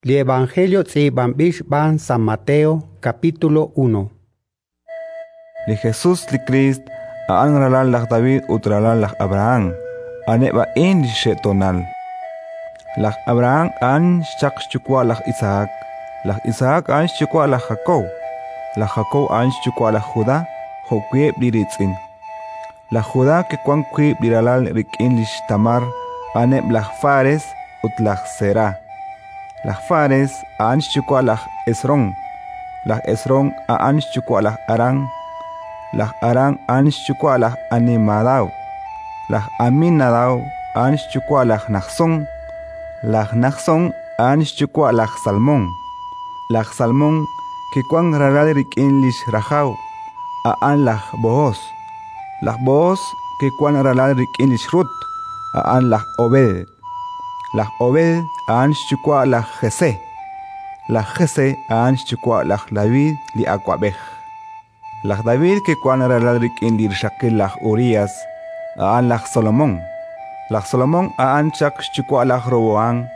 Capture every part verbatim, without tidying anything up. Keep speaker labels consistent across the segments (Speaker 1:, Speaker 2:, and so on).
Speaker 1: Li Evangelio tz'iib'anb'il xb'aan San Mateo, capítulo uno.
Speaker 2: Li Jesús li Kriist a'an ralal laj David ut ralal laj Abrahán, a'aneb' a'in li xxe'toonal. Laj Abrahán a'an xchaq xyuwa' laj Isaac, laj Isaac a'an xyuwa' laj Jacob, laj Jacob a'an xyuwa' laj Judá jo'wi' eb' li riitz'in. Laj Judá kiwank wiib' li ralal rik'in lix Tamar, a'aneb' laj Fares ut laj Será. Laj Fares a'an xyuwa' laj Esrón, laj Esrón a'an xyuwa' laj Arán, laj Arán a'an xyuwa' laj Aminadab, laj Aminadab a'an xyuwa' laj Najsón, laj Najsón a'an xyuwa' laj Salmón. Laj Salmón kiwank ralal rik'in lix Rajab, a'an laj Bohos. Laj Bohos kiwank ralal rik'in lix Rut, a'an laj Obed. Laj Obed a'an xyuwa' laj Jesé, laj Jesé a'an xyuwa' laj David li awab'ej. Laj David kiwank ralal rik'in li rixaqil laj Urías, a'an laj Salomón. Laj Salomón a'an chaq xyuwa' laj Roboán,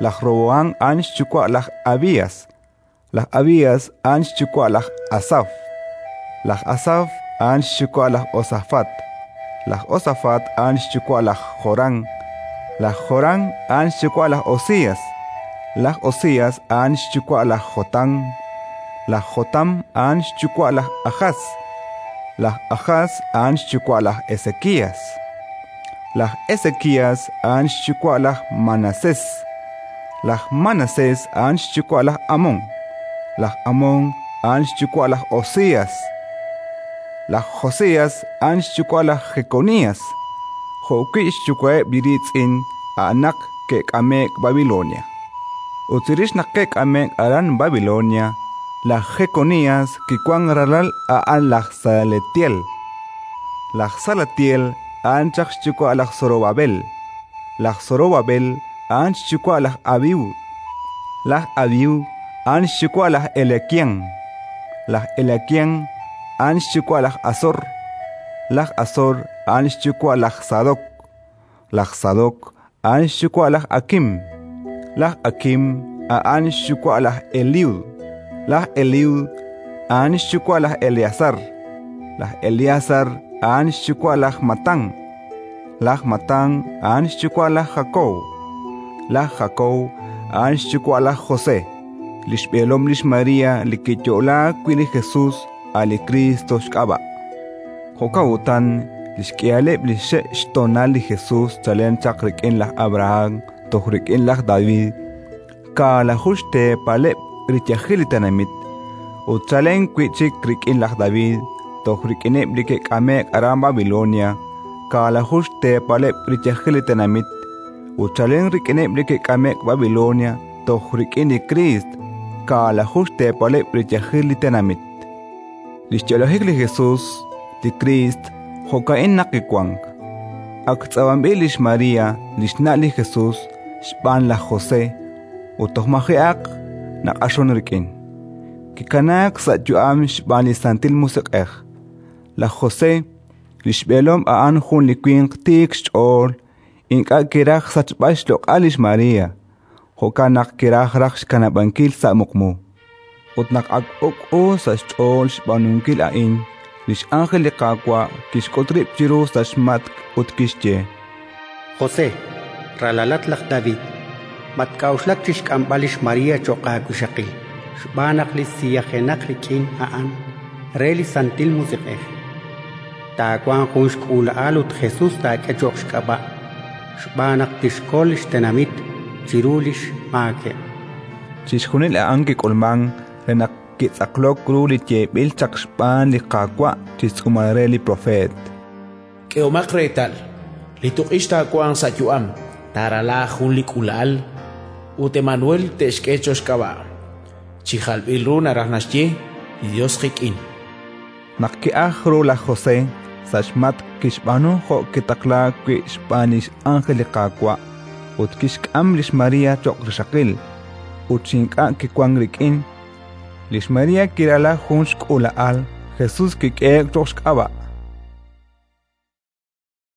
Speaker 2: laj Roboán a'an xyuwa' laj Abías, laj Abías a'an xyuwa' laj Asaf, laj Asaf a'an xyuwa' laj Josafat, laj Josafat a'an xyuwa' laj Jorán, laj Jorán a'an xyuwa' laj Osías, laj Osías a'an xyuwa' laj Jotán, laj Jotán a'an xyuwa' laj Ajás, laj Ajás a'an xyuwa' laj Ezequías, laj Ezequías a'an xyuwa' laj Manasés, laj Manasés a'an xyuwa' laj Amón, laj Amón a'an xyuwa' laj Josías, laj Josías a'an xyuwa' laj Jeconías, jo'wi' xyuwa'eb' li riitz'in a'anaq ke'k'ame'k Babilonia. Ut chirix naq ke'k'ame'k aran Babilonia, laj Jeconías kiwank ralal a'an laj Salatiel. Laj Salatiel a'an chaq xyuwa' laj Zorobabel, laj Zorobabel a'an xyuwa' laj Abiud, laj Abiud a'an xyuwa' laj Eliaquín, laj Eliaquín a'an xyuwa' laj Azor, laj Azor a'an xyuwa' laj Sadok, laj Sadok a'an xyuwa' laj Akim, laj Akim a'an xyuwa' laj Eliud, laj Eliud a'an xyuwa' laj Eleazar, laj Eleazar a'an xyuwa' laj Matán, laj Matán a'an xyuwa' laj Jacob, laj Jacob a'an xyuwa' laj José, li xb'eelom lix María li kiyo'laak wi' li Jesús a' li Cristo xk'ab'a'. Jo'kan utan li xk'ihaleb' li xe' xtoonal li Jesús chalen chaq rik'in laj Abrahán toj rik'in laj David, kaalaju xteepaleb' riyajil li tenamit, ut chalen wi' chik rik'in laj David toj rik'ineb' li ke'k'ame'k aran Babilonia, kaalaju xteepaleb' riyajil li tenamit, ut chalen rik'ineb' li ke'k'ame'k Babilonia toj rik'in li Kriist, kaalaju xteepaleb' riyajil li tenamit. Li xyo'lajik li Jesús, li Kriist, jo'ka'in naq kiwank. Ak tz'ab'anb'il lix María, li xna' li Jesús, xb'aan laj José, ut toj maji'aq naq'axon rik'in. Kikanaak sa' yu'am xb'aan li Santil Musiq'ej. Laj José, li xb'eelom a'an jun li winq tiik xch'ool, ink'a' kiraj sachb'al xloq'al lix María, jo'kan naq kiraj raj xkanab'ankil sa' muqmu. Ut naq ak uk'u sa' xch'ool xb'aanunkil a'in, li x'ánjel li Qaawa' kixk'ut rib' chiru sa' xmatk' ut kixye:
Speaker 1: José, ralalat laj David, matk'a'uxlak chi xk'amb'al lix María cho'q aawixaqil, xb'aan naq li siyajenaq rik'in a'an re li Santil Musiq'ej. Taawanq jun xk'uula'al ut Jesús taak'e cho'q xk'ab'a', xb'aan naq tixkol li xtenamit chiru li xmaakeb'.
Speaker 2: Chixjunil a'an kik'ulmank re naq kitz'aqlok ru li yeeb'il chaq xb'aan li Qaawa' chi xtz'uumal re li propeet.
Speaker 3: K'ehomaq reetal, li tuq'ix taawanq sa' yu'am, taarala jun li k'uula'al, ut Emanuel te'xk'e cho'q xk'ab'a'. Chi jalb'il ru naraj naxye: li Yos qik'in.
Speaker 2: Naq ki'ajk ru laj José sa' xmatk' kixb'aanu jo' kitaqlaak wi' xb'aan li x'ánjel li Qaawa', ut kixk'am lix María cho'q rixaqil, ut chi ink'a' kiwank rik'in. Lix María kirala jun xk'uula'al, Jesús kik'ehe'k cho'q xk'ab'a'.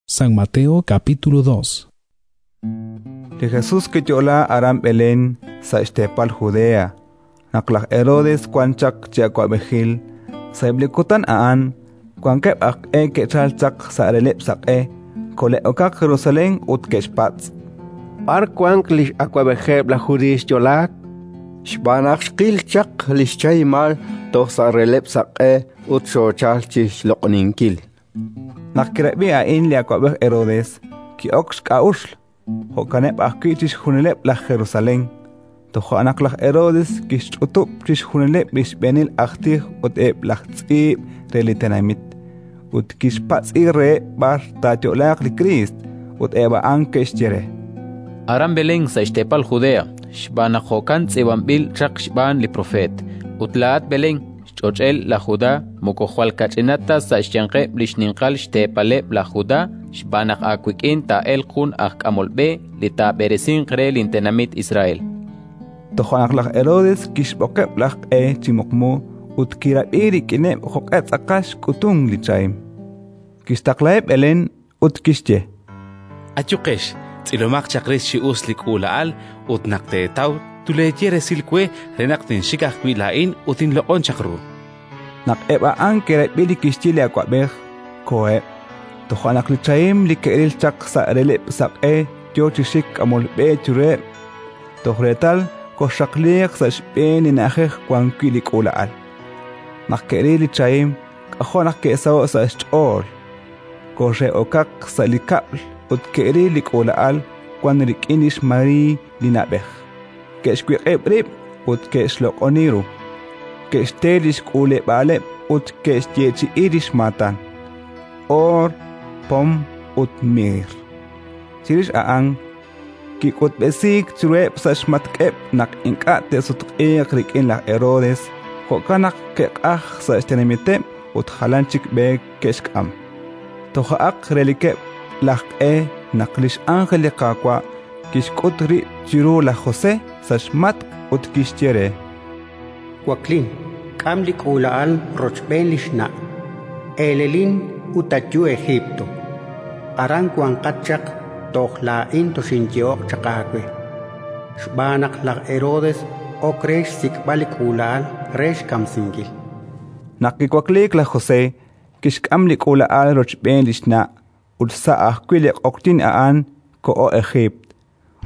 Speaker 4: San Mateo capítulo dos.
Speaker 2: Li Jesús kiyo'laak aran Belén sa' xteepal Judea, naq laj Herodes wan chaq chi awab'ejil. Sa'eb' li kutan a'an wankeb' aj q'e ke'chalk chaq sa' releb' saq'e, kole'okaq Jerusalén ut ke'xpatz':
Speaker 4: B'ar wank li x'awab'ejeb' laj Judiiy xyo'laak?
Speaker 5: Xb'aan naq xqil chaq li xchahimal toj sa' releb'l saq'e ut xoochalk chi xloq'oninkil.
Speaker 2: Naq kirab'i a'in li awab'ej Herodes, ki'ok xk'a'uxl, jo'kaneb' ajwi' chixjunileb' laj Jerusalén. Toja' naq laj Herodes kixch'utub' chixjunileb' li xb'eenil aj tij ut eb' laj tz'iib' re li tenamit, ut kixpatz'i reheb' b'ar taayo'laaq li Kriist, ut eb' a'an ke'xye re:
Speaker 6: Aran Belén sa' xteepal Judea, xb'aan naq jo'kan tz'iib'anb'il chaq xb'aan li propeet. Ut laa'at, Belén, xch'och'el laj Judá, moko jwal kach'inat ta sa' xyanqeb' li xninqal xteepaleb' laj Judá, xb'aan naq aawik'in taa'elq jun aj k'amol b'e li taab'eresinq re lintenamit Israel.
Speaker 2: Toja' naq laj Herodes kixb'oqeb' laj q'e chi muqmu ut kirab'i rik'ineb' jo'q'e tz'aqal xk'utunk li chahim. Kixtaqlaheb' Belén ut kixye:
Speaker 7: Ayuqex, tz'ilomaq chaq rix chi us li k'uula'al ut naq teetaw tuleeye resil we re naq tinxik ajwi' laa'in ut tinloq'on chaq ru.
Speaker 2: Naq eb' a'an ke'rab'i li kixye li awab'ej, koheb'. Toja' naq li chahim li ke'ril chaq sa' releb' saq'e yo chi xik k'amol b'e chiruheb', toj reetal koxxaqliiq sa' xb'een li na'ajej wan wi' li k'uula'al. Naq ke'ril li chahim, k'ajo' naq ke'saho'k sa' xch'ool. Koxe'okaq sa' li kab'l ut ke'ril li k'uula'al wan rik'in lix Mariiy li na'b'ej. Ke'xwiq'ib' rib' ut ke'xloq'oni ru. Ke'xte li xk'uuleb'aaleb' ut ke'xyeechi'i li xmaatan: oor, pom ut miir. Chirix a'an kik'utb'esiik chiruheb' sa' xmatk'eb' naq ink'a' te'sutq'iiq rik'in laj Herodes, jo'kan naq ke'q'ajk sa' xtenamiteb' ut jalan chik b'e ke'xk'am. Toja'aq relikeb' laj q'e naq li x'ánjel li Qaawa' kixk'ut rib' chiru laj José sa' xmatk' ut kixye re:
Speaker 1: Waklin, k'am li k'uula'al rochb'een li xna', eelelin ut ayu Egipto. Aran wanqat chaq toj laa'in toxinyehoq chaq aawe, xb'aan naq laj Herodes ok re xsik'b'al li k'uula'al re xkamsinkil.
Speaker 2: Naq kiwakliik laj José, kixk'am li k'uula'al rochb'een li xna' ut sa' ajwi' li q'oqyink a'an koho Ejiipt.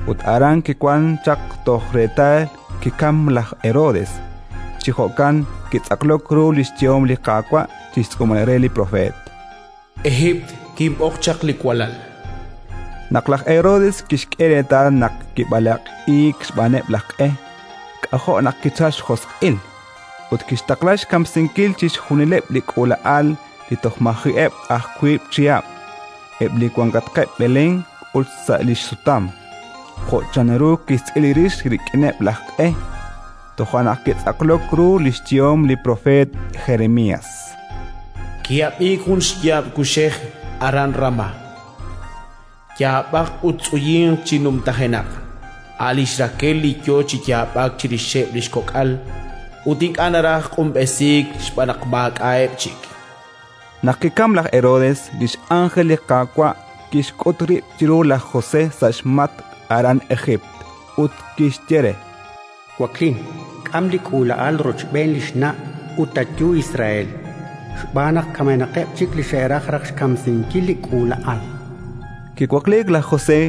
Speaker 2: Ut aran kiwank chaq toj reetal kikamk laj Herodes. Chi jo'kan kitz'aqlok ru li xyehom li Qaawa' chi xtz'uumal re li propeet.
Speaker 3: Ejiipt kinb'oq chaq li walal.
Speaker 2: Naq laj Herodes kixk'e reetal naq kib'alaq'iik xb'aaneb' laj q'e, k'ajo' naq kichalk xjosq'il ut kixtaqla xkamsinkil chixjunileb' li k'uula'al li toj maji'eb' aj wiib' chihab', eb' li wankatqeb' Belén ut sa' li xsutam, jo' chanru kixtz'il rix rik'ineb' laj q'e. Toja' naq kitz'aqlok ru li xyehom li propeet Jeremías:
Speaker 3: Ki'ab'iik jun xyaab' kuxej aran Ramá, yaab'aq ut tz'uyinq chi numtajenaq, a' lix Rakel li yo chi yaab'ak chirixeb' li xkok'al ut ink'a' naraj q'unb'esiik xb'aan naq maak'a'eb' chik.
Speaker 2: Naq kikamk laj Herodes, li x'ánjel li Qaawa' kixk'ut rib' chiru laj José sa' xmatk' aran Ejiipt ut kixye re:
Speaker 1: Waklin, k'am li k'uula'al rochb'een li xna' ut ayu Israel, xb'aan naq kamenaqeb' chik li xe'raj raj xkamsinkil li k'uula'al.
Speaker 2: Kiwakliik laj José,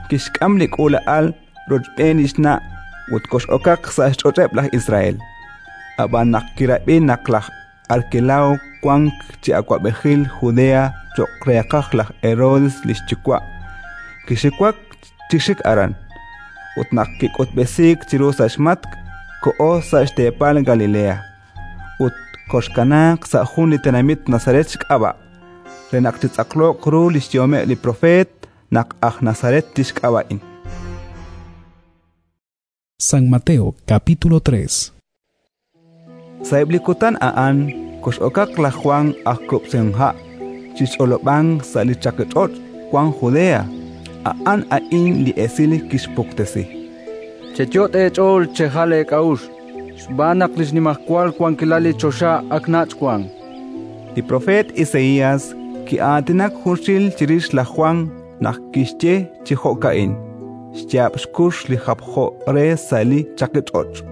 Speaker 2: kixk'am li k'uula'al rochb'een li xna' ut kox'okaq sa' xch'och'eb' laj Israel. Ab'an naq kirab'i naq laj Arkelao wank chi awab'ejil Judea cho'q reeqaj laj Herodes li xyuwa', kixiwak chi xik aran. Ut naq kik'utb'esiik chiru sa' xmatk', koho sa' xteepal Galilea ut koxkanaaq sa' jun li tenamit Nazaret xk'ab'a', re naq chitz'aqloq ru li xyehomeb' li propeet naq aj Nazaret tixk'ab'a'in.
Speaker 8: San Mateo capítulo tres.
Speaker 2: Sa'eb' li kutan a'an kox'okaq laj Jwan aj Kub'sihomha' chi xch'olob'ank sa' li chaqich'och' wank Judea. A'an a'in li esil kixpuktesi:
Speaker 9: Cheyot' eech'ool chejal eek'a'uxl, xb'aan naq li xnimajwal wankilal li choxa ak nach' wank.
Speaker 2: Li propeet Isaías ki'aatinak junxil chirix laj Jwan naq kixye chi jo'ka'in: xyaab' xkux li japjo re sa' li chaqich'och'.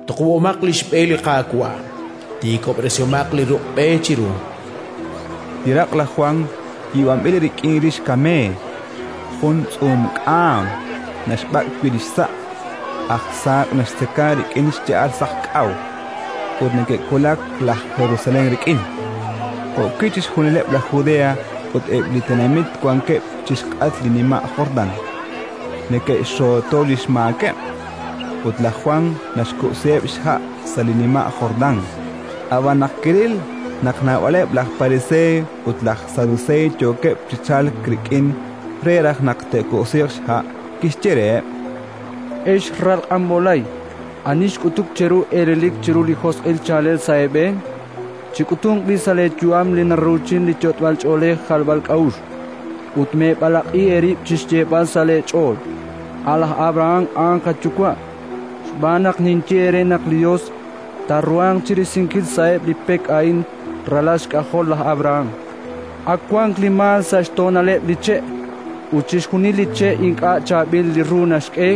Speaker 3: Tuqub'omaq li xb'e li Qaawa', tiikob'resihomaq li ruq' b'e chiru.
Speaker 2: Li raq' laj Jwan yiib'anb'il rik'in rix kameey, jun tz'uum k'aam naxb'ak' wi' li xsa', aj saak' naxtzeka rik'in xya'al saqk'aw, ut neke'wulak laj Jerusalén rik'in. Jo'wi' chixjunileb' laj Judea ut eb' li tenamit wankeb' chi xk'atq li nima' Jordán neke'xxooto li xmaakeb', ut laj Jwan naxkub'siheb' xha' sa' li nima' Jordán. Ab'an naq kiril naq naab'aleb' laj Pariseey ut laj Saduseey yookeb' chi chalk rik'in re raj naq te'kub'siiq xha', kixye reheb':
Speaker 9: Ex ral q'anb'olay, ani xk'utuk cheru eelelik chiru li josq'il chaalel sa' eeb'een? Chik'utunq b'i' sa' leeyu'am li naruuchin li yot'b'al ch'oolej jalb'al k'a'uxl, ut meeb'alaq'i eerib' chi xyeeb'al sa' leech'ool: «A' laj Abrahán a'an qayuwa'», xb'aan naq ninye eere naq li Yos taaruhanq chi risinkil sa'eb' li pek a'in ralal xk'ajol laj Abrahán. Ak wank li maal sa' xtoonaleb' li che', ut chixjunil li che' ink'a' chaab'il li ru naxk'e,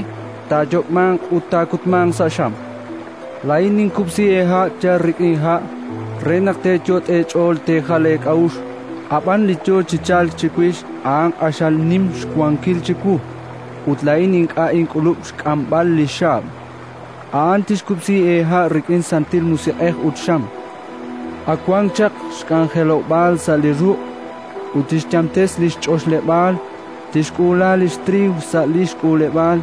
Speaker 9: taayok'manq ut taakutmanq sa' xam. Laa'in ninkub'si eeha' yal rik'in ha' re naq teeyot' eech'ool teejal eek'a'uxl, ab'an li yo chi chalk chiwix a'an q'axal nim xwankil chiwu, ut laa'in ink'a' ink'ulub' xk'amb'al li xaab'. A'an tixkub'si eeha' rik'in Santil Musiq'ej ut xam. Ak wank chaq xk'anjelob'aal sa' li ruq' ut tixyamtes li xch'oxleb'aal, tixk'uula li xtriiw sa' li xk'uuleb'aal,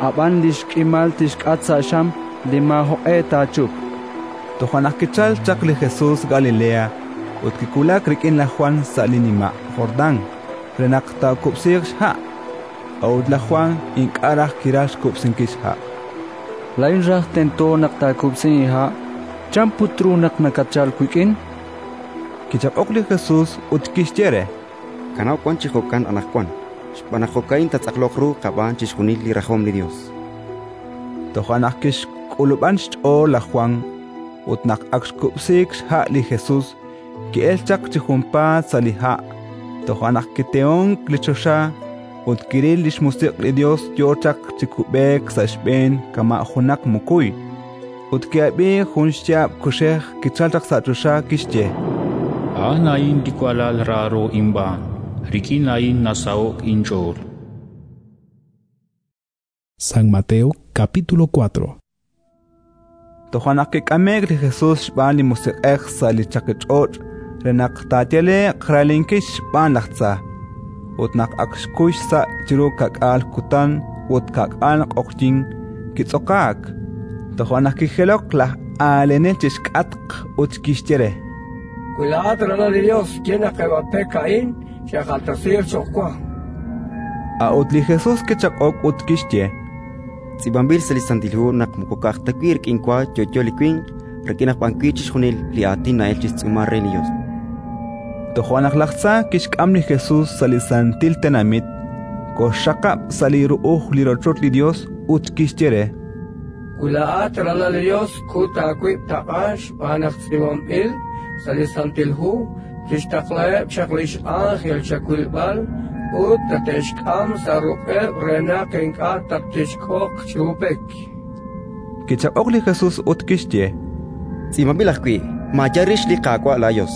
Speaker 9: ab'an li xk'imal tixk'at sa' xam li maajoq'e taachup.
Speaker 2: Toja' naq kichalk chaq li Jesus Galilea ut kiwulak rik'in laj Jwan sa' li nima' Jordán re naq taakub'siiq xha'. A'ut laj Jwan ink'a' raj kiraj xkub'sinkil xha'.
Speaker 9: Laa'in raj tento naq taakub'si inha', chan put ru naq nakatchalk wik'in?
Speaker 2: Kichaq'ok li Jesus ut kixye re:
Speaker 10: Kanaw wan chi jo'kan anaqwan, xb'aan naq jo'ka'in taatz'aqloq ru qab'aan chixjunil li rajom li Yos.
Speaker 2: Toja' naq kixk'ulub'an xch'ool laj Jwan, ut naq ak xkub'siik xha' li Jesus, ki'elk chaq chi junpaat sa' li ha'. Toja' naq kitehonk li choxa ut kiril li xmusiq' li Yos yo chaq chi kub'eek sa' xb'een kama' junaq mukuy. Ut ki'ab'i jun xyaab' kuxej kichalk chaq sa' choxa, kixye:
Speaker 11: A'an a'in li walal raaro inb'aan, rik'in a'in nasaho'k inch'ool.
Speaker 8: San Mateo capítulo cuatro.
Speaker 2: Toja' naq kik'ame'k li Jesus xb'aan li Musiq'ej sa' li chaqich'och' re naq taayale'q raalinkil xb'aan laj tza. Ut naq ak xkuy xsa' chiru ka'k'aal kutan ut ka'k'aal q'oqyink, kitz'okaak. Toja' naq kijelok laj aalenel chi xk'atq ut kixye re:
Speaker 12: Wi laa'at ralal li Yos, ye naq eb' a pek a'in xe'jaltasiiq cho'q wa.
Speaker 2: A'ut li Jesus kichaq'ok ut kixye:
Speaker 10: Tz'iib'anb'il sa' li Santil Hu naq moko ka'aj ta wi' rik'in wa yo'yo li winq, rik'in aj b'an wi' chixjunil li aatin na'elk chi xtz'uumal re li Yos.
Speaker 2: Toja' naq laj tza kixk'am li Jesus sa' li santil tenamit, koxxaqab' sa' li ru'uj li rochoch li Yos ut kixye re:
Speaker 12: Wi laa'at ralal li Yos, kut aawib' taq'a xb'aan naq tz'iib'anb'il sa' li Santil Hu, tixtaqlaheb' chaq li x'ánjel chawilb'al ut tate'xk'am sa' ruq'eb' re naq ink'a' tattixk'oq chiru pek.
Speaker 2: Kichaq'ok li Jesus ut kixye:
Speaker 10: Tz'iib'anb'il ajwi': Maayal rix li Qaawa' laaYos.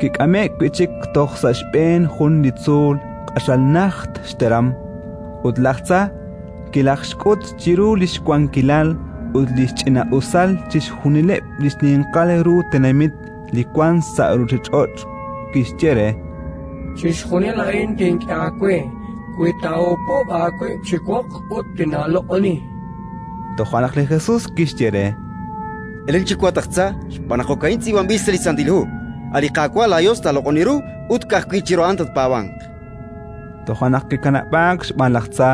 Speaker 2: Kik'ame'k wi' chik toj sa' xb'een jun li tzuul q'axal najt xteram, ut laj tza kilajxk'ut chiru li xwankilal ut li xch'ina'usal chixjunileb' li xninqal ru tenamit li wank sa' ruuchich'och'. Kixye re:
Speaker 12: Chixjunil a'in tink'e aawe wi taahupub' aawib' chi woq ut tinaaloq'oni.
Speaker 2: Toja' naq li Jesus kixye re:
Speaker 10: Elen chiwu, at aj tza, xb'aan naq jo'ka'in tz'iib'anb'il sa' li Santil Hu: A' li Qaawa' laaYos taaloq'oni ru ut ka'ajwi' chiru a'an tatpaab'anq.
Speaker 2: Toja' naq kikanab'aak xb'aan laj tza,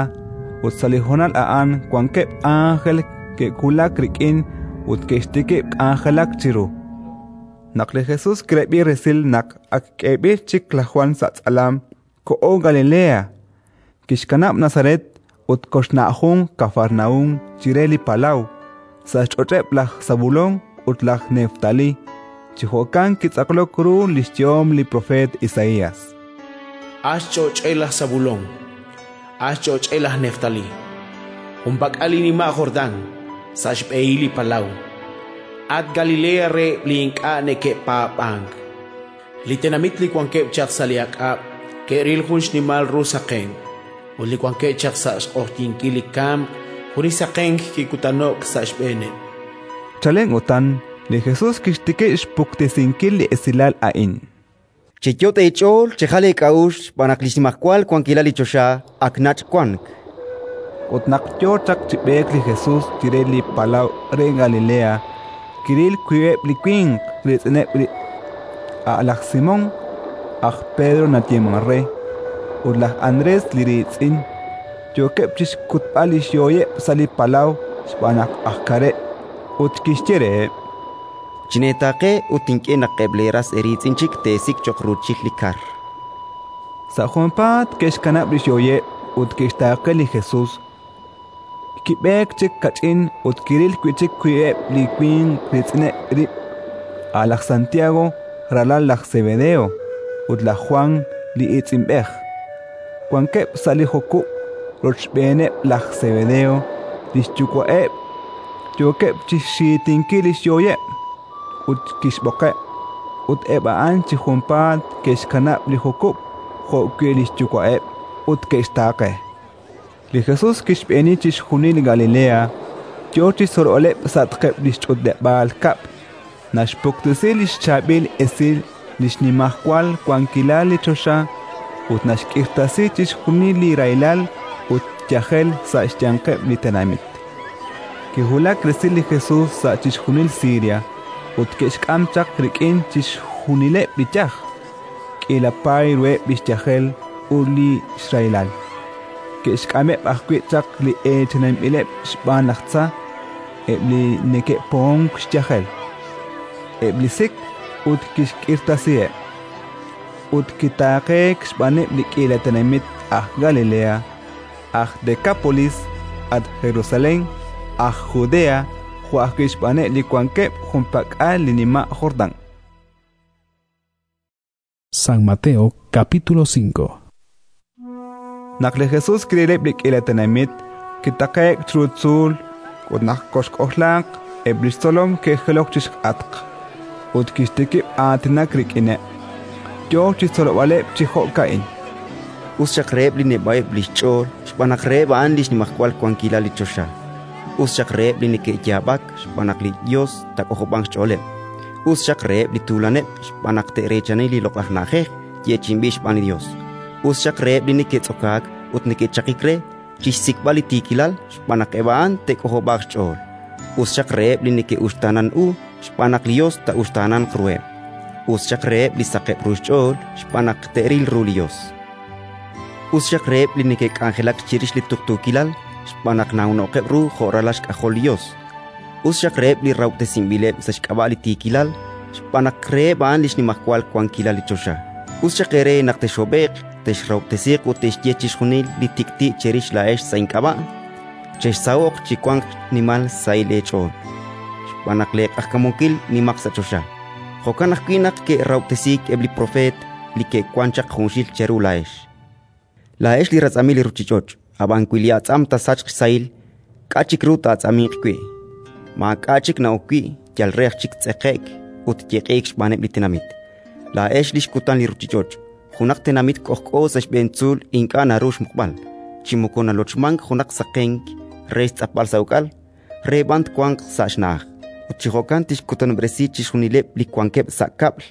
Speaker 2: ut sa' li honal a'an wankeb' ánjel ke'wulak rik'in ut ke'xtikib' k'anjelak chiru. Naq li Jesus kirab'i resil naq ak k'eeb'il chik laj Jwan sa' tz'alam, koho Galilea, kixkanab' Nazaret ut koxna'ajunq Kafarnaúm chire li palaw, sa' xch'och'eb' laj Sabulón ut laj Neftalí. Chi jo'kan kitz'aqlok ru li xyehom li propeet Isaías:
Speaker 3: A xch'och'el laj Sabulón, a xch'och'el laj Neftalí, junpak'al li nima' Jordán, sa' xb'ehil li palaw. At Galilea reheb' li ink'a' neke'paab'ank. Li tenamit li wankeb' chaq sa' li ak'ab' ke'ril jun xnimal ru saqenk, ut li wankeb' chaq sa' xq'oqyinkil li kamk, jun li saqenk kikutano'k sa' xb'eeneb'.
Speaker 2: Chalen utan, li Jesus kixtikib' xpuktesinkil li esilal a'in:
Speaker 10: Cheyot' eech'ool, chejal eek'a'uxl xb'aan naq li xnimajwal wankilal li choxa ak nach' wank.
Speaker 2: Ut naq yo chaq chi b'eek li Jesus chire li palaw re Galilea, kiril wiib'eb' li winq riitz'ineb' rib': a' laj Simón, aj Pedro nayeemank re, ut laj Andrés li riitz'in, yookeb' chi xkutb'al li xyooyeb' sa' li palaw xb'aan naq aj kareb'. Ut kixye reheb':
Speaker 10: Chineetaaqe ut tink'e naq eb' leeras eeriitz'in chik teesik' cho'q ruuchil li kar.
Speaker 2: Sa' junpaat ke'xkanab' li xyooyeb' ut ke'xtaaqe li Jesus. Kib'eek chik kach'in ut kiril wi' chik wiib'eb' li winq riitz'ineb' rib': a' laj Santiago, ralal laj Sebedeo, ut laj Jwan li iitz'inb'ej. Wankeb' sa' li jukub' rochb'eeneb' laj Sebedeo, li xyuwa'eb', yookeb' chi xxiitinkil li xyooyeb'. Ut kixb'oqeb', ut eb' a'an chi junpaat ke'xkanab' li jukub' jo'wi' li xyuwa'eb' ut ke'xtaaqe. Li Jesus kixb'eeni chixjunil Galilea, yo chi xtzolb'aleb' sa'atqeb' li xch'utleb'aal kab'l, naxpuktesi li xchaab'il esil li xnimajwal wankilal li choxa ut naxk'irtasi chixjunil li rahilal ut yajel sa' xyanqeb' li tenamit. Kiwulak resil li Jesus sa' chixjunil Siria ut ke'xk'am chaq rik'in chixjunileb' li yaj, k'iila paay ruheb' li xyajel ut li xrahilal. Ke'xk'ameb' ajwi' chaq li eechaninb'ileb' xb'aan laj tza, eb' li neke'pohonk xyajel, eb' li sik, ut kixk'irtasiheb'. Ut kitaaqeek xb'aaneb' li k'iila tenamit aj Galilea, aj Dekápolis, at Jerusalén, aj Judea, jo' ajwi' xb'aaneb' li wankeb' junpak'al li nima' Jordán.
Speaker 8: San Mateo capítulo cinco.
Speaker 2: Naq li Jesus kirileb' li k'iila tenamit, kitaqe'k chiru tzuul, ut naq koxk'ojlaaq, eb' li xtzolom ke'jilok chi xk'atq, ut kixtikib' aatinak rik'ineb'. Yo chi xtzolb'aleb' chi jo'ka'in:
Speaker 10: Us xaq reheb' li neb'a'eb' li xch'ool xb'aan naq reheb' a'an li xnimajwal wankilal li choxa. Us xaq reheb' li neke'yaab'ak xb'aan naq li Yos taak'ojob'anq xch'ooleb'. Us xaq reheb' li tuulaneb' xb'aan naq te'reechani li loq'laj na'ajej yeechi'inb'il xb'aan li Yos. Us xaq reheb' li neke'tz'okaak ut neke'chaqik re chi xsik'b'al li tiikilal xb'aan naq eb' a'an te'k'ojob'aaq xch'ool. Us xaq reheb' li neke'uxtaanan u xb'aan naq li Yos taa'uxtaananq ruheb'. Us xaq reheb' li saqeb' ru xch'ool xb'aan naq te'ril ru li Yos. Us xaq reheb' li neke'k'anjelak chirix li tuqtuukilal xb'aan naq nawno'qeb' ru jo' ralal xk'ajol li Yos. Us xaq reheb' li rahob'tesinb'ileb' sa' xk'ab'a' li tiikilal xb'aan naq reheb' a'an li xnimajwal wankilal li choxa. Us xaq eere naq texhob'e'q, texrahob'tesiiq ut te'xye chixjunil li tik'ti' cherix laa'ex sa' ink'ab'a'. Chexsaho'q chi wanq xnimal xsahil eech'ool, xb'aan naq leeq'ajkamunkil nimaq sa' choxa. Jo'kan ajwi' naq ke'rahob'tesiik eb' li propeet li ke'wank chaq junxil cheru laa'ex. Laa'ex li ratz'amil li ruuchich'och', ab'an wi li atz'am taasachq xsahil, k'a' chik ru taa'atz'aminq wi'? Maak'a' chik na'ok wi', yal re aj chik tz'eqe'k ut yeq'iik xb'aaneb' li tenamit. Laa'ex li xkutan li ruuchich'och'. Junaq tenamit k'ojk'o sa' xb'een tzuul ink'a' naru xmuqb'al, chi moko nalochmank junaq saqenk re xtz'apb'al sa' uk'al, re b'an twanq sa' xna'aj. Ut chi jo'kan tixkutanob'resi chixjunileb' li wankeb' sa' kab'l.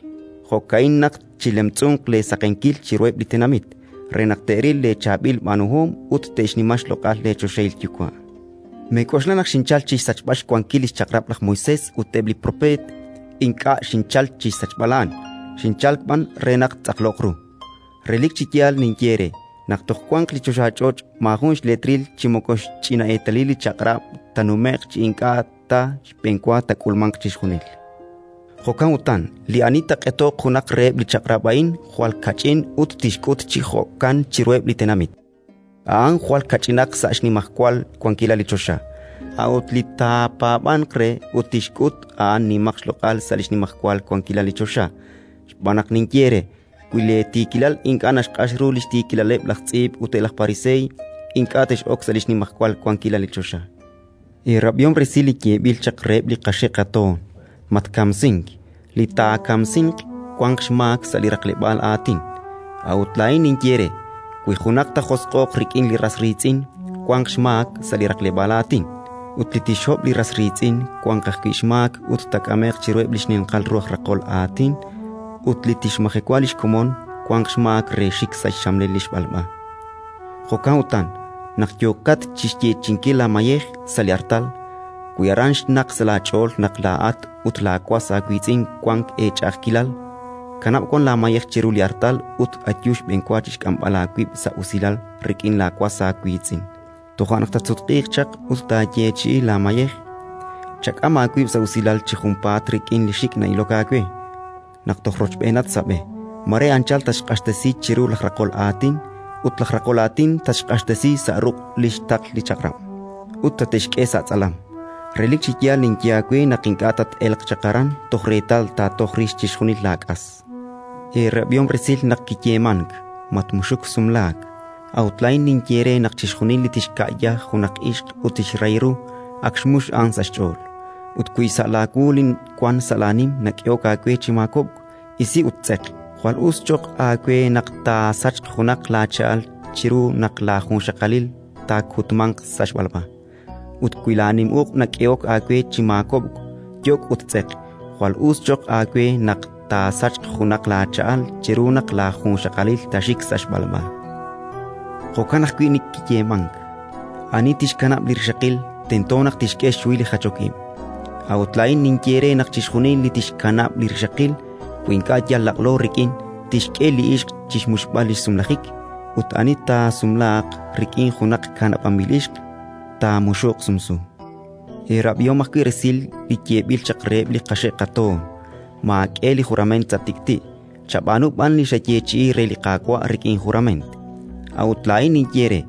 Speaker 10: Jo'ka'in naq chilemtz'unq leesaqenkil chiruheb' li tenamit, re naq te'ril leechaab'il b'aanuhom ut te'xnima xloq'al leechoxahil Yuwa'. Meek'oxla naq xinchalk chi xsachb'al xwankil li xchaq'rab' laj Moisés ut eb' li propeet. Ink'a' xinchalk chi xsachb'al a'an, xinchalk b'an re naq ttz'aqloq ru. Relik chi yaal ninye eere naq toj wanq li choxach'och' maajun xleetril chi moko xch'ina eetalil li chaq'rab' taanume'q chi ink'a' ta xb'enwa taak'ulmanq chixjunil. Jo'kan utan, li ani taaq'etoq junaq reheb' li chaq'rab' a'in jwal kach'in ut tixk'ut chi jo'kan chiruheb' li tenamit, a'an jwal kach'inaq sa' xnimajwal wankilal li choxa. A'ut li taapaab'anq re ut tixk'ut, a'an nimaq xloq'al sa' li xnimajwal wankilal li choxa. Xb'aan naq ninye eere: wi leetiikilal ink'a' naxq'ax ru li xtiikilaleb' laj tz'iib' ut eb' laj pariseey, ink'a' tex'ok sa' li xnimajwal wankilal li choxa. Eerab'ihom resil li yeeb'il chaq reheb' li qaxe' qatoon: «Matkamsink; li taakamsinq wanq xmaak sa' li raqleb'aal aatin». A'ut laa'in ninye eere: wi junaq taajosq'o'q rik'in li ras riitz'in, wanq xmaak sa' li raqleb'aal aatin; ut li tixhob' li ras riitz'in, wanq ajwi' xmaak ut taak'ame'q chiruheb' li xninqal ru aj raqol aatin; ut li tixmajewa li xkomon, wanq xmaak re xik sa' xxamlel li xb'alb'a. Jo'kan utan, naq yookat chi xyeechi'inkil laamayej sa' li artal, wi aran xnaqk sa' laach'ool naq laa'at ut laawas aawiitz'in wank eech'a'ajkilal, kanab' wan laamayej chiru li artal ut ayu xb'enwa chi xk'amb'al aawib' sa' usilal rik'in laawas aawiitz'in. Toja' naq tatsutq'iiq chaq ut taayeechi'i laamayej. Chak'am aawib' sa' usilal chi junpaat rik'in li xik' na'ilok aawe, naq toj rochb'eenat sa' b'e. Mare anchal tatxq'axtesi chiru laj raqol aatin, ut laj raqol aatin tatxq'axtesi sa' ruq' li xtaql li chaq'rab', ut tate'xk'e sa' tz'alam. Relik chi yaal ninye aawe naq ink'a' tat-elq chaq aran toj reetal taatoj rix chixjunil laak'as. Eerab'ihom resil naq kiyeemank: «Matmuxuk sumlaak». A'ut laa'in ninye eere naq chixjunil li tixka'ya junaq ixq ut tixrahi ru, ak xmux a'an sa' xch'ool. Ut wi sa' laawu li wank sa' laanim nak'ehok aawe chi maakob'k, isi ut tz'eq. Jwal us cho'q aawe naq taasachq junaq laacha'al chiru naq laajunxaqalil taakutmanq sa' xb'alb'a. Ut wi laanim uq' nak'ehok aawe chi maakob'k, yok' ut tz'eq. Jwal us cho'q aawe naq taasachq junaq laacha'al chiru naq laajunxaqalil taaxik sa' xb'alb'a. Jo'kan ajwi' kiyeemank: «Ani tixkanab' li rixaqil, tento naq tixk'e xhuhil li jachok ib'». A'ut laa'in ninye eere naq chixjunil li tixkanab' li rixaqil, wi ink'a' yal laq'lo rik'in, tixk'e li ixq chi xmuxb'al li xsumlajik; ut ani taasumlaaq rik'in junaq kanab'anb'il ixq, taamuxuq sumsu. Eerab'ihom ajwi' resil li yeeb'il chaq reheb' li qaxe' qatoon: «Maak'e li jurament sa' tik'ti', chab'aanu b'an li xayeechi'i re li Qaawa' rik'in jurament». A'ut laa'in ninye eere: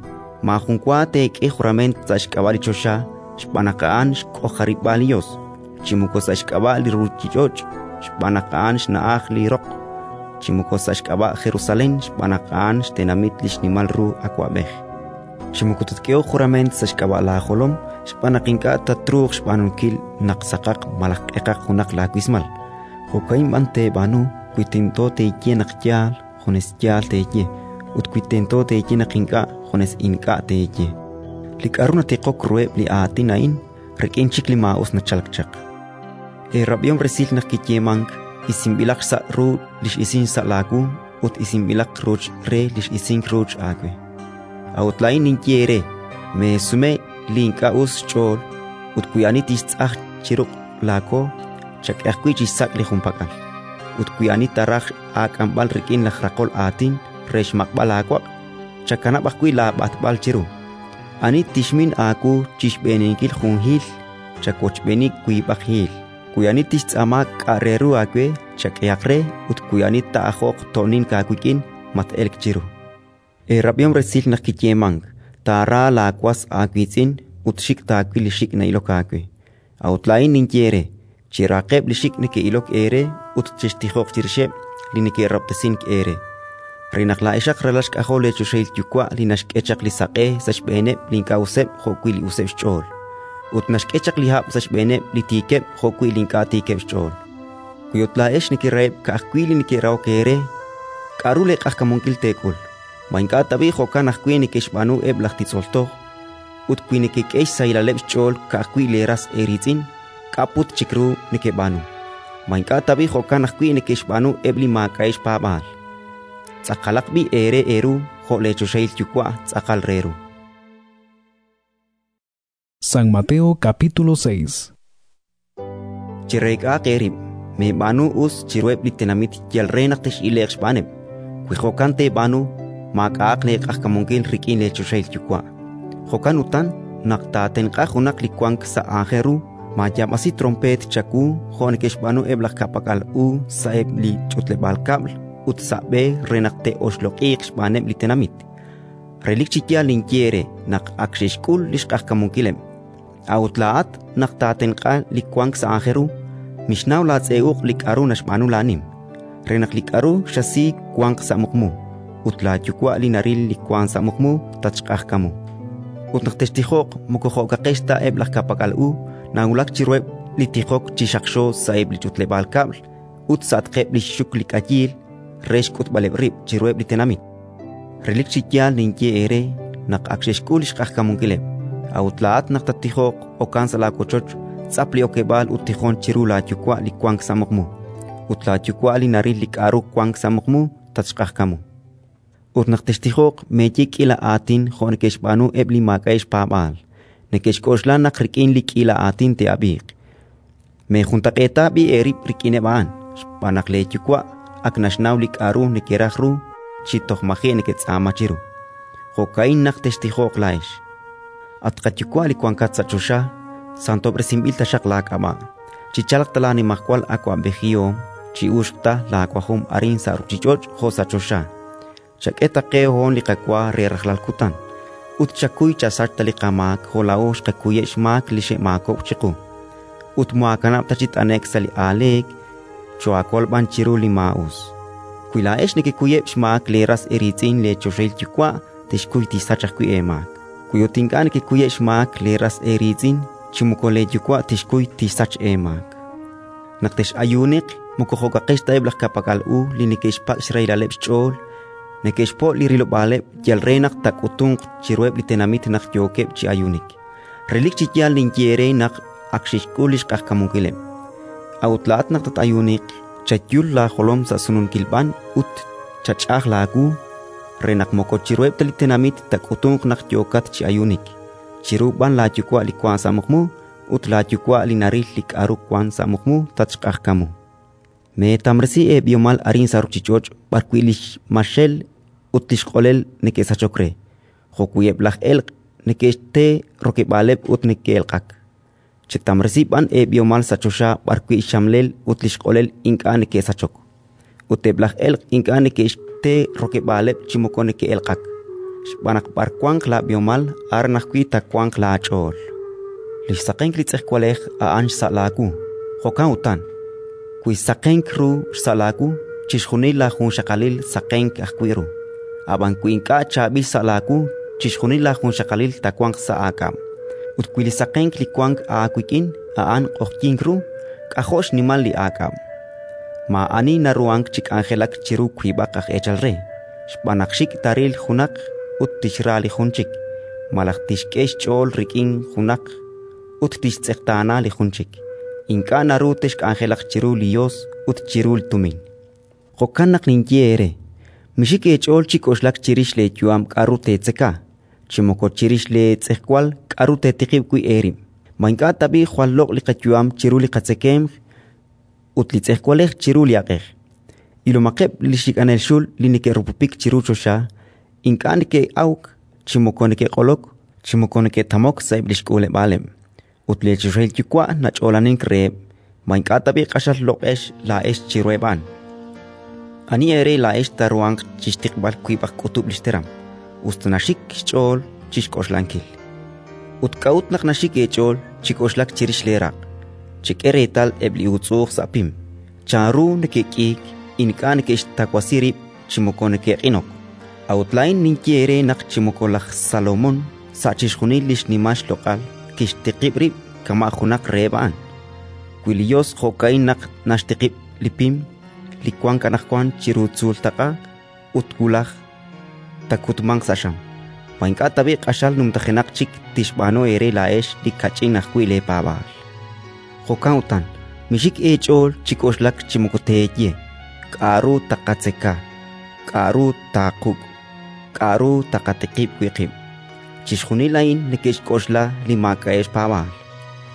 Speaker 10: maajun wa teek'e jurament sa' xk'ab'a' li choxa, xb'aan naq a'an xk'ojarib'aal li Yos, chi moko sa' xk'ab'a' li ruuchich'och', xb'aan naq a'an xna'aj li roq, chi moko sa' xk'ab'a' Jerusalén, xb'aan naq a'an xtenamit li xnimal ru Awab'ej. Chi moko tatk'ehoq jurament sa' xk'ab'a' laajolom, xb'aan naq ink'a' tatruuq xb'aanunkil naq saqaq malaj q'eqaq junaq laawismal. Jo'ka'in b'an teeb'aanu wi tento teeye naq yaal, junes yaal teeye, ut wi tento teeye naq ink'a', junes ink'a' teeye. Li k'aru natiqok ruheb' li aatin a'in, rik'in chik li maa'us nachalk chaq. Eerab'ihom resil naq kiyeemank: «Isinb'ilaq xsa' ru li x'isink sa' laawu ut isinb'ilaq ruuch re li x'isink ruuch aawe». A'ut laa'in ninye eere: meesume li ink'a' us xch'ool, ut wi ani tixtz'aj chi ruq' laako, chak'e ajwi' chi xsak' li junpak'al. Ut wi ani taaraj aak'amb'al rik'in laj raqol aatin re xmaq'b'al aawaq', chakanab' ajwi' laab'atb'al chiru. Ani tixmin aawu chi xb'eeninkil jun hiil, chawochb'eeni wiib'aq hiil. Wi ani tixtz'aama k'a' re ru aawe, chak'ehaq re; ut wi ani taa'ajoq to'nink aawik'in, mat-elk chiru. Eerab'ihom resil naq kiyeemank: «Taara laawas aawiitz'in ut xik' taawil li xik' na'ilok aawe». A'ut laa'in ninye eere: cherahaqeb' li xik' neke'ilok eere ut chextijoq chirixeb' li neke'rahob'tesink eere, re naq laa'exaq ralal xk'ajol leechoxahil Yuwa' li naxk'e chaq li saq'e sa' xb'eeneb' li ink'a' useb' jo'wi' li useb' xch'ool, ut naxk'e chaq li hab' sa' xb'eeneb' li tiikeb' jo'wi' li ink'a' tiikeb' xch'ool. Wi ut laa'ex nekeraheb' ka'ajwi' li neke'rahok eere, k'aru leeq'ajkamunkil teek'ul? Ma ink'a' tab'i' jo'kan ajwi' neke'xb'aanu eb' laj titz'ol toj? Ut wi nekek'e xsahilaleb' xch'ool ka'ajwi' leeras eeriitz'in, k'a' put chik ru nekeb'aanu? Ma ink'a' tab'i' jo'kan ajwi' neke'xb'aanu eb' li maak'a'eb' xpaab'aal? Tz'aqalaq b'i' eere eeru jo' leechoxahil Yuwa' tz'aqal re ru.
Speaker 8: San Mateo capítulo seis.
Speaker 10: Chereek'ahaq eerib', meeb'aanu us chiruheb' li tenamit yal re naq tex'ile'q xb'aaneb'. Wi jo'kan teeb'aanu, maak'a'aq leeq'ajkamunkil rik'in leechoxahil Yuwa'. Jo'kan utan, naq taatenq'a junaq li wank sa' aajel ru, maayaab'asi tronpeet chawu jo' neke'xb'aanu eb' laj ka'pak'al u sa'eb' li ch'utleb'aal kab'l ut sa' b'e re naq te'oxloq'iiq xb'aaneb' li tenamit. Relik chi yaal ninye eere naq ak xe'xk'ul li xq'ajkamunkileb'. A'ut laa'at, naq taatenq'a li wank sa' aajel ru, mixnaw laatz'e uq' li k'aru naxb'aanu laanim, re naq li k'aru xasi wanq sa' muqmu, ut laaYuwa' li naril li wank sa' muqmu tatxq'ajkamu. Ut naq textijoq, moko jo'kaqex ta eb' laj ka'pak'al u, nawulak chiruheb' li tijok chi xaqxo sa'eb' li ch'utleb'aal kab'l ut sa'atqeb' li xxuk li k'ayiil re xk'utb'aleb' rib' chiruheb' li tenamit. Relik chi yaal ninye eere naq ak xe'xk'ul li xq'ajkamunkileb'. A'ut laa'at naq tattijoq, okan sa' laawochoch, tz'ap li okeb'aal ut tijon chiru laaYuwa' li wank sa' muqmu. Ut laaYuwa' li naril li k'aru wank sa' muqmu tatxq'ajkamu. Ut naq textijoq, meeye k'iila aatin jo' neke'xb'aanu eb' li maak'a'eb' xpaab'aal: neke'xk'oxla naq rik'in li k'iila aatin te'ab'iiq. Meejuntaq'eeta b'i' eerib' rik'ineb' a'an, xb'aan naq leeYuwa' ak naxnaw li k'aru nekeraj ru chi toj maji' neketz'aama chiru. Jo'ka'in naq textijoq laa'ex: At qaYuwa' li wankat sa' choxa, santob'resinb'il taxaq laak'ab'a'. Chichalq ta laanimajwal awab'ejihom, chi'uxq ta laawajom arin sa' ruuchich'och' jo' sa' choxa. Chak'e ta qe hoon li qawa re rajlal kutan, ut chakuy chasach ta li qamaak jo' laa'o xqakuyeb' xmaak li xe'maakob'k chiqu. Ut moohaakanab' ta chi t'ane'k sa' li aaleek, choohaakol b'an chiru li maa'us. Wi laa'ex nekekuyeb' xmaak leeras eeriitz'in, leechoxahil Yuwa' tixkuy tixsach ajwi' eemaak. Wi ut ink'a' nekekuyeb' xmaak leeras eeriitz'in, chi moko leeYuwa' tixkuy tixsach eemaak. Naq tex'ayuuniq, moko jo'kaqex ta eb' laj ka'pak'al u li neke'xpak' xrahilaleb' xch'ool, neke'xpo' li rilob'aaleb' yal re naq taak'utunq chiruheb' li tenamit naq yookeb' chi ayuunik. Relik chi yaal ninye eere naq ak xe'xk'ul li xq'ajkamunkileb'. A'ut laa'at naq tat-ayuuniq, chayul laajolom sa' sununkil b'an ut chach'aj laawu, re naq moko chiruheb' ta li tenamit taak'utunq naq yookat chi ayuunik, chiru b'an laaYuwa' li wank sa' muqmu, ut laaYuwa' li naril li k'aru wank sa' muqmu tatxq'ajkamu. Meetamresi eeb'ihomal arin sa' ruuchich'och' b'arwi' li xmaxel ut li xq'olel neke'sachok re, jo'wi' eb' laj elq' neke'xte rokeb'aaleb' ut neke'elq'ak. Chetamresi b'an eeb'ihomal sa' choxa b'arwi' xxamlel ut li xq'olel ink'a' neke'sachok, ut eb' laj elq' ink'a' neke'xte rokeb'aaleb' chi moko neke'elq'ak. Xb'aan naq b'ar wanq laab'ihomal, aran ajwi' taawanq laach'ool. Li xsaqenk li tz'ejwalej a'an xsa' laawu. Jo'kan utan, wi saqenk ru xsa' laawu, chixjunil laajunxaqalil saqenk ajwi' ru. Ab'an wi ink'a' chaab'il xsa' laawu, chixjunil laajunxaqalil taawanq sa' aak'ab'. Ut wi li saqenk li wank aawik'in a'an q'oqyink ru, k'ajo' xnimal li aak'ab'! Maa'ani naruhank chi k'anjelak chiru wiib'aq aj eechal re, xb'aan naq xik' taaril junaq ut tixra li jun chik, malaj tixk'e xch'ool rik'in junaq ut tixtz'eqtaana li jun chik. Ink'a' naru texk'anjelaq chiru li Yos ut chiru li tumin. Jo'kan naq ninye eere: mixik eech'ool chi k'oxlak chirix leeyu'am k'aru teetzeka, chi moko chirix leetz'ejwal k'aru teetiqib' wi' eerib'. Ma ink'a' tab'i' jwal loq' li qayu'am chiru li qatzekemq ut li tz'ejwalej chiru li aq'ej? Ilomaqeb' li xik'anel xul li neke'rupupik chiru choxa: ink'a' neke'awk chi moko neke'q'olok chi moko neke'tamok sa'eb' li xk'uuleb'aaleb', ut leechoxahil Yuwa' nach'oolanink reheb'. Ma ink'a' tab'i' q'axal loq'ex laa'ex chiruheb' a'an? Ani eere laa'ex taaruhanq chi xtiqb'al wiib'aq k'utub' li xteram, us ta naxik xch'ool chi xk'oxlankil? Ut k'a'ut naq naxik eech'ool chi k'oxlak chirix leeraq'? Chek'e reetal eb' li uutz'u'uj sa' pim, chanru neke'k'iik, ink'a' neke'xtawasi rib' chi moko neke'q'inok. A'ut laa'in ninye eere naq chi moko laj Salomón sa' chixjunil li xnimal xloq'al kixtiqib' rib' kama' junaq reheb' a'an. Wi li Yos jo'ka'in naq naxtiqib' li pim li wank anaqwan chiru tzuul taq'a ut wulaj taakutmanq sa' xam, ma ink'a' tab'i' q'axal numtajenaq chik tixb'aanu eere laa'ex li kach'in ajwi' leepaab'aal? Jo'kan utan, mixik eech'ool chi k'oxlak chi moko teeye: k'aru taqatzeka, k'aru taaquk', k'aru taqatiqib' wi' qib'. Chixjunil a'in neke'xk'oxla li maak'a'eb' xpaab'aal.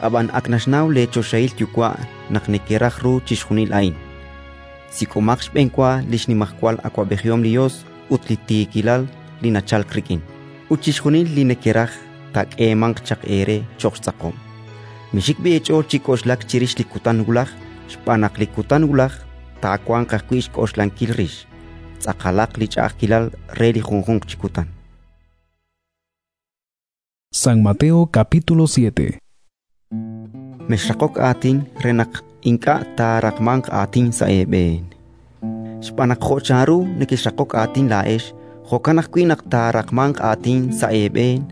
Speaker 10: Ab'an ak naxnaw leechoxahil Yuwa' naq nekeraj ru chixjunil a'in. Sik'omaq xb'enwa li xnimajwal awab'ejihom li Yos ut li tiikilal li nachalk rik'in, ut chixjunil li nekeraj taak'eemanq chaq eere cho'q xtz'aqob'. Mixik b'i' eech'ool chi k'oxlak chirix li kutan wulaj, xb'aan naq li kutan wulaj taawanq ajwi' xk'oxlankil rix. Tz'aqalaq li ch'a'ajkilal re li junjunq chi kutan.
Speaker 8: San Mateo capítulo siete.
Speaker 10: Mexraqok aatin re naq ink'a' taaraqmanq aatin sa' eeb'een. Xb'aan naq jo' chanru nekexraqok aatin laa'ex, jo'kan ajwi' naq taaraqmanq aatin sa' eeb'een,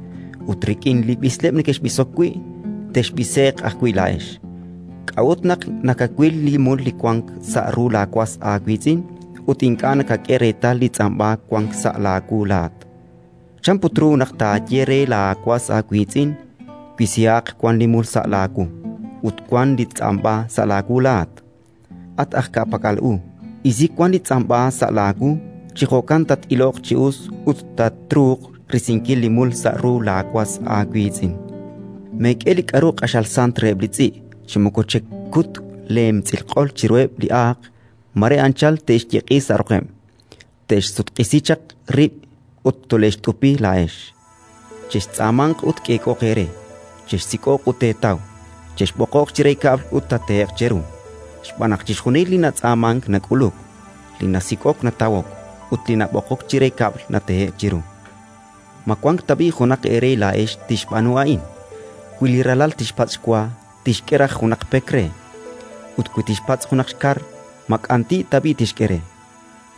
Speaker 10: Ut rik'in li b'isleb' nekexb'isok wi', texb'ise'q ajwi' laa'ex. K'a'ut naq nakawil li mul li wank sa' ru laawas aawiitz'in ut ink'a' nakak'e reetal li tz'amb'a wank sa' laawu laa'at? Chan put ru naq taaye re laawas aawiitz'in: «Wisihaq wan li mul sa' laawu», ut wank li tz'amb'a sa' laawu laa'at? At aj ka'pak'al u, isi wan li tz'amb'a sa' laawu, chi jo'kan tat-iloq chi us ut tatruuq risinkil li mul sa' ru laawas aawiitz'in. Meek'e li k'aru q'axal sant reheb' li tz'i', chi moko chekut leemtz'ilq'ol chiruheb' li aaq, mare anchal te'xyeq'i sa' roqeb', te'xsutq'isi chaq rib' ut tole'xt'upi laa'ex. Chextz'aamanq ut k'eek'ooq eere, chexsik'oq ut teetaw, chexb'oqoq chire kab'l ut taatehe'q cheru. Xb'aan naq chixjunil li natz'aamank nak'uluk, li nasik'ok natawok, ut li nab'oqok chire kab'l natehe'k chiru. Ma wank tab'i' junaq eere laa'ex tixb'aanu a'in? Wi li ralal tixpatz' xwa, tixk'e raj junaq pek re; ut wi tixpatz' junaq xkar, ma k'anti' tab'i' tixk'e re?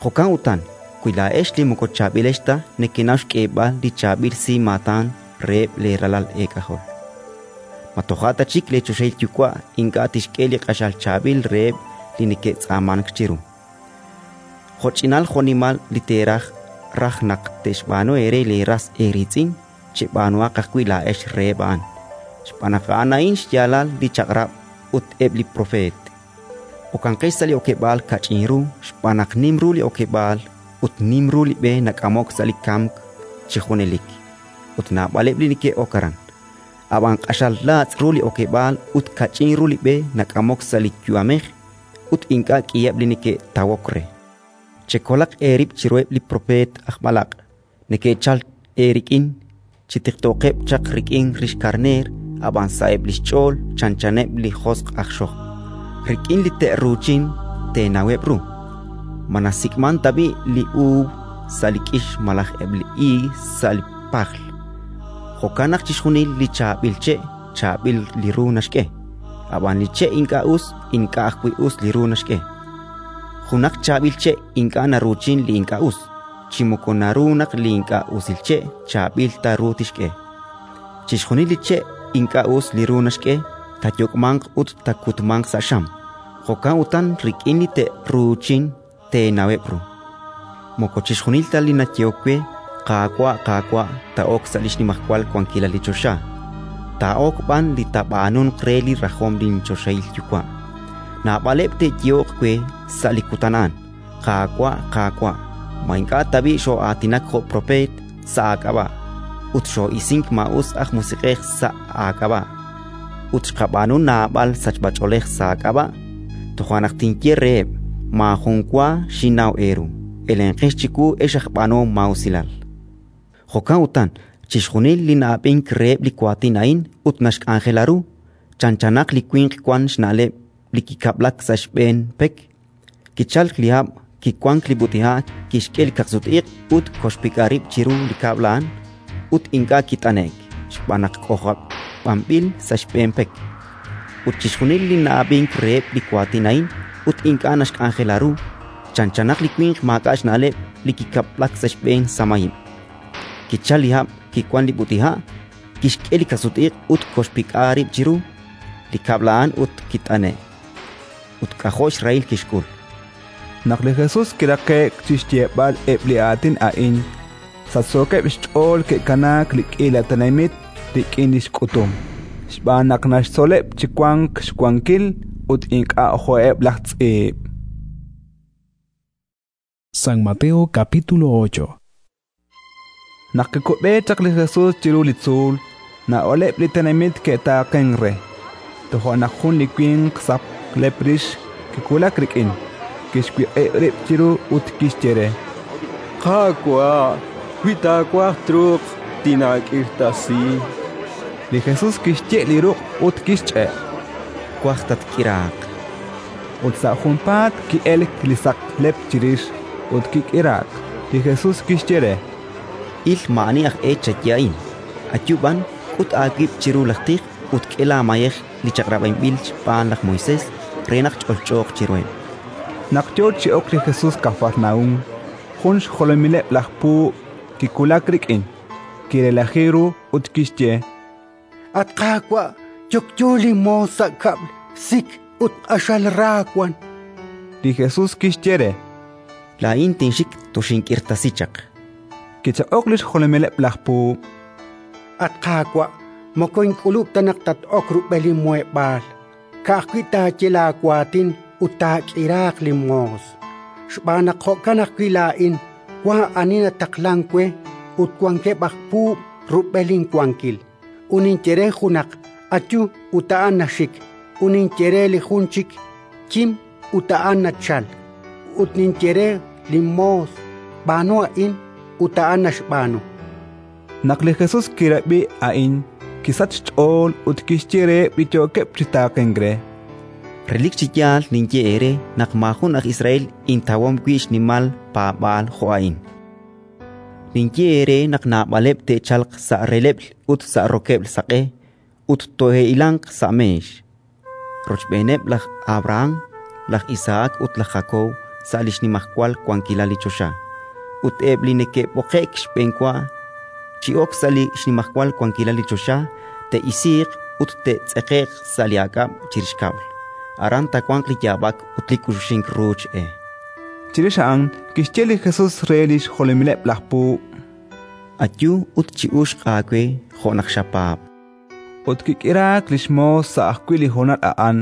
Speaker 10: Jo'kan utan, wi laa'ex li moko chaab'ilex ta nekenaw xk'eeb'al li chaab'il si maatan reheb' leeralal eek'ajol, ma toja' ta chik leechoxahil Yuwa' ink'a' tixk'e li q'axal chaab'il reheb' li neke'tz'aamank chiru? Jo'ch'inal jo'nimal li teeraj raj naq te'xb'aanu eere leeras eeriitz'in, cheb'aanuhaq ajwi' laa'ex reheb' a'an, xb'aan naq a'an a'in xyaalal li Chaq'rab' ut eb' li propeet. Okanqex sa' li okeb'aal kach'in ru, xb'aan naq nim ru li okeb'aal ut nim ru li b'e nak'amok sa' li kamk chi junelik, ut naab'aleb' li neke'ok aran. Ab'an q'axal laatz' ru li okeb'aal ut kach'in ru li b'e nak'amok sa' li yu'amej, ut ink'a' k'iheb' li neke'tawok re. Chekolaq eerib' chiruheb' li propeet aj b'alaq' neke'chalk eerik'in chi tiqtooqeb' chaq rik'in rix karneer, ab'an sa'eb' li xch'ool chanchaneb' li josq' aj xojb'. Rik'in li te'ruuchin teenaweb' ru. Ma nasik'mank tab'i' li uub' sa' li k'ix malaj eb' li iig sa' li pajl? Jo'kan naq chixjunil li chaab'il che' chaab'il li ru naxk'e, ab'an li che' ink'a' us ink'a' ajwi' us li ru naxk'e. Junaq chaab'il che' ink'a' naruuchin li ink'a' us, chi moko naru naq li ink'a' usil che' chaab'il ta ru tixk'e. Chixjunil li che' ink'a' us li ru naxk'e taayok'manq ut taakutmanq sa' xam. Jo'kan utan rik'in li te'ruuchin teenaweb' ru. Moko chixjunil ta li nayehok we: «Qaawa', Qaawa'», taa'ok sa' li xnimajwal wankilal li choxa, taa'ok b'an li taab'aanunq re li rajom linchoxahil Yuwa'. Naab'aleb' te'yehoq we sa' li kutan a'an: «Qaawa', Qaawa', ma ink'a' tab'i' xoo'aatinak jo' propeet sa' aak'ab'a', ut xoo'isink maa'us aj musiq'ej sa' aak'ab'a', ut xqab'aanu naab'al sachb'ach'oolej sa' aak'ab'a'?» Toja' naq tinye reheb': «Maajun wa xinnaw eeru. Elenqex chiwu, ex aj b'aanuhom maa'usilal». Jo'kan utan, chixjunil li na'ab'ink reheb' li waatin a'in ut naxk'anjela ru, chanchanaq li winq wank xna'leb' li kikab'lak sa' xb'een pek. Kichalk li hab', kiwank li b'ut'iha', kixk'e li kaqsut-iq' ut koxpik'a rib' chiru li kab'l a'an, ut ink'a' kit'ane'k, xb'aan naq k'ojob'anb'il sa' xb'een pek. Ut chixjunil li na'ab'ink reheb' li waatin a'in ut ink'a' naxk'anjela ru, chanchanaq li winq maak'a' xna'leb' li kikab'lak sa' xb'een samahib'. Kichalk li hab', kiwank li b'ut'iha', kixk'e li kaqsut-iq' ut koxpik'a rib' chiru li kab'l a'an ut kit'ane'k. Ut k'ajo' xrahil kixk'ul.
Speaker 2: Naq li Jesus kiraqe'k chi xyeeb'al eb' li aatin a'in, sachsookeb' xch'ool ke'kanaak li k'iila tenamit rik'in li xk'utum, xb'aan naq naxtzoleb' chi wank xwankil ut ink'a' jo'eb' laj tz'iib'.
Speaker 8: San Mateo capítulo ocho.
Speaker 2: Naq kikub'e chaq li Jesus chiru li tzuul, naab'aleb' li tenamit ke'taaqenk re. Toja' naq jun li winq saqlep rix kiwulak rik'in, kixwiq'ib' rib' chiru ut kixye re:
Speaker 13: —Qaawa', wi taawaj truuq tinaak'irtasi.
Speaker 2: Li Jesus kixye' li ruq' ut kixch'e':
Speaker 10: —Twaj tatk'iraaq.
Speaker 2: Ut sa' junpaat ki'elk li saqlep chirix ut kik'iraak. Li Jesus kixye re:
Speaker 10: —Il maa'ani aj e chaye a'in. Ayu b'an, k'ut aawib' chiru laj tij ut k'e laamayej li chaq'rab'inb'il xb'aan laj Moisés re naq ch'olch'ooq chiruheb'.
Speaker 2: Naq yo chi ok li Jesus Kafarnaúm, jun xjolomileb' laj puub' kiwulak rik'in, Kirelaji ru ut kixye:
Speaker 1: At Qaawa', yokyo linmoos sa' kab'l, sik ut q'axal ra wank.
Speaker 2: Li Jesus kixye re:
Speaker 10: Laa'in tinxik toxink'irtasi chaq.
Speaker 2: Kichaq'ok li xjolomileb' laj puub':
Speaker 1: At Qaawa', moko ink'ulub' ta naq tat-ok rub'el linmuheb'aal. Ka'ajwi' taaye laawaatin ut taak'iraaq linmoos. Xb'aan naq jo'kan ajwi' laa'in wank ani nataqlank we ut wankeb' aj puub' rub'el inwankil. Ut ninye re junaq: «Ayu», ut a'an naxik; ut ninye re li jun chik: «Kim», ut a'an nachalk; ut ninye re linmoos: «B'aanu a'in», ut a'an naxb'aanu.
Speaker 2: Naq li Jesus kirab'i a'in, kisachk xch'ool ut kixye reheb' li yookeb' chi taaqenk re:
Speaker 10: Relik chi yaal ninye eere naq maajun aj Israel intawom wi' xnimal paab'aal jo' a'in. Ninye eere naq naab'aleb' te'chalq sa' releb'l ut sa' rokeb'l saq'e ut to'e'hilanq sa' meex, rochb'eeneb' laj Abrahán, laj Isahak ut laj Jakob sa' li xnimajwal wankilal li choxa; ut eb' li neke'b'oqe'k xb'enwa chi ok sa' li xnimajwal wankilal li choxa te'isiiq ut te'tz'eqe'q sa' li aak'ab' chirix kab'l. Aran taawanq li yaab'ak ut li k'uxuxink ruuch e.
Speaker 2: Chirix a'an kixye li Jesus re li xjolomileb' laj puub':
Speaker 10: Ayu ut chi'uxq aawe jo' naq xapaab'.
Speaker 2: Ut kik'iraak li xmoos sa' ajwi' li honal a'an.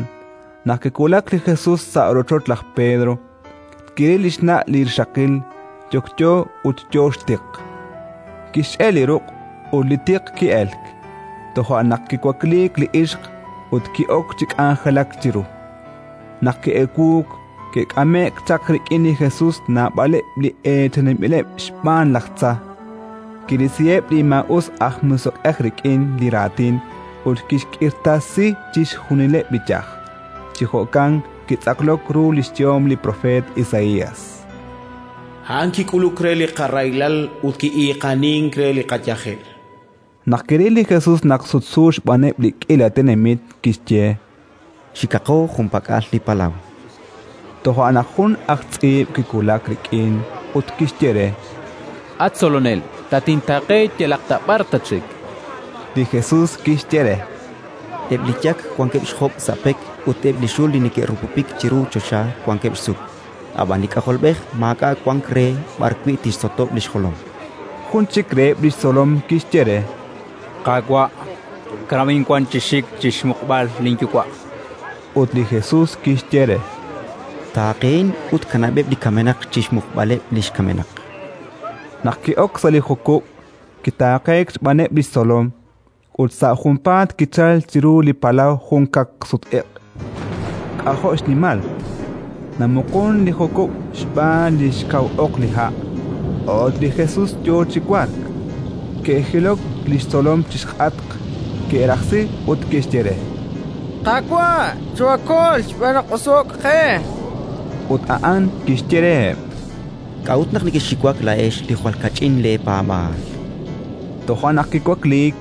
Speaker 2: Naq kiwulak li Jesus sa' rochoch laj Pedro, kiril li xna' li rixaqil yokyo ut yo xtiq. Kixch'e' li ruq' ut li tiq ki'elk. Toja' naq kiwakliik li ixq ut ki'ok chi k'anjelak chiru. Naq ki'ewuuk, ke'k'ame'k chaq rik'in li Jesus naab'aleb' li eechaninb'ileb' xb'aan laj tza. Kirisiheb' li maa'us aj musiq'ej rik'in li raatin ut kixk'irtasi chixjunileb' li yaj. Chi jo'kan kitz'aqlok ru li xyehom li propeet Isaías:
Speaker 3: A'an kik'uluk re li qarahilal ut ki'iiqanink re li qayajel.
Speaker 2: Naq kiril li Jesus naq sutsu xb'aaneb' li k'iila tenamit, kixye:
Speaker 10: Xikaqo junpak'al li palaw.
Speaker 2: Toja' naq jun aj tz'iib' kiwulak rik'in ut kixye re:
Speaker 6: At Tzolonel, tatintaaqe yalaq ta b'ar tatxik.
Speaker 2: Li Jesus kixye re:
Speaker 10: Eb' li yak wankeb' xjob' sa' pek ut eb' li xul li neke'rupupik chiru choxa wankeb' xsuk, ab'an li K'ajolb'ej maak'a' wank re b'arwi' tixsotob' li xjolom.
Speaker 2: Jun chik reheb' li xtzolom kixye re:
Speaker 14: Qaawa', kanab'in wan chi xik chi xmuqb'al linyuwa'.
Speaker 2: Ut li Jesus kixye re:
Speaker 10: Taaqehin ut kanab'eb' li kamenaq chi xmuqb'aleb' li xkamenaq.
Speaker 2: Naq ki'ok sa' li jukub', kitaaqeek xb'aaneb' li xtzolom, ut sa' junpaat kichalk chiru li palaw jun kaqsut-iq' k'ajo' xnimal. Namuqun li jukub' xb'aan li xkaw oq li ha', ut li Jesus yo chi wark. Ke'jilok li xtzolom chi xk'atq, ke'rajsi ut ke'xye re:
Speaker 15: Qaawa', choohakol xb'aan naq oso'k qe!
Speaker 2: Ut a'an kixye reheb':
Speaker 10: K'a'ut naq nekexxiwak laa'ex li jwal kach'in leepaab'aal?
Speaker 2: Toja' naq kiwakliik,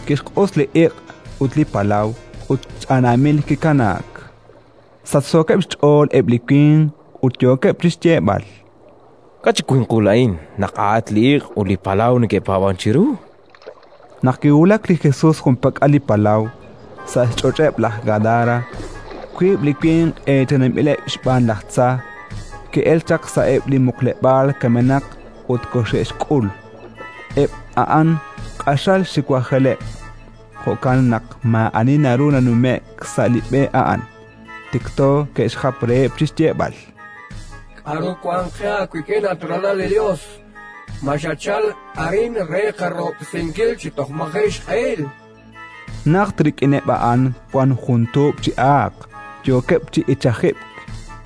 Speaker 2: kixq'us li iq' ut li palaw, ut ch'anaamil kikanaak. Sachsookeb' xch'ool eb' li winq ut yookeb' chi xyeeb'al:
Speaker 16: K'a' chi winqul a'in naq a'at li iq' ut li palaw neke'paab'ank chiru?
Speaker 2: Naq kiwulak li Jesus junpak'al li palaw, sa' xch'och'eb' laj Gadara, wiib' li winq eechaninb'ileb' xb'aan laj tza ke'elk chaq sa'eb' li muqleb'aal kamenaq ut koxe'xk'ul. Eb' a'an q'axal xiwajeleb', jo'kan naq maa'ani naru nanume'k sa' li b'e a'an. Tikto ke'xjap reheb' chi xyeeb'al:
Speaker 12: K'aru wank qe aawik'in, at ralal li Yos? Ma xachalk arin re qarahob'tesinkil chi toj maji' xq'ehil?
Speaker 2: Najt rik'ineb' a'an wank jun tuub' chi aaq, yookeb' chi ichajib'k,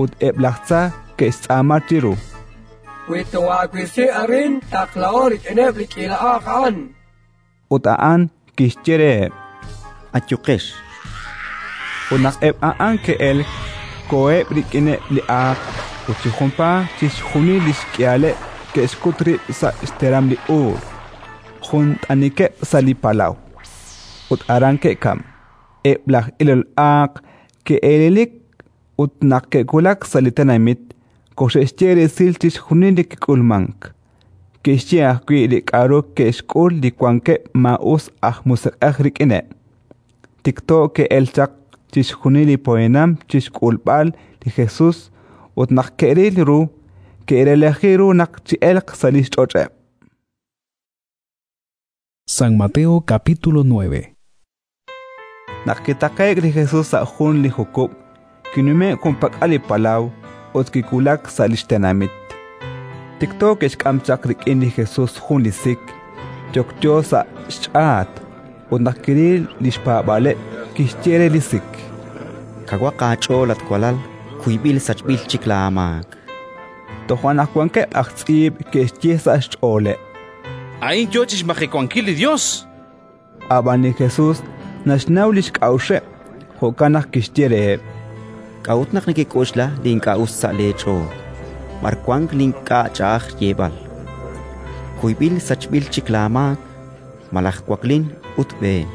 Speaker 2: ut eb' laj tza ke'xtz'aama chiru:
Speaker 12: Wi toohaawisi arin, taqlaho rik'ineb' li k'iila aaq a'an.
Speaker 2: Ut a'an kixye reheb':
Speaker 10: Ayuqex.
Speaker 2: Ut naq eb' a'an ke'elk, koheb' rik'ineb' li aaq, ut chi junpaat chixjunil li xk'ihaleb' ke'xkut rib' sa' xteram li uul, jun t'anikeb' sa' li palaw, ut aran ke'kamk. Eb' laj ilol aaq ke'elelik ut naq ke'wulak sa' li tenamit, koxe'xye resil chixjunil li kik'ulmank. Ke'xye ajwi' li k'aru ke'xk'ul li wankeb' maa'us aj musiq'ej rik'ineb'. Tikto ke'elk chaq chixjunil li poyanam chi xk'ulb'al li Jesus ut naq ke'ril ru, ke'relaji ru naq chi'elq sa' li xch'och'eb'.
Speaker 8: San Mateo capítulo nueve.
Speaker 2: Naq kitaqe'k li Jesus sa' jun li jukub', kinume'k junpak'al li palaw ut kiwulak sa' li xtenamit. Tikto ke'xk'am chaq rik'in li Jesus jun li sik, yokyo sa' xch'aat, ut naq kiril li xpaab'aaleb', kixye re li sik:
Speaker 10: Kawaq aach'ool, at walal, kuyb'il sachb'il chik laamaak.
Speaker 2: Toja' naq wankeb' aj tz'iib' ke'xye sa' xch'ooleb':
Speaker 7: A'in yo chi xmajewankil li Yos.
Speaker 2: Ab'an li Jesus naxnaw li xk'a'uxeb', jo'kan naq kixye reheb':
Speaker 10: K'a'ut naq nekek'oxla li ink'a' us sa' leech'ool? B'ar wank li ink'a' ch'a'aj xyeeb'al: «Kuyb'il sachb'il chik laamaak», malaj «Waklin ut b'een»?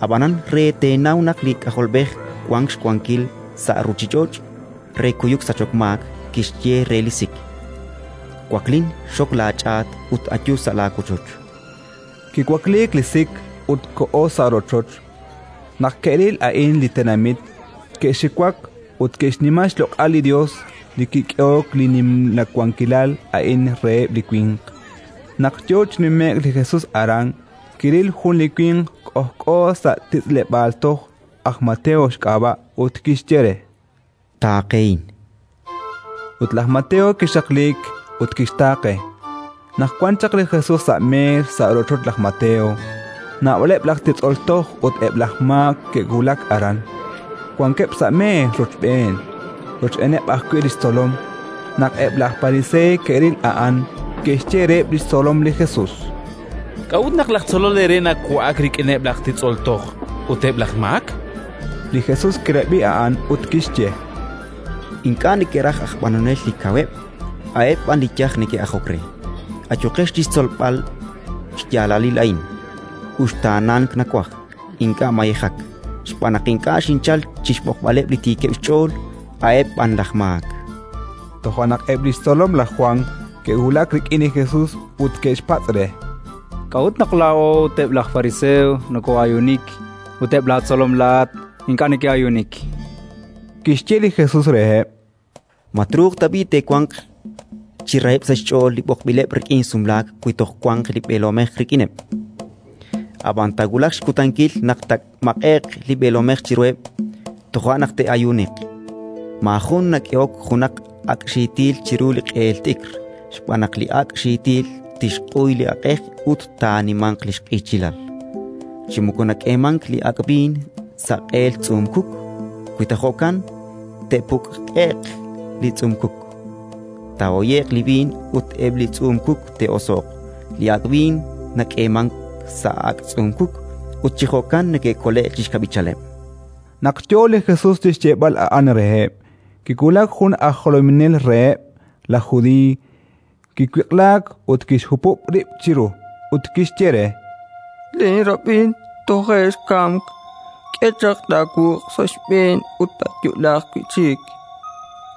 Speaker 10: Ab'anan re teenaw naq li K'ajolb'ej wank xwankil sa' ruuchich'och' re kuyuk sachok maak, kixye re li sik: «Waklin, xok laach'aat ut ayu sa' laawochoch».
Speaker 2: Kiwakliik li sik ut koho sa' rochoch. Naq ke'ril a'in li tenamit, ke'xiwak ut ke'xnima xloq'al li Yos li kik'ehok li nimla wankilal a'in reheb' li winq. Naq yo chi nume'k li Jesus aran, kiril jun li winq k'ojk'o sa' titz'leb'aal toj, aj Mateo xk'ab'a', ut kixye re:
Speaker 10: Taaqehin.
Speaker 2: Ut laj Mateo kixaqliik ut kixtaaqe. Naq wan chaq li Jesus sa' meer sa' rochoch laj Mateo, naab'aleb' laj titz'ol toj ut eb' laj maak ke'wulak aran. Wankeb' sa' meer rochb'een, rochb'eeneb' ajwi' li xtzolom. Naq eb' laj Pariseey ke'ril a'an, ke'xye reheb' li xtzolom li Jesus:
Speaker 7: K'a'ut naq laj tzolol eere nawa'ak rik'ineb' laj titz'ol toj ut eb' laj maak?
Speaker 2: Li Jesus kirab'i a'an ut kixye:
Speaker 10: Ink'a' neke'raj aj b'anonel li kaweb', a'eb' b'an li yaj neke'ajok re. Ayuqex chi xtzolb'al xyaalalil a'in: «Uxtaanank nawaj, ink'a' mayejak», xb'aan naq ink'a' xinchalk chi xb'oqb'aleb' li tiikeb' xch'ool, a'eb' b'an laj maak.
Speaker 2: Toja' naq eb' li xtzolom laj Jwan ke'wulak rik'in li Jesus ut ke'xpatz' re:
Speaker 14: K'a'ut naq laa'o ut eb' laj fariseo nokoo'ayuunik ut eb' laatzolom laa'at ink'a' neke'ayuunik?
Speaker 2: Kixye li Jesus reheb':
Speaker 10: Ma truuq tab'i' te'wanq chi raheb' sa' xch'ool li b'oqb'ileb' rik'in sumlaak wi toj wanq li b'eelomej rik'ineb'? Ab'an taawulaq xkutankil naq taamaq'e'q li b'eelomej chiruheb', toja' naq te'ayuuniq. Maajun nak'ehok junaq ak' xiitil chiru li q'eel t'ikr, xb'aan naq li ak' xiitil tixq'uy li aq'ej ut taanimanq li xq'ichilal. Chi moko nak'eemank li ak' b'iin sa' q'eel tz'uum-kuk; wi ta jo'kan, te'puk'e'q li tz'uum-kuk, taahoye'q li b'iin ut eb' li tz'uum-kuk te'oso'q. Li ak' b'iin nak'eemank sa' ak' tz'uum-kuk, ut chi jo'kan neke'kole'k chi xkab'ichaleb'.
Speaker 2: Naq yo li Jesus chi xyeeb'al a'an reheb', kiwulak jun aj jolominel reheb' laj Judiiy, kiwiq'laak ut kixhupub' rib' chiru, ut kixye re:
Speaker 15: Linrab'in toje' xkamk, k'e chaq laawuq' sa' xb'een ut taayo'laaq wi' chik.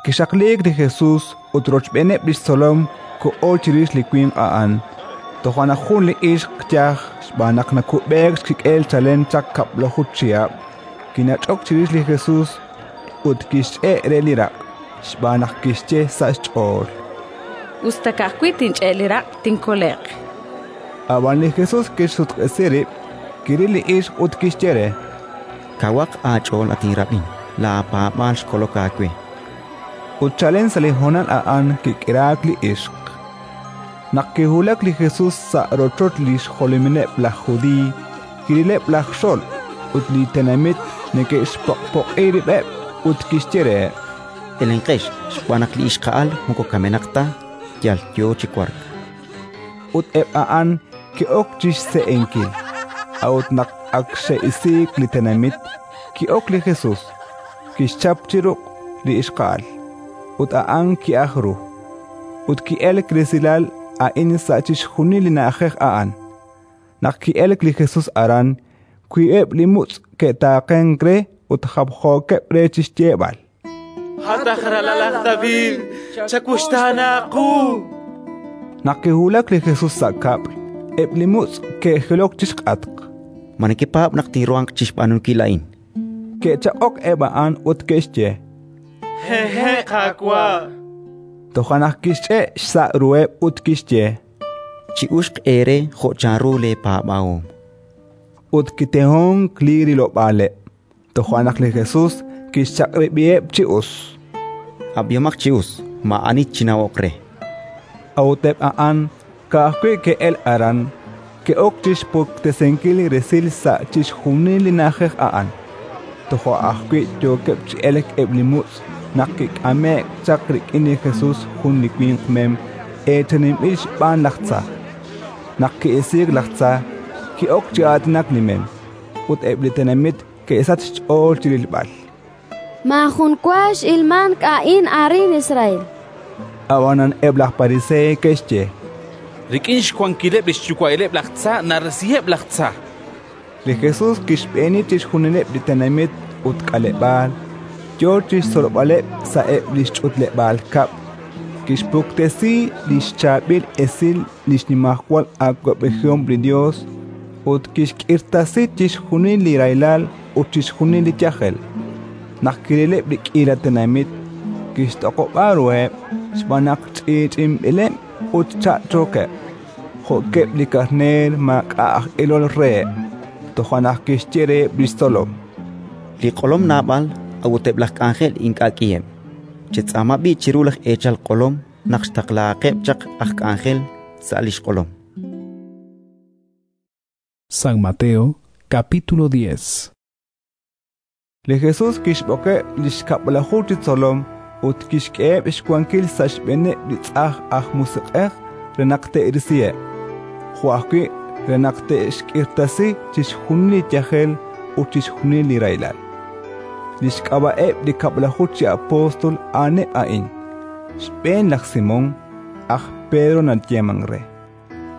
Speaker 2: Kixaqliik li Jesus ut rochb'eeneb' li xtzolom koho chirix li winq a'an. Toja' naq jun li ixq yaj xb'aan naq nakub'eek xkik'el chalen chaq kab'laju chihab', kinach'ok chirix li Jesus ut kixch'e' re li raq', xb'aan naq kixye sa' xch'ool:
Speaker 17: Us ta ka'ajwi' tinch'e' li raq', tinkole'q.
Speaker 2: Ab'an li Jesus kixsutq'isi rib', kiril li ixq ut kixye re:
Speaker 10: Kawaq aach'ool, at inrab'in, laapaab'aal xkolok aawe.
Speaker 2: Ut chalen sa' li hoonal a'an kik'iraak li ixq. Naq kiwulak li Jesus sa' rochoch li xjolomileb' laj Judiiy, kirileb' laj xolb' ut li tenamit neke'xpoq'poq'i rib'eb' ut kixye reheb':
Speaker 10: Elenqex, xb'aan naq li ixqa'al moko kamenaq ta, yal yo chi wark.
Speaker 2: Ut eb' a'an ke'ok chi xse'enkil. A'ut naq ak xe'isiik li tenamit, ki'ok li Jesus, kixchap chi ruq' li ixqa'al, ut a'an ki'aj ru. Ut ki'elk resilal a'in sa' chixjunil li na'ajej a'an. Naq ki'elk li Jesus aran, wiib'eb' li mutz' ke'taaqenk re ut japjookeb' re chi xyeeb'al:
Speaker 7: At aj ralal laj David, chawuxtaana qu!
Speaker 2: Naq kiwulak li Jesus sa' kab'l, eb' li mutz' ke'jilok chi xk'atq.
Speaker 10: Ma nekepaab' naq tinruhanq chi xb'aanunkil a'in?
Speaker 2: Ke'chaq'ok eb' a'an ut ke'xye:
Speaker 18: Hehe', Qaawa'.
Speaker 2: Toja' naq kixch'e' xsa' ruheb' ut kixye:
Speaker 10: Chi'uxq eere jo' chanru leepaab'ahom.
Speaker 2: Ut kitehonk li rilob'aaleb'. Toja' naq li Jesus kixchaq'rab'iheb' chi us:
Speaker 10: Ab'ihomaq chi us, maa'ani chinawoq re.
Speaker 2: A'ut eb' a'an ka'ajwi' ke'elk aran, ke'ok chi xpuktesinkil resil sa' chixjunil li na'ajej a'an. Toja' ajwi' yookeb' chi elk eb' li mutz' naq kik'ame'k chaq rik'in li Jesus jun li winq mem eechaninb'il xb'aan laj tza. Naq ki'isiik laj tza, ki'ok chi aatinak li mem, ut eb' li tenamit ke'sachk xch'ool chi rilb'al.
Speaker 19: Maajun wa x'ilmank a'in arin Israel.
Speaker 2: Ab'anan eb' laj Pariseey ke'xye:
Speaker 7: Rik'in xwankileb' li xyuwa'ileb' laj tza narisiheb' laj tza.
Speaker 2: Li Jesus kixb'eeni chixjunileb' li tenamit ut k'aleb'aal, yo chi xtzolb'aleb' sa'eb' li xch'utleb'aal kab'l, kixpuktesi li xchaab'il esil li xnimajwal awab'ejihom li Yos ut kixk'irtasi chixjunil li rahilal ut chixjunil li yajel. Naq kirileb' li k'iila tenamit, kixtoq'ob'a ruheb' xb'aan naq ch'i'ch'inb'ileb' ut cha'chookeb', jo'keb' li karneer maak'a' aj ilol reheb'. Toja' naq kixye reheb' li xtzolom:
Speaker 10: Li q'olom naab'al, a'ut eb' laj k'anjel ink'a' k'iheb'. Chetz'aama b'i' chiru laj eechal q'olom naq xtaqlahaqeb' chaq aj k'anjel sa' li xq'olom.
Speaker 8: San Mateo, capítulo diez.
Speaker 2: Li Jesus kixb'oqeb' li xkab'laju chi tzolom ut kixk'eheb' xwankil sa' xb'eeneb' li tz'aj aj musiq'ej re naq te'risiheb', jo' ajwi' re naq te'xk'irtasi chixjunil li yajel ut chixjunil li rahilal. Li xk'ab'a'eb' li kab'laju chi apóstol a'aneb' a'in: xb'een laj Simón, aj Pedro nayeemank re,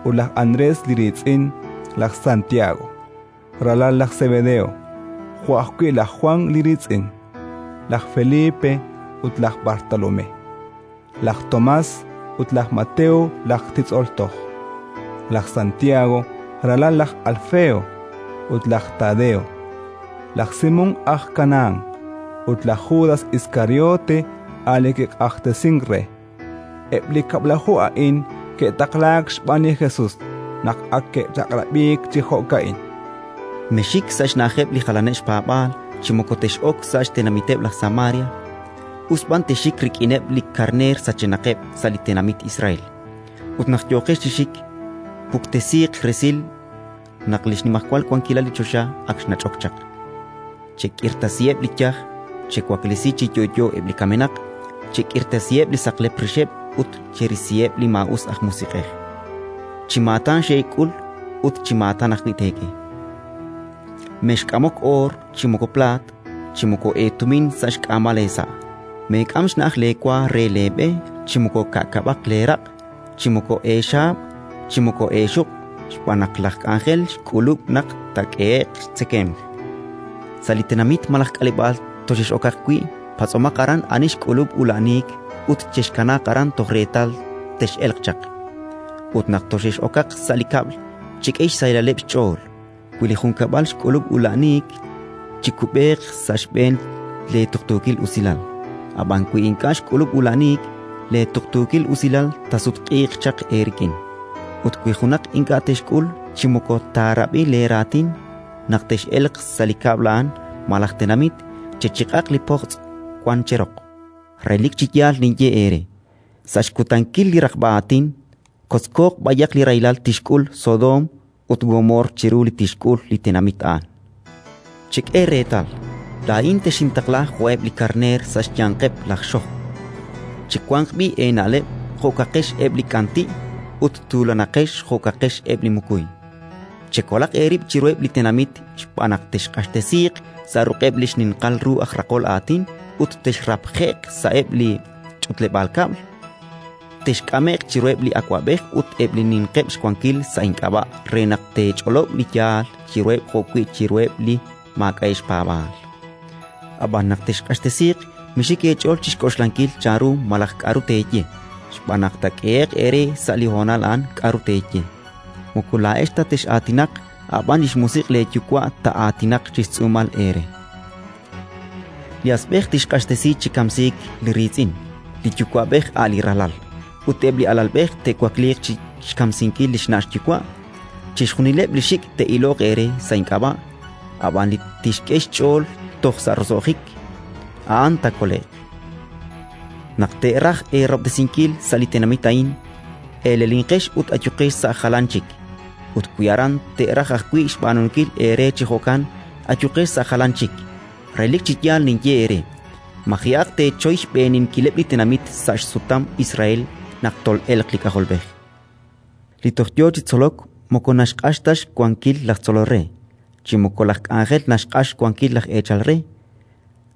Speaker 2: ut laj Andrés li riitz'in, laj Santiago, ralal laj Zebedeo, jo' ajwi' laj Juan li riitz'in, laj Felipe ut laj Bartolomé, laj Tomás ut laj Mateo laj titz'ol toj, laj Santiago, ralal laj Alfeo, ut laj Tadeo, laj Simón aj Canaán, ut laj Judas Iskariote a' li kiq'axtesink re. Eb' li kab'laju a'in ke'taqlaak xb'aan li Jesus naq ak ke'chaq'rab'iik chi jo'ka'in:
Speaker 10: Mexxik sa' xna'ajeb' li jalaneb' xpaab'aal chi moko tex'ok sa' xtenamiteb' laj Samaria, us b'an texxik rik'ineb' li karneer sachenaqeb' sa' li tenamit Israel. Ut naq yooqex chi xik, puktesiiq resil naq li xnimajwal wankilal li choxa ak xnach'ok chaq. Chek'irtasiheb' li yaj, chewaklesi chi yo'yo eb' li kamenaq, chek'irtasiheb' li saqlep rixeb' ut cherisiheb' li maa'us aj musiq'ej. Chi maatan xeek'ul ut chi maatan ajwi' teek'e. Mexk'amok oor chi moko plaat, chi moko eetumin sa' xk'aamal eesa'. Meek'am xna'aj leewa re leeb'e, chi moko ka'kab'aq leeraq', chi moko eexaab', chi moko eexuq', xb'aan naq laj k'anjel xk'ulub' naq taak'ehe'q xtzekemq. Sa' li tenamit malaj k'aleb'aal toxex'okaq wi', patz'omaq aran ani xk'ulub' ula'aniik ut chexkanaaq aran toj reetal tex'elq chaq. Ut naq toxex'okaq sa' li kab'l, chek'e xsahilaleb' xch'ool. Wi li junkab'al xk'ulub' ula'aniik, chikub'eeq sa' xb'een leetuqtuukil usilal. Ab'an wi ink'a' xk'ulub' ula'aniik, leetuqtuukil usilal taasutq'iiq chaq eerik'in. Ut wi junaq ink'a' texk'ul chi moko taarab'i leeraatin, naq tex'elq sa' li kab'l a'an malaj tenamit, chechiq'aq li pojtz' wank cheroq. Relik chi yaal ninye eere: sa' xkutankil li raqb'a aatin, kotzkooq b'ayaq li rahilal tixk'ul Sodoom ut Gomoor chiru li tixk'ul li tenamit a'an. Chek'e reetal, laa'in texintaqla jo'eb' li karneer sa' xyanqeb' laj xojb'. Chiwanq b'i' eena'leb' jo'kaqex eb' li k'anti' ut tuulanaqex jo'kaqex eb' li mukuy. Chekolaq eerib' chiruheb' li tenamit xb'aan naq texq'axtesiiq sa' ruq'eb' li xninqal ru aj raqol aatin ut texrapje'q sa'eb' li ch'utleb'aal kab'l, texk'ame'q chiruheb' li awab'ej ut eb' li ninqeb' xwankil sa' ink'ab'a' re naq teech'olob' li yaal chiruheb' jo'wi' chiruheb' li maak'a'eb' xpaab'aal. Ab'an naq texq'axtesiiq, mixik eech'ool chi xk'oxlankil chanru malaj k'aru teeye, xb'aan naq taak'ehe'q eere sa' li honal a'an k'aru teeye. Moko laa'ex ta tex'aatinaq, ab'an li xMusiq' leeYuwa' taa'aatinaq chi xtz'uumal eere. Li asb'ej tixq'axtesi chi kamsiik li riitz'in, li yuwa'b'ej a' li ralal, ut eb' li alalb'ej te'wakliiq chi xkamsinkil li xna' xyuwa'. Chixjunileb' li xik' te'iloq eere sa' ink'ab'a', ab'an li tixk'e xch'ool toj sa' roso'jik, a'an taakole'q. Naq te'raj eerahob'tesinkil sa' li tenamit a'in, elelinqex ut ayuqex sa' jalan chik; ut wi aran te'raj ajwi' xb'aanunkil eere chi jo'kan, ayuqex sa' jalan chik. Relik chi yaal ninye eere: maji'aq teechoy xb'eeninkileb' li tenamit sa' xsutam Israel naq tol'elq li K'ajolb'ej. Li toj yo chi tzolok moko naxq'ax ta xwankil laj tzolol re, chi moko laj k'anjel naxq'ax xwankil laj eechal re.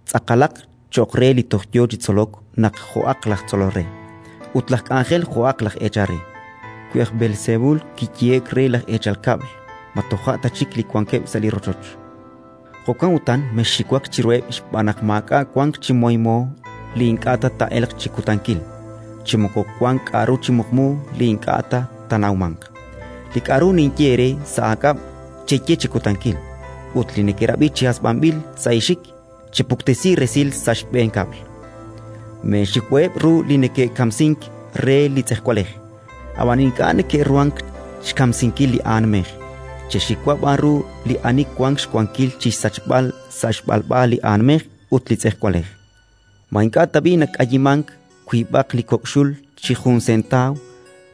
Speaker 10: Tz'aqalaq cho'q re li toj yo chi tzolok naq jo'aq laj tzolol re, ut laj k'anjel jo'aq laj eechal re. Wi aj Beelsebul kiyehe'k re laj eechal kab'l, ma toja' ta chik li wankeb' sa' li rochoch? Jo'kan utan mexxiwak chiruheb' xb'aan naq maak'a' wank chi moymo li ink'a' ta taa'elq chi kutankil, chi moko wank k'aru chi muqmu li ink'a' ta taanawmanq. Li k'aru ninye eere sa' aak'ab', cheye chi kutankil, ut li nekerab'i chi hasb'anb'il sa' eexik, chepuktesi resil sa' xb'een kab'l. Meexiwaheb' ru li neke'kamsink re li tz'ejwalej, ab'an ink'a' neke'ruhank xkamsinkil li aanmej. Chexiwa b'an ru li ani wank xwankil chi xsachb'al sa' xb'alb'a li aanmej ut li tz'ejwalej. Ma ink'a' tab'i' nak'ayimank wiib'aq li kok' xul chi jun sentaaw,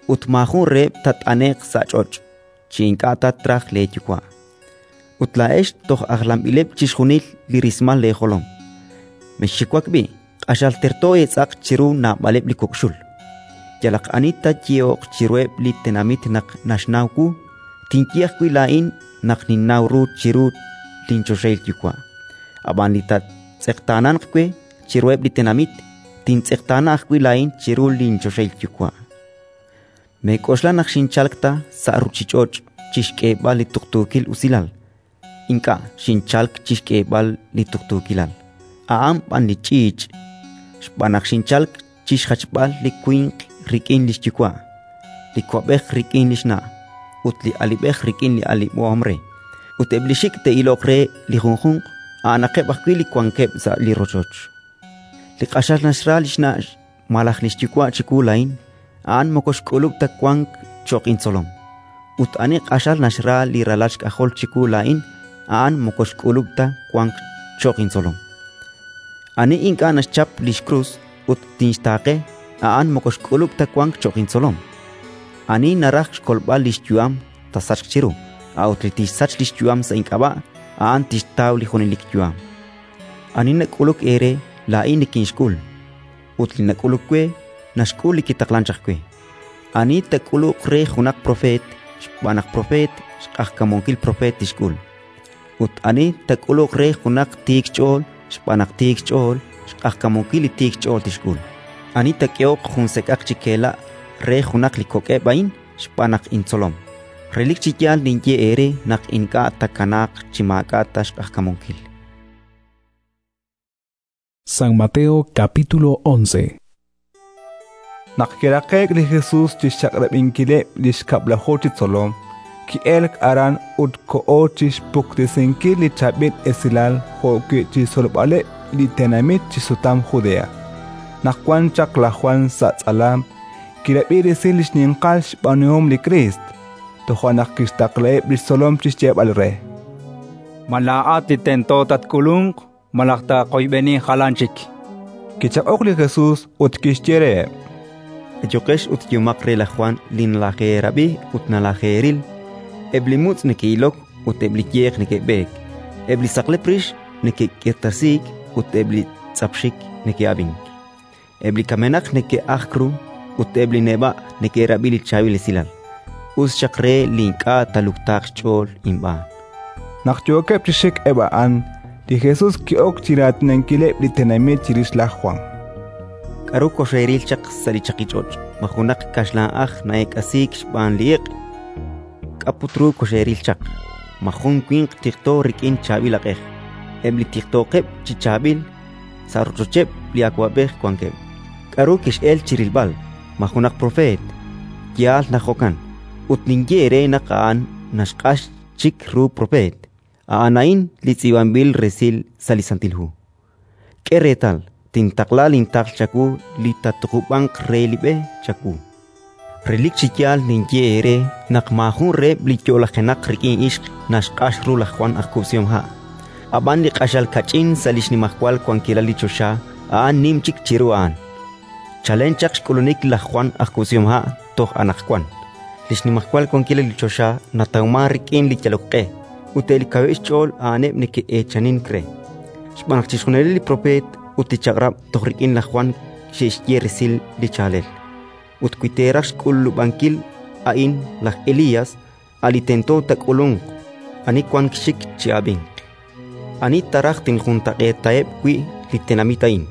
Speaker 10: ut maajun reheb' taat'ane'q sa' ch'och' chi ink'a' ta traj leeYuwa'? Ut laa'ex toj ajlanb'ileb' chixjunil li rismal leejolom. Mexxiwak b'i', q'axal terto eetz'aq chiru naab'aleb' li kok' xul. Yalaq ani taayehoq chiruheb' li tenamit naq naxnaw wu, tinye ajwi' laa'in naq ninnaw ru chiru linchoxahil Yuwa'. Ab'an li taatz'eqtaananq we chiruheb' li tenamit, tintz'eqtaana ajwi' laa'in chiru linchoxahil Yuwa'. Meek'oxla naq xinchalk ta sa' ruuchich'och' chi xk'eeb'al li tuqtuukil usilal. Ink'a' xinchalk chi xk'eeb'al li tuqtuukilal, a'an b'an li ch'iich'. Xb'aan naq xinchalk chi xjachb'al li winq rik'in li xyuwa', li wa'b'ej rik'in li xna', ut li alib'ej rik'in li alib'ohom re. Ut eb' li xik' te'iloq re li junjunq, a'anaqeb' ajwi' li wankeb' sa' li rochoch. Li q'axal naxra li xna' malaj li xyuwa' chiwu laa'in, a'an moko xk'ulub' ta wank cho'q intzolom. Ut ani q'axal naxra li ralal xk'ajol chiwu laa'in, a'an moko xk'ulub' ta wank cho'q intzolom. Ani ink'a' naxchap li xkrus ut tinxtaaqe, a'an moko xk'ulub' ta wank cho'q intzolom. Ani naraj xkolb'al li xyu'am taasachq chiru, a'ut li tixsach li xyu'am sa' ink'ab'a', a'an tixtaw li junelik yu'am. Ani nak'uluk eere, laa'in nikinxk'ul, ut li nak'uluk we, naxk'ul li kitaqlank chaq we. Ani taak'uluq re junaq propeet, xb'aan naq propeet, xq'ajkamunkil propeet tixk'ul. Ut ani taak'uluq re junaq tiik xch'ool, xb'aan naq tiik xch'ool, xq'ajkamunkil li tiik xch'ool tixk'ul. Ani taak'ehoq jun sek'aq chi keela' re junaq li kok'eb' a'in xb'aan naq intzolom, relik chi yaal ninye eere naq ink'a' taakanaaq chi maak'a' ta xq'ajkamunkil.
Speaker 8: San Mateo capítulo once.
Speaker 2: Naq kiraqe'k li Jesus chi xchaq'rab'inkileb' li xkab'laju chi tzolom, ki'elk aran ut koho chi xpuktesinkil li chaab'il esilal jo'wi' chi xtzolb'aleb' li tenamit chi sutam Judea. Naq wan chaq laj Jwan sa' tz'alam, kirab'i resil li xninqal xb'aanuhom li Kriist. Toja' naq kixtaqlaheb' li xtzolom chi xyeeb'al re:
Speaker 14: Ma laa'at li tento tatk'ulunq malaj taaqoyb'eni jalan chik?
Speaker 2: Kichaq'ok li Jesus ut kixye reheb':
Speaker 10: Ayuqex ut yehomaq re laj Jwan li nalajeerab'i ut nalajeeril: eb' li mutz' neke'ilok ut eb' li yeq neke'b'eek, eb' li saqlep rix neke'k'irtasiik ut eb' li tz'apxik neke'ab'ink, eb' li kamenaq neke'ajk ru ut eb' li neb'a' neke'rab'i li chaab'il esilal. Us xaq re li ink'a' taaluktaaq xch'ool inb'aan.
Speaker 2: Naq yookeb' chi xik eb' a'an, li Jesus ki'ok chi raatinankileb' li tenamit chirix laj Jwan.
Speaker 10: K'aru koxeeril chaq sa' li chaqich'och'? Ma junaq kaxlan'aj na'eek'asiik xb'aan li iq'? K'a' put ru koxeeril chaq? Ma jun winq tiqto rik'in chaab'il aq'ej? Eb' li tiqtooqeb' chi chaab'il, sa' rochocheb' li awab'ej wankeb'. K'aru kex'elk chi rilb'al? Ma junaq propeet? Yaal naq jo'kan, ut ninye eere naq a'an naxq'ax chik ru propeet. A'an a'in li tz'iib'anb'il resil sa' li Santil Hu: «K'e reetal, tintaqla lintaql chawu li taatuqub'anq re li b'e chawu». Relik chi yaal ninye eere naq maajun reheb' li yo'lajenaq rik'in ixq naxq'ax ru laj Jwan aj kub'sihomha'; ab'an li q'axal kach'in sa' li xnimajwal wankilal li choxa a'an nim chik chiru a'an. Chalen chaq xk'ulunik laj Jwan aj kub'sihomha' toj anaqwan, li xnimajwal wankilal li choxa natawmank rik'in li yalok q'e, ut eb' li kaweb' xch'ool a'aneb' neke'eechanink re. Xb'aan naq chixjunileb' li propeet ut li Chaq'rab' toj rik'in laj Jwan xe'xye resil li chaalel. Ut wi teeraj xk'ulub'ankil a'in, laj Elías, a' li tento taak'ulunq. Ani wank xxik, chi'ab'inq. Ani ta raj tinjuntaq'eetaheb' wi' li tenamit a'in?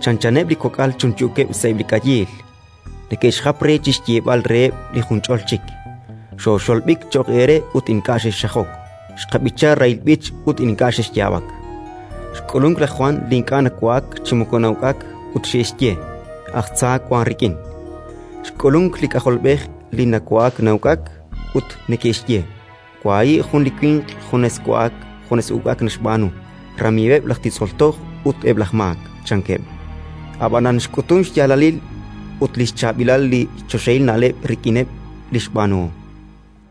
Speaker 10: Chanchaneb' li kok'al chunchuukeb' sa'eb' li k'ayiil, neke'xjap re chi xyeeb'al reheb' li junch'ol chik: «Xooxolb'ik cho'q eere ut ink'a' xexxajok; xqab'icha rahil b'ich ut ink'a' xexyaab'ak». Xk'ulunk laj Jwan li ink'a' nawa'ak chi moko na'uk'ak, ut xe'xye: «Aj tza wank rik'in». Xk'ulunk li K'ajolb'ej li nawa'ak na'uk'ak, ut neke'xye: «Wahi' jun li winq junes wa'ak junes uk'ak naxb'aanu, ramiiweb' laj titz'ol toj ut eb' laj maak», chankeb'. Ab'anan xk'utunk xyaalalil ut li xchaab'ilal li choxahil na'leb' rik'ineb' li xb'aanuhom.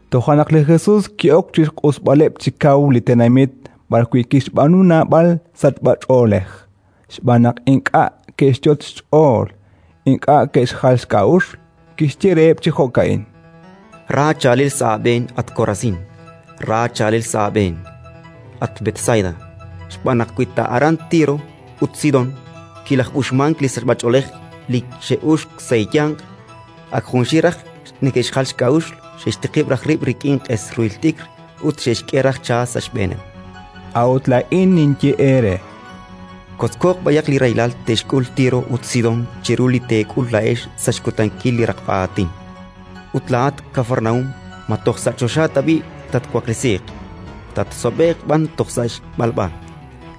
Speaker 2: Toja' naq li Jesus ki'ok chi xq'usb'aleb' chi kaw li tenamit b'arwi' kixb'aanu naab'al sachb'ach'oolej, xb'aan naq ink'a' ke'xyot' xch'ool, ink'a' ke'xjal xk'a'uxl. Kixye reheb' chi jo'ka'in:
Speaker 10: Ra chaalel sa' aab'een, at Korasín! Ra chaalel sa' aab'een, at Betsaida! Xb'aan naq wi ta aran Tiro ut Sidón kilaj'uxmank li sachb'ach'oolej li xe'uxk sa' eeyanq, ak junxil raj neke'xjal xk'a'uxl, xe'xtiqib' raj rib' rik'in q'es ruhil t'ikr ut xe'xk'e raj cha sa' xb'eeneb'.
Speaker 2: A'ut laa'in ninye eere:
Speaker 10: Kotzkooq b'ayaq li rahilal te'xk'ul Tiro ut Sidón chiru li teek'ul laa'ex sa' xkutankil li raqb'a aatin. Ut laa'at, Kafarnaúm, ma toj sa' choxa tab'i' tatwaklesiiq? Tatsob'e'q b'an toj sa' xb'alb'a.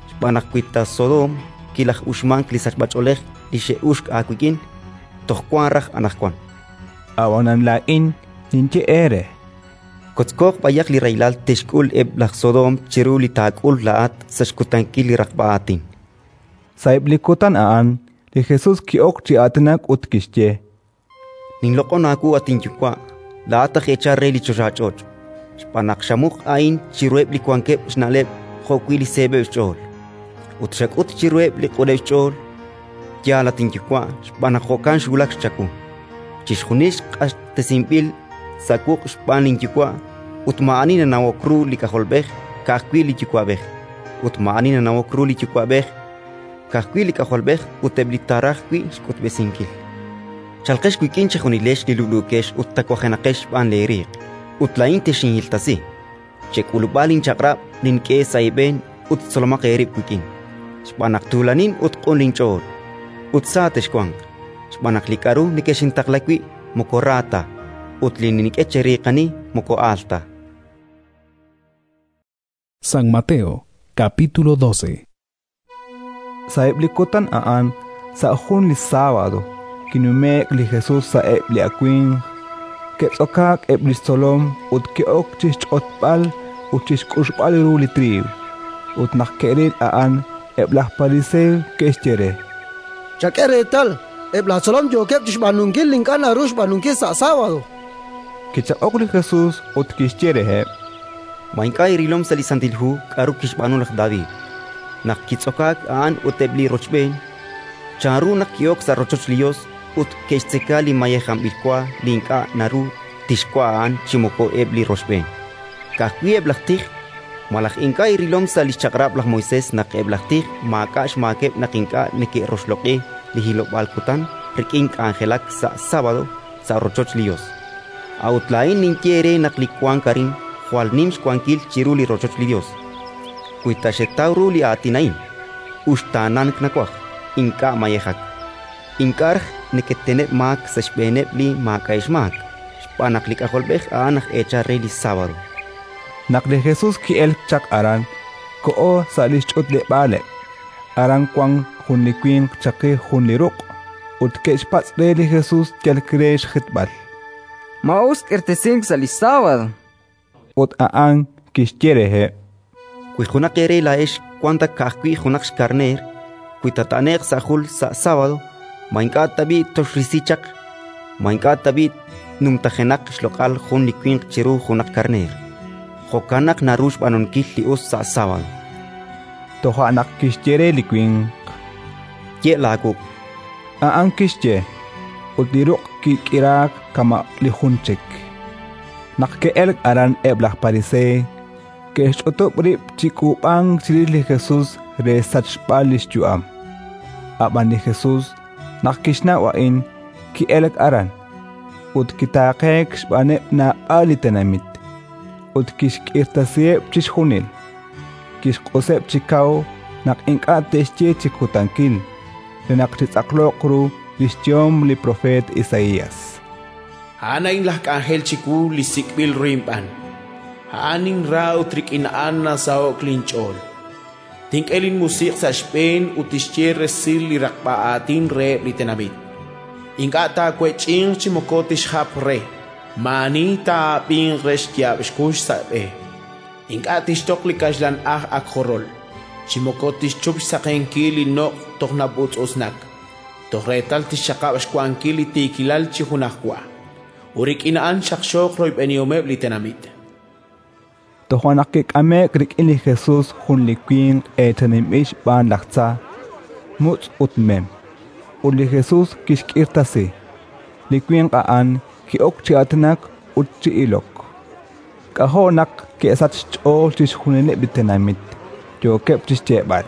Speaker 10: Xb'aan naq wi ta Sodoom kilaj'uxmank li sachb'ach'oolej li xe'uxk aawik'in, toj wank raj anaqwan.
Speaker 2: Ab'anan laa'in ninye eere:
Speaker 10: Kotzkooq b'ayaq li rahilal te'xk'ul eb' laj Sodoom chiru li taak'ul laa'at sa' xkutankil li raqb'a aatin.
Speaker 2: Sa'eb' li kutan a'an, li Jesus ki'ok chi aatinak ut kixye:
Speaker 10: Ninloq'on aawu, at inYuwa', laa'at aj eechal re li choxach'och', xb'aan naq xamuq a'in chiruheb' li wankeb' xna'leb' jo'wi' li seeb'eb' xch'ool, ut xak'ut chiruheb' li q'uneb' xch'ool. Yaal, at inYuwa', xb'aan naq jo'kan xwulak chawu. Chixjunil q'axtesinb'il sa' wuq' xb'aan linYuwa', ut maa'ani nanawok ru li K'ajolb'ej, ka'ajwi' li Yuwa'b'ej; ut maa'ani nanawok ru li Yuwa'b'ej, ka'ajwi' li K'ajolb'ej ut eb' li taaraj wi' xk'utb'esinkil. Chalqex wik'in chejunilex li lub'luukex ut tawajenaqex xb'aan leeriiq, ut laa'in texinhiltasi. Chek'ulub'a linchaq'rab' nink'e sa' eeb'en ut tzolomaq eerib' wik'in, xb'aan naq tuulanin ut q'un linch'ool, ut sa texwanq. Xb'aan naq li k'aru nekexintaqla wi' moko ra ta, ut li nink'e cheriiqani moko aal ta.
Speaker 8: San Mateo, capítulo doce.
Speaker 2: Sa'eb' li kutan a'an, sa' jun li sábado, kinume'k li Jesus sa'eb' li awimq, ke'tz'okaak eb' li xtzolom ut ke'ok chi xch'otb'al ut chi xk'uxb'al ru li triiw. Ut naq ke'ril a'an, eb' laj Fariseo ke'xye re:
Speaker 20: Chak'e reetal, eb' laj tzolom yookeb' chi xb'aanunkil li ink'a' naru xb'aanunkil sa' sábado.
Speaker 2: Kichaq'ok li Jesus ut kixye reheb':
Speaker 10: Ma ink'a' eerilom sa' li Santil Hu k'aru kixb'aanu laj David, naq kitz'okaak a'an ut eb' li rochb'een? Chanru naq ki'ok sa' rochoch li Yos ut ke'xtzeka li mayejanb'il wa li ink'a' naru tixwa' a'an chi moko eb' li rochb'een, ka'ajwi' eb' laj tij? Malaj ink'a' eerilom sa' li xchaq'rab' laj Moisés naq eb' laj tij maak'a' xmaakeb' naq ink'a' neke'roxloq'i li hilob'aal kutan rik'in k'anjelak sa' sábado sa' rochoch li Yos? A'ut laa'in ninye eere naq li wank arin jwal nim xwankil chiru li rochoch li Yos. Wi ta xetaw ru li aatin a'in: «Uxtaanank nawaj, ink'a' mayejak», ink'a' raj neketeneb' maak sa' xb'eeneb' li maak'a'eb' xmaak, xb'aan naq li K'ajolb'ej a'an aj eechal re li sábado.
Speaker 2: Naq li Jesus ki'elk chaq aran, koho sa' li xch'utleb'aaleb'. Aran wank jun li winq chaqi jun li ruq'. Ut ke'xpatz' re li Jesus yal re xjitb'al:
Speaker 15: —Ma us k'irtasink sa' li sábado?
Speaker 2: Ut a'an kixye reheb':
Speaker 10: —Wi junaq eere laa'ex wank ta ka'ajwi' junaq xkarneer, wi taat'ane'q sa' jul sa' sábado, ma ink'a' tab'i' toxrisi chaq? Ma ink'a' tab'i' numtajenaq xloq'al jun li winq chiru junaq karneer? Jo'kan naq naru xb'aanunkil li us sa' sábado.
Speaker 2: Toja' naq kixye re li winq:
Speaker 10: —Ye' laawuq'.
Speaker 2: A'an kixye, ut li ruq' kik'iraak kama' li jun chik. Naq ke'elk aran eb' laj Pariseey, ke'xch'utub' rib' chi k'uub'ank chirix li Jesus re xsachb'al li xyu'am. Ab'an li Jesus, naq kixnaw a'in, ki'elk aran ut kitaaqeek xb'aaneb' naab'al li tenamit, ut kixk'irtasiheb' chixjunil. Kixq'useb' chi kaw naq ink'a' te'xye chi kutankil, re naq chitz'aqloq ru li xyehom li propeet Isaías:
Speaker 3: A'an a'in laj k'anjel chiwu li sik'b'il ru inb'aan. A'an ninra ut rik'in a'an nasaho'k linch'ool. Tink'e linmusiq' sa' xb'een ut tixye resil li raqb'a aatin reheb' li tenamit. Ink'a' taawech'inq chi moko tixjap re, maa'ani taa'ab'inq re xyaab' xkux sa' b'e. Ink'a' tixtoq li kaxlan aj ak jorol, chi moko tixchup xsaqenkil li noq' toj nab'utz'utz'nak, toj reetal tixxaqab' xwankil li tiikilal chi junajwa, ut rik'in a'an xaqxooq royb'enihomeb' li tenamit.
Speaker 2: Toja' naq kik'ame'k rik'in li Jesus jun li winq eechaninb'il xb'aan laj tza, mutz' ut mem, ut li Jesus kixk'irtasi. Li winq a'an ki'ok chi aatinak ut chi ilok. K'ajo' naq ke'sach xch'ool chixjunileb' li tenamit, yookeb' chi xyeeb'al: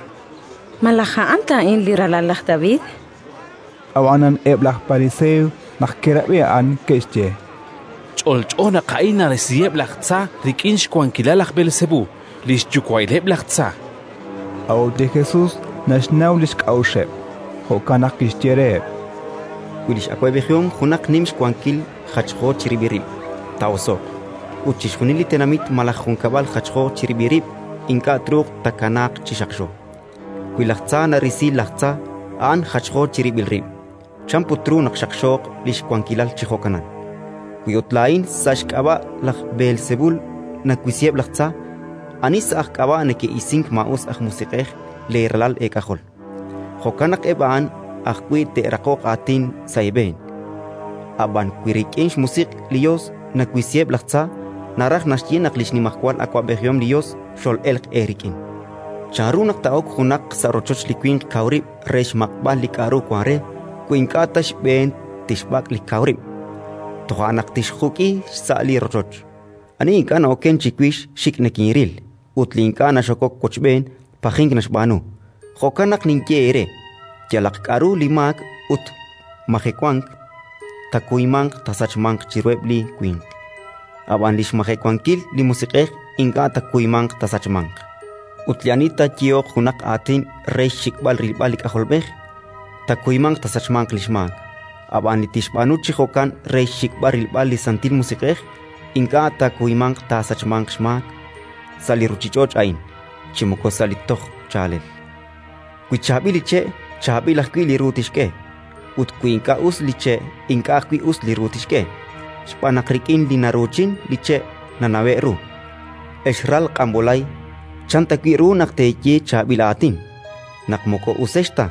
Speaker 17: —Malaj a'an ta a'in li ralal laj David?
Speaker 2: Ab'anan eb' laj Pariseey naq ke'rab'i a'an ke'xye:
Speaker 7: —Ch'olch'o naq a'in narisiheb' laj tza rik'in xwankilal laj Beelsebú, li xyuwa'ileb' laj tza.
Speaker 2: A'ut li Jesus naxnaw li xk'a'uxeb', jo'kan naq kixye reheb':
Speaker 10: —Wi li x'awab'ejihom junaq nim xwankil jachjo chirib'il rib', taa'oso'q; ut chixjunil li tenamit malaj junkab'al jachjo chirib'il rib' ink'a' truuq taakanaaq chi xaqxo. Wi laj tza narisi laj tza, a'an jachjo chirib'il rib'. Chan put ru naq xaqxooq li xwankilal chi jo'kanan? Wi ut laa'in sa' xk'ab'a' laj Beelsebul nawisiheb' laj tza, ani sa' aj k'ab'a' neke'isink maa'us aj musiq'ej leeralal eek'ajol? Jo'kan naq eb' a'an ajwi' te'raqoq aatin sa' eeb'een. Ab'an wi rik'in xmusiq' li Yos nawisiheb' laj tza, naraj naxye naq li xnimajwal awab'ejihom li Yos xol'elq eerik'in. Chanru naq taa'ok junaq sa' rochoch li winq kaw rib' re xmaq'b'al li k'aru wank re, wi ink'a' ta xb'een tixb'ak' li kaw rib'? Toja' naq tixjuk'i xsa' li rochoch. Ani ink'a' na'okenk chiwix xik' nikinril, ut li ink'a' naxokok wochb'een pajink naxb'aanu. Jo'kan naq ninye eere: yalaq k'aru li maak ut majewank taakuymanq taasachmanq chiruheb' li winq; ab'an li xmajewankil li Musiq'ej ink'a' taakuymanq taasachmanq. Ut li ani taayehoq junaq aatin re xxik'b'al rilb'al li K'ajolb'ej, taakuymanq taasachmanq li xmaak; ab'an li tixb'aanu chi jo'kan re xxik'b'al rilb'al li Santil Musiq'ej, ink'a' taakuymanq taasachmanq xmaak sa' li ruuchich'och' a'in, chi moko sa' li toj chaalel. Wi chaab'il li che', chaab'il ajwi' li ru tixk'e; ut wi ink'a' us li che', ink'a' ajwi' us li ru tixk'e. Xb'aan naq rik'in li naruuchin li che' nanawe'k ru. Ex ral q'anb'olay, chan tawi' ru naq teeye chaab'il aatin, naq moko usex ta?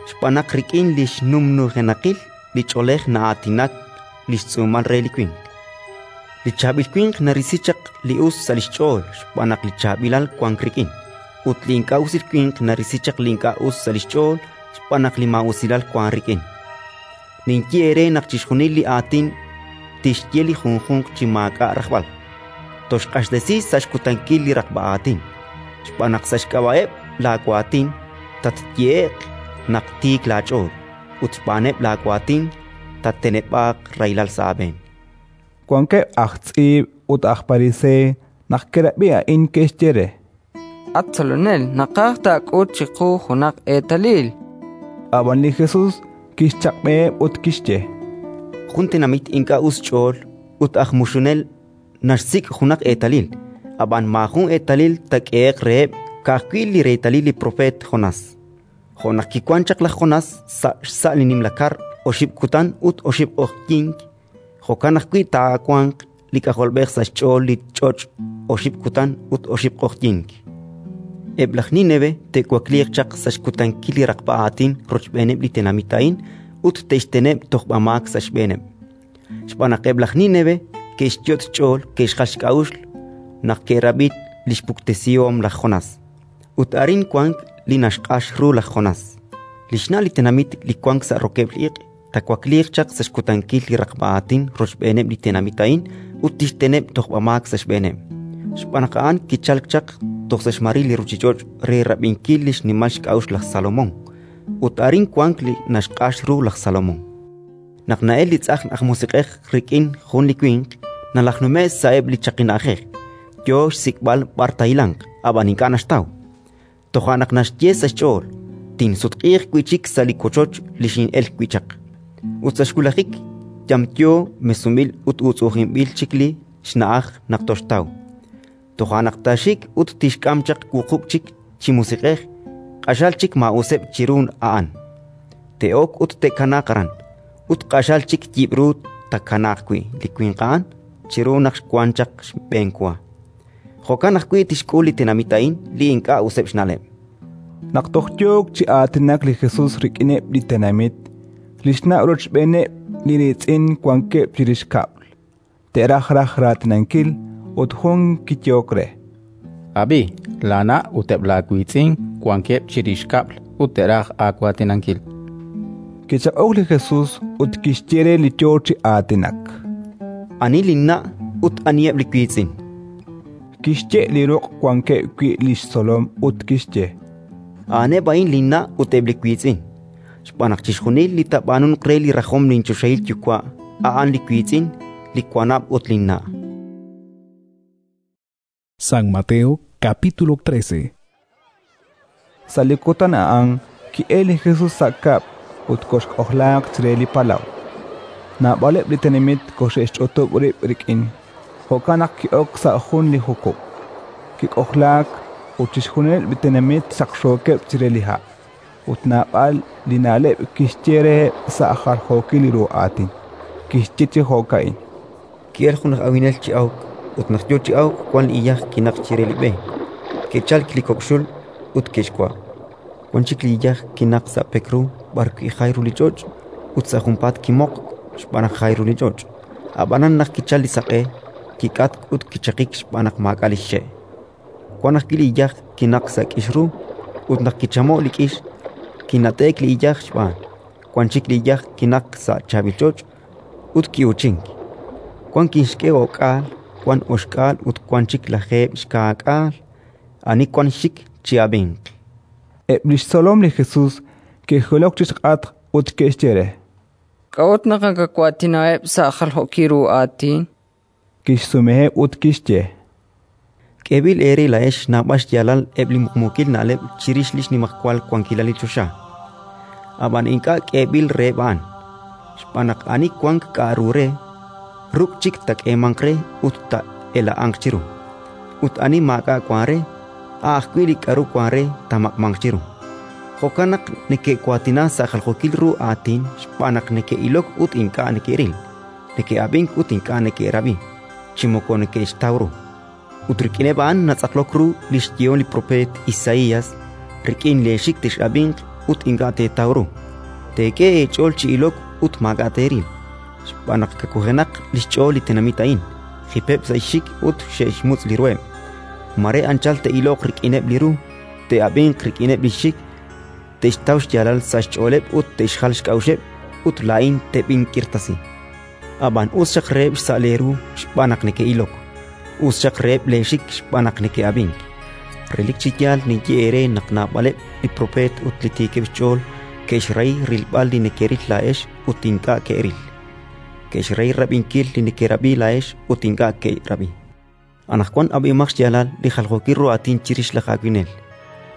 Speaker 10: Xb'aan naq rik'in li xnumnujenaqil li ch'oolej na'aatinak li xtz'uumal re li winq. Li chaab'il winq narisi chaq li us sa' li xch'ool xb'aan naq li chaab'ilal wank rik'in, ut li ink'a' usil winq narisi chaq li ink'a' us sa' li xch'ool xb'aan naq li maa'usilal wank rik'in. Ninye eere naq chixjunil li aatin tixye li junjunq chi maak'a' rajb'al, toxq'axtesi sa' xkutankil li raqb'a aatin, xb'aan naq sa' xk'ab'a'eb' laawaatin tatyehe'q naq tiik laach'ool, ut xb'aaneb' laawaatin tatteneb'aaq rahilal sa' aab'een.
Speaker 2: Wankeb' aj tz'iib' ut aj Pariseey naq ke'rab'i a'in ke'xye re:
Speaker 15: —At Tzolonel, naqaj taak'ut chiqu junaq eetalil.
Speaker 2: Ab'an li Jesus kixchaq'b'eheb' ut kixye:
Speaker 10: —Jun tenamit ink'a' us xch'ool ut aj muxunel naxsik' junaq eetalil, ab'an maajun eetalil taak'ehe'q reheb', ka'ajwi' li reetalil li propeet Jonás. Jo' naq kiwank chaq laj Jonás sa' xsa' li nimla kar oxib' kutan ut oxib' q'oqyink, jo'kan ajwi' taawanq li K'ajolb'ej sa' xch'ool li ch'och' oxib' kutan ut oxib' q'oqyink. Eb' laj Nínive te'wakliiq chaq sa' xkutankil li raqb'a aatin rochb'eeneb' li tenamit a'in ut te'xteneb' tojb'amaak sa' xb'eeneb'. Xb'aan naq eb' laj Nínive ke'xyot' xch'ool ke'xjal xk'a'uxl naq ke'rab'i li xpuktesihom laj Jonás. Ut arin wank li naxq'ax ru laj Jonás. Li xna' li tenamit li wank sa' rokeb'l iq' taawakliiq chaq sa' xkutankil li raqb'a aatin rochb'eeneb' li tenamit a'in ut tixteneb' tojb'amaak sa' xb'eeneb'. Xb'aan naq a'an kichalk chaq toj sa' xmaril li ruuchich'och' re rab'inkil li xnimal xk'a'uxl laj Salomón, ut arin wank li naxq'ax ru laj Salomón. Naq na'elk li tz'ajn aj musiq'ej rik'in jun li winq, nalajnume'k sa'eb' li chaqi na'ajej, yo xsik'b'al b'ar taahilanq, ab'an ink'a' naxtaw. Toja' naq naxye sa' xch'ool: «Tinsutq'iiq wi' chik sa' li wochoch li xin'elk wi' chaq». Ut sa' xwulajik yamyo, mesunb'il ut uutz'u'ujinb'il chik li xna'aj naq toxtaw. Toja' naq taaxik ut tixk'am chaq wuqub' chik chi musiq'ej, q'axal chik maa'useb' chiru a'an. Te'ok ut te'kanaaq aran, ut q'axal chik yib'ru taakanaaq wi' li winq a'an chiru naq xwank chaq xb'enwa. Jo'kan ajwi' tixk'ul li tenamit a'in li ink'a' useb' xna'leb'.
Speaker 2: Naq toj yook chi aatinak li Jesus rik'ineb' li tenamit, li xna' rochb'eeneb' li riitz'in wankeb' chirix kab'l. Te'raj raj raatinankil ut jun kiyehok re:
Speaker 6: Ab'i, laana' ut eb' laawiitz'in wankeb' chirix kab'l ut te'raj aawaatinankil.
Speaker 2: Kichaq'ok li Jesus ut kixye re li yo chi aatinak:
Speaker 10: Ani linna' ut aniheb' li wiitz'in?
Speaker 2: Kixye' li ruq' wankeb' wi' li xtzolom ut kixye:
Speaker 10: A'aneb' a'in linna' ut eb' li wiitz'in. Xb'aan naq chixjunil li taab'aanunq re li rajom linchoxahil Yuwa' a'an li wiitz'in, li wanab' ut linna'.
Speaker 8: San Mateo capítulo trece.
Speaker 2: Sa' li kutan a'an ki'elk li Jesus sa' kab'l ut koxk'ojlaaq chire li palaw. Naab'aleb' li tenamit koxe'xch'utub' rib' rik'in, jo'kan naq ki'ok sa' jun li jukub'. Kik'ojlaak ut chixjunileb' li tenamit xaqxookeb' chire li ha', ut naab'al li na'leb' kixye reheb' sa' jaljookil ru aatin. Kixye chi jo'ka'in:
Speaker 10: Ki'elk jun aj awinel chi awk, ut naq yo chi awk wank li iyaj kinaqk chire li b'e. Ke'chalk li kok' xul ut ke'xwa'. Wan chik li iyaj kinaqk sa' pek ru b'arwi' jay ru li ch'och', ut sa' junpaat kimoqk xb'aan naq jay ru li ch'och'. Ab'anan naq kichalk li saq'e, kik'atk ut kichaqik xb'aan naq maak'a' li xxe'. Wan ajwi' li iyaj kinaqk sa' k'ix ru, ut naq kichamo'k li k'ix, kinat'e'k li iyaj xb'aan. Wan chik li iyaj kinaqk sa' chaab'il ch'och' ut ki'uuchink. Wan kixk'e o'k'aal, wan oxk'aal ut wan chik lajeeb' xkaak'aal. Ani wank xxik, chi'ab'inq.
Speaker 2: Eb' li xtzolom li Jesus ke'jilok chi xk'atq ut ke'xye re:
Speaker 15: K'a'ut naq nakawaatinaheb' sa' jaljookil ru aatin?
Speaker 2: Kixsumeheb' ut kixye:
Speaker 10: K'eeb'il eere laa'ex naab'al xyaalal eb' li muqmuukil na'leb' chirix li xnimajwal wankilal li choxa, ab'an ink'a' k'eeb'il reheb' a'an. Xb'aan naq ani wank k'a'ru re, ruk' chik taak'eemanq re ut taa'ela'anq chiru; ut ani maak'a' wank re, a' ajwi' li k'aru wank re taamaq'manq chiru. Jo'kan naq neke'waatina sa' jaljookil ru aatin xb'aan naq neke'ilok ut ink'a' neke'ril, neke'ab'ink ut ink'a' neke'rab'i, chi moko neke'xtaw ru. Ut rik'ineb' a'an natz'aqlok ru li xyehom li propeet Isaías: «Rik'in leexik tex'ab'inq ut ink'a' teetaw ru, teek'e eech'ool chi ilok ut maak'a' teeril. Xb'aan naq kawujenaq li xch'ool li tenamit a'in, jipeb' sa' xxik ut xe'xmutz' li ruheb'. Mare anchal te'iloq rik'ineb' li ru, te'ab'inq rik'ineb' li xxik, te'xtaw xyaalal sa' xch'ooleb' ut te'xjal xk'a'uxeb', ut laa'in teb'ink'irtasi. Ab'an us xaq reheb' xsa' leeru xb'aan naq neke'ilok, us xaq reheb' leexik xb'aan naq neke'ab'ink. Relik chi yaal ninye eere naq naab'aleb' li propeet ut li tiikeb' xch'ool ke'xrahi rilb'al li nekeril laa'ex ut ink'a' ke'ril, ke'xrahi rab'inkil li nekerab'i laa'ex ut ink'a' ke'rab'i. Anaqwan ab'ihomaq xyaalal li jaljookil ru aatin chirix laj awinel.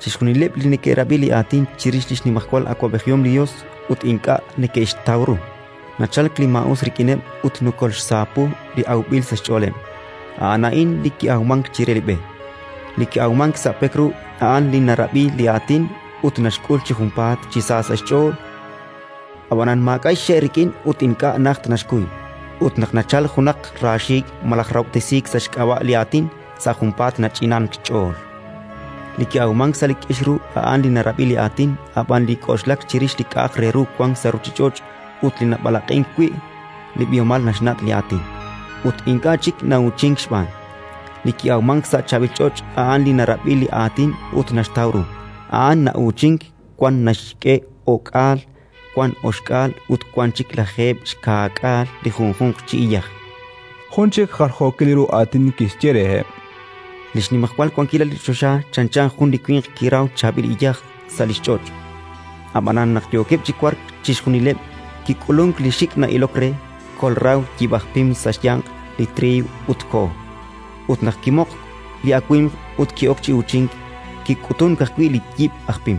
Speaker 10: Chixjunileb' li neke'rab'i li aatin chirix li xnimajwal awab'ejihom li Yos ut ink'a' neke'xtaw ru, nachalk li maa'us rik'ineb' ut nokolxsaapu li awb'il sa' xch'ooleb'. A'an a'in li ki'awmank chire li b'e. Li ki'awmank sa' pek ru a'an li narab'i li aatin ut naxk'ul chi junpaat chi sa sa' xch'ool, Ab'anan maak'a' xxe' rik'in ut ink'a' najt naxkuy. Ut naq nachalk junaq raaxiik' malaj rahob'tesiik sa' xk'ab'a' li Aatin, sa' junpaat nach'inank xch'ool. Li ki'awmank sa' li k'ix ru a'an li narab'i li Aatin, ab'an li k'oxlak chirix li k'a'aq re ru wank sa' ruuchich'och' ut li nab'alaq'ink wi' li b'ihomal naxnat' li Aatin, ut ink'a' chik na'uuchink xb'aan. Li ki'awmank sa' chaab'il ch'och' a'an li narab'i li Aatin ut naxtaw ru. A'an na'uuchink, wan naxk'e o'k'aal, wan oxk'aal ut wan chik lajeeb' xkaak'aal li junjunq chi iyaj.
Speaker 2: Jun chik jaljookil ru aatin kixye reheb':
Speaker 10: Li xnimajwal wankilal li choxa chanchan jun li winq kiraw chaab'il iyaj sa' li xch'och'. Ab'anan naq yookeb' chi wark chixjunileb', kik'ulunk li xik' na'ilok re, kolraw yib' aj pim sa' xyanq li triiw ut koho. Ut naq kimoqk li awimq ut ki'ok chi uuchink, kik'utunk ajwi' li yib' aj pim.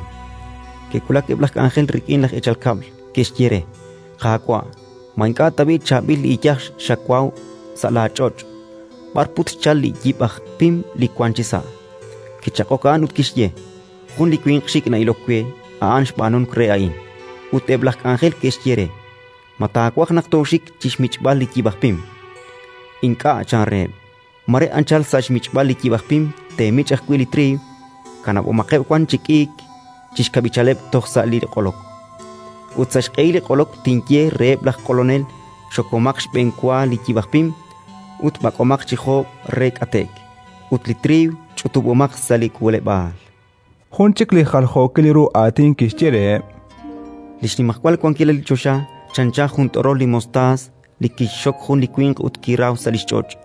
Speaker 10: Ke'wulak eb' laj k'anjel rik'in laj eechal kab'l, ke'xye re: «Qaawa', ma ink'a' tab'i' chaab'il li iyaj xawaw sa' laach'och'? B'ar put xchalk li yib' aj pim li wank chisa'?» Kichaq'ok a'an ut kixye: «Jun li winq xik' na'ilok we, a'an xb'aanunk re a'in». Ut eb' laj k'anjel ke'xye re: «Ma taawaj naq tooxik chi xmich'b'al li yib' aj pim?» «Ink'a'», chan reheb'. «Mare anchal sa' xmich'b'al li yib' aj pim teemich' ajwi' li triiw. Kanab'omaqeb' wan chi k'iik chi xkab'ichaleb' toj sa' li q'olok. Ut sa' xq'ehil li q'olok tinye reheb' laj q'olonel: Xokomaq xb'enwa li yib' aj pim ut b'ak'omaq chi joob' re k'ate'k, ut li triiw ch'utub'omaq sa' li k'uuleb'aal».
Speaker 2: Jun chik li jaljookil ru aatin kixye reheb':
Speaker 10: Li xnimajwal wankilal li choxa chanchan jun t'orol li mostaas li kixxok jun li winq ut kiraw sa' li xch'och'.